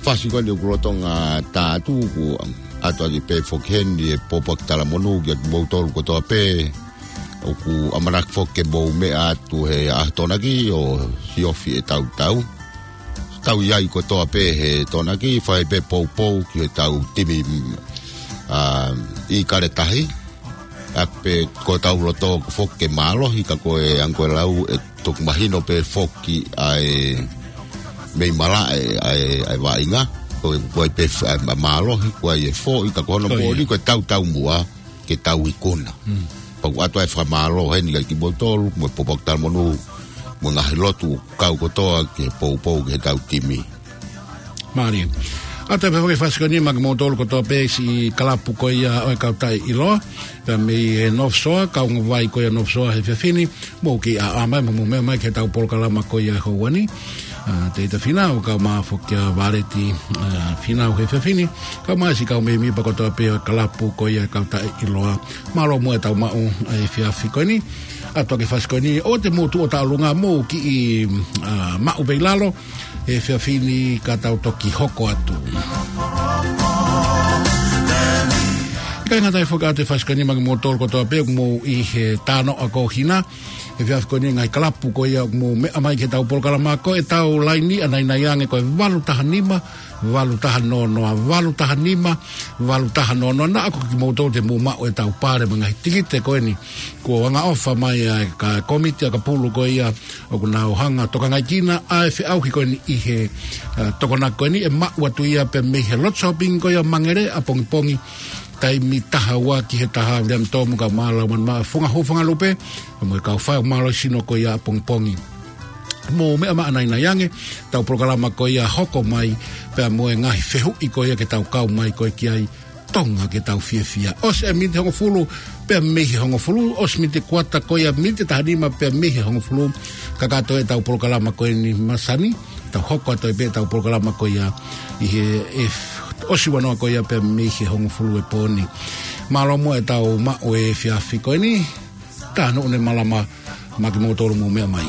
Fasi ko eni ʻoku lolotonga tā atu, ʻoku ʻatu atu pē foki heni e pōpoaki talamonū kiate kimoutolu kotoa pē. ʻOku ʻamanaki foki ke mou meʻa atu he ʻaho Tokonaki ʻo siofi e tautau. Tau ʻi ai kotoa pē he Tokonaki, fai pē poupou ki he tau timi, mm, ʻa, ʻIkale Tahi. ʻA ia pē ko ʻetau loto ko ē foki ke mālohi, ka ko e anga ko e lau ʻe toki mahino pē foki ʻa e mei malaʻe ʻa e, ʻa e vaʻinga. Ko e, ko e pē f-, ʻa e mālohi, ko e foʻi, ka ko hono Ko ia. moʻoni ko e tautau muʻa ke tau ikuna. Mm. Pea ʻoku ʻatu ai e fakamālō heni kiate kimoutolu, mo e pōpoaki talamonū, mo e ngaahi lotu kau kotoa ke poupou ki he tau timi. Mālie. ʻAtu ai pē foki e fasi ko eni maʻa kimoutolu kotoa pē siʻi kalapu ko ia ʻo e kau taʻeʻiloa. Pea mei he North Shore, kaungavai ko ia North Shore he efiafi ni, mou kiʻi ʻaʻa mai, mou meʻa mai ki he tau polokalama ko ia he houa ni. ʻA, Teita Finau, kae ʻumaʻā foki ʻa Valeti, ʻa, Finau he efiafi ni, kae ʻumaʻā siʻi kau mēmipa kotoa pē ʻo e kalapu ko ia ʻo e kau taʻeʻiloa. Mālō muʻa e tau maʻu ʻa e efiafi ko eni. ʻAtu ā ki he fasi ko eni, ʻoua te mou tuʻu ʻo taʻalunga, mou kiʻi, ʻa, maʻu pē ʻi lalo he efiafi ni ka tau toki hoko atu. ʻIkai ngata ai foki ʻa e fasi ko eni maʻa kimoutolu kotoa pē ʻoku mou ʻi he tānoʻa ko Hina. He efiafi ko eni ngaahi kalapu ko ia ʻoku mou meʻa mai ki he tau polokalama, ko e tau laini ʻanainai ange ko e valu taha nima, valu taha noa noa, valu taha nima, valu taha noa noa. Naʻa ko kimoutolu te mou maʻu e tau pale mo e ngaahi tikite ko eni kuo angaʻofa mai ʻa e kau kōmiti ʻakapulu ko ia ʻoku nau hanga ʻo tokangaekina ʻa e feʻauhi ko eni ʻi he, ʻa, Tokonaki ko eni, ʻe maʻu atu ia pē mei he Lot Shopping ko ia Mangere ʻapongipongi taimi taha ua ki he taha Viliami Tomu kae ʻumaʻā Laumanu Maʻa, Funga Hū, Funga Lupe, mo e kau faifekau mālohi sino ko ia ʻapongipongi. Mou meʻa mai ʻanainai ange, tau polokalama ko ia hoko mai, pea mo e ngaahi fehuʻi ko ia ke tau kau mai ko ē ki ai, Tonga ke tau fiefia. ʻOsi e miniti hongofulu pea mei he hongofulu, ʻosi miniti kuata ko ia miniti taha nima pea mei he hongofulu, kakato e tau polokalama ko eni masani, tau hoko atu ai pē tau polokalama ko ia ʻi he, e, ʻosi ua noa ko ia pea mei he hongofulu e pō ni. Mālō muʻa e tau maʻu e efiafi ko eni, tā nuʻu ne malama maʻa kimoutolu mou meʻa mai.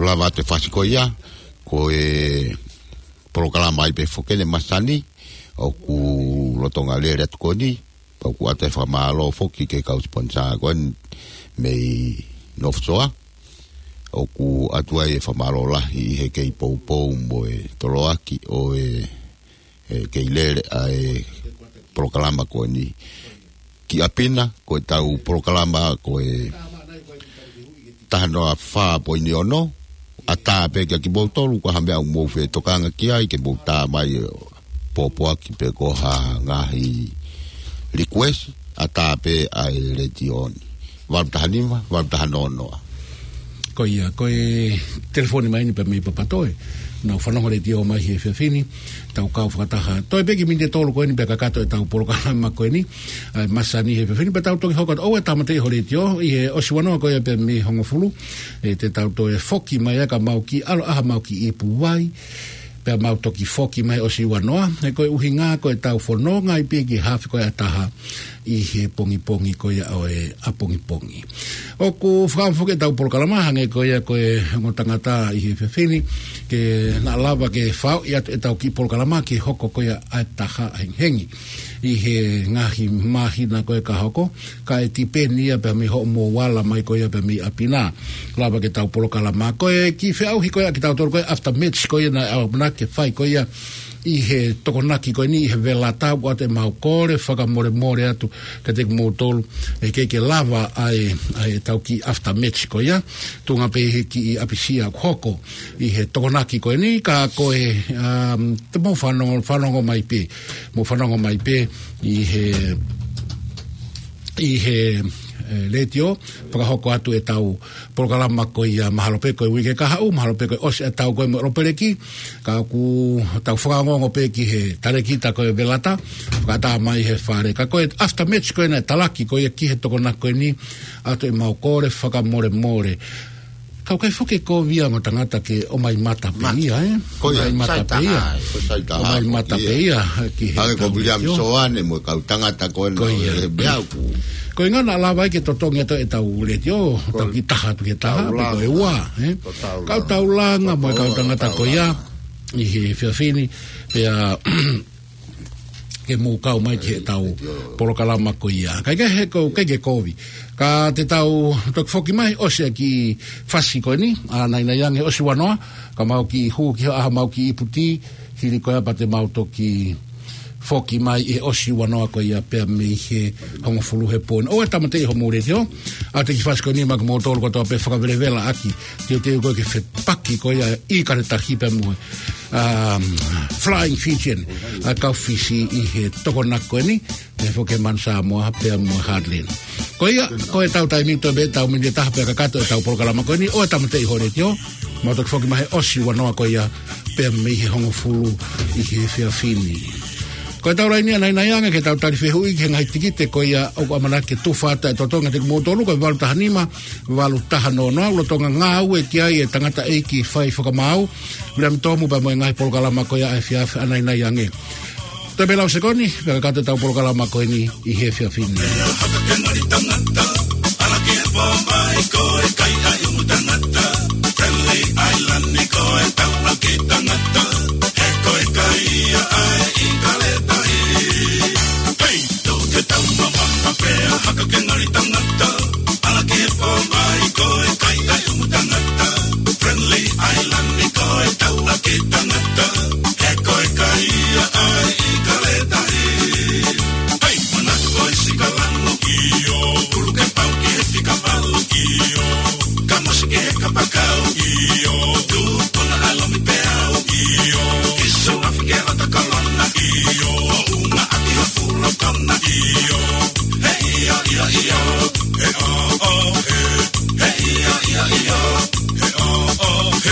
Lava atu e fasi ko ia, ko e polokalama ai pē foki eni masani, ʻoku lolotonga lele atu ko eni, pea ʻoku ʻatu e fakamālō foki ki he kau siponisā ko eni mei North Shore, ʻoku ʻatu ai e fakamālō lahi ʻi he kei poupou mo e toloaki ʻo e, e kei lele ʻa e polokalama ko eni. Ki ʻapi na, ko ʻetau polokalama ko e taha noa fā poini ono, ʻatā pē kia kimoutolu, ko ha meʻa ʻoku mou fetokanga ki ai, ke mou tā mai ʻo pōpoaki pe ko ha ngaahi request, ʻatā pē ʻa e letiō ni. Valu taha nima, valu taha noa noa. Ko ia, ko e telefoni mai eni pē mei Papatoe. Nau fanongo letiō mai he efiafi ni, tau kau fakataha. Toe pē kiʻi miniti ʻe tolu ko eni pea kakato ʻetau polokalama ko eni. ʻA e masani he efiafi ni pea tau toki hoko atu. ʻOua ʻe tāmateʻi ho letiō, ʻi he ʻosi ua noa ko ia pē mei he hongofulu. ʻE te tau toe foki mai ʻa ka mau kiʻi ʻalu ʻaha mau kiʻi ipu vai. Pea mau toki foki mai ʻosi ua noa. He ko e ʻuhinga ko ʻetau fononga ʻi pē ki he hafe ko ia ʻa taha ʻi he pongipongi ko ia ʻo e ʻapongipongi. ʻOku fakaʻamu foki ʻetau polokalama hangē ko ia ko e ongo tangata ʻi he efiafi ni, ke na lava ke fau ʻi atu ʻetau kiʻi polokalama ke hoko ko ia ʻa e taha hengihengi. ʻI he ngaahi māhina ko ia ka hoko, ka ʻe tipeni ia pē mei hoʻomou ala mai ko ia pē mei ʻapi na. Lava ke tau polokalama. Ko e kiʻi feʻauhi ko ia kitautolu ko e after match ko ia naʻe ʻamanaki ke fai ko ia ʻi he Tokonaki ko eni ʻi he Velata, ʻoatu ʻemau kole fakamolemole atu kiate kimoutolu, ʻe ʻikai ke lava ʻa e, ʻa ʻetau kiʻi after match ko ia, tuʻunga pē he kiʻi ʻapisia kuo hoko ʻi he Tokonaki ko eni, ka ko e, um, te mou fanongo, fanongo mai pē, mou fanongo mai pē ʻi he, ʻi he, ʻe, letiō, fakahoko atu ʻetau polokalama ko ia mahalo pē ko e uike kahaʻu, mahalo pē ko e ʻosi ʻetau ko e mo ʻolopeleki, ka ʻoku tau fakaongoongo pē ki he talēkita ko e Velata, fakaʻatā mai he fale. Ka ko e after match ko ena ʻe talaki ko ia ki he Tokonaki ko eni, ʻoatu ʻemau kole fakamolemole. Ka ʻoku ʻikai foki ke kovi ia mo e tangata ke ʻomai mata pē ia, ē? Ko ia, ʻomai mata pē ia. Ko e sai taha, ʻomai mata pē ia ki he Hale ko William Soane mo e kau tangata ko ena. Ko ia. He meʻa ʻoku. Ko e ʻuhinga naʻa lava ai ke totongi atu ʻetau letiō, tau kiʻi taha atu ki he taha, pe ko e ua, ē? Kau taulanga mo e kau tangata ko ia ʻi he efiafi ni, pea ke mou kau mai ki heʻetau polokalama ko ia. Ka ʻikai ke he ko, ʻikai ke kovi. Ka te tau toki foki mai ʻosi ʻa e kiʻi fasi ko eni, ʻa Nainai ange ʻosi ua noa, ka mau kiʻi hū ki he ʻaha mau kiʻi ipu tī, hili ko ia pea te mau toki foki mai ʻi he ʻosi ua noa ko ia pea mei he hongofulu he pō ni. ʻOua ʻe tāmateʻi homou letiō, ʻa e kiʻi fasi ko eni maʻa kimoutolu kotoa pē fakavelevela ʻaki, teuteu ko ē ke fepaki ko ia ʻi Kanetahī pea mo e, um, Flying Fijian, ʻa e kau Fisi ʻi he Tokonaki ko eni, ʻe foki Manu Samoa pea mo e Heartland. Ko ia, ko ʻetau taimi toe pē ʻetau miniti ʻe taha pea kakato ʻetau polokalama ko eni, ʻoua ʻe tāmateʻi ho letiō, mau toki foki mai he ʻosi ua noa ko ia pea mei he hongofulu ʻi he efiafi ni. Ko ʻetau laine ʻa Nainai ange ke tau tali fehuʻi ki he ngaahi tikite ko ia ʻoku ʻamanaki ke tufa atu ʻa e totongi kiate kimoutolu, ko e valu taha nima, valu taha noa noa, lolotonga ngāue ki ai e tangataʻeiki fai fakamaau, William Tomu pea mo e ngaahi polokalama ko ia ʻa e efiafi ʻa Nainai ange. Toe pē lau sekoni, pea kakato ʻetau polokalama ko eni ʻi he efiafi ni.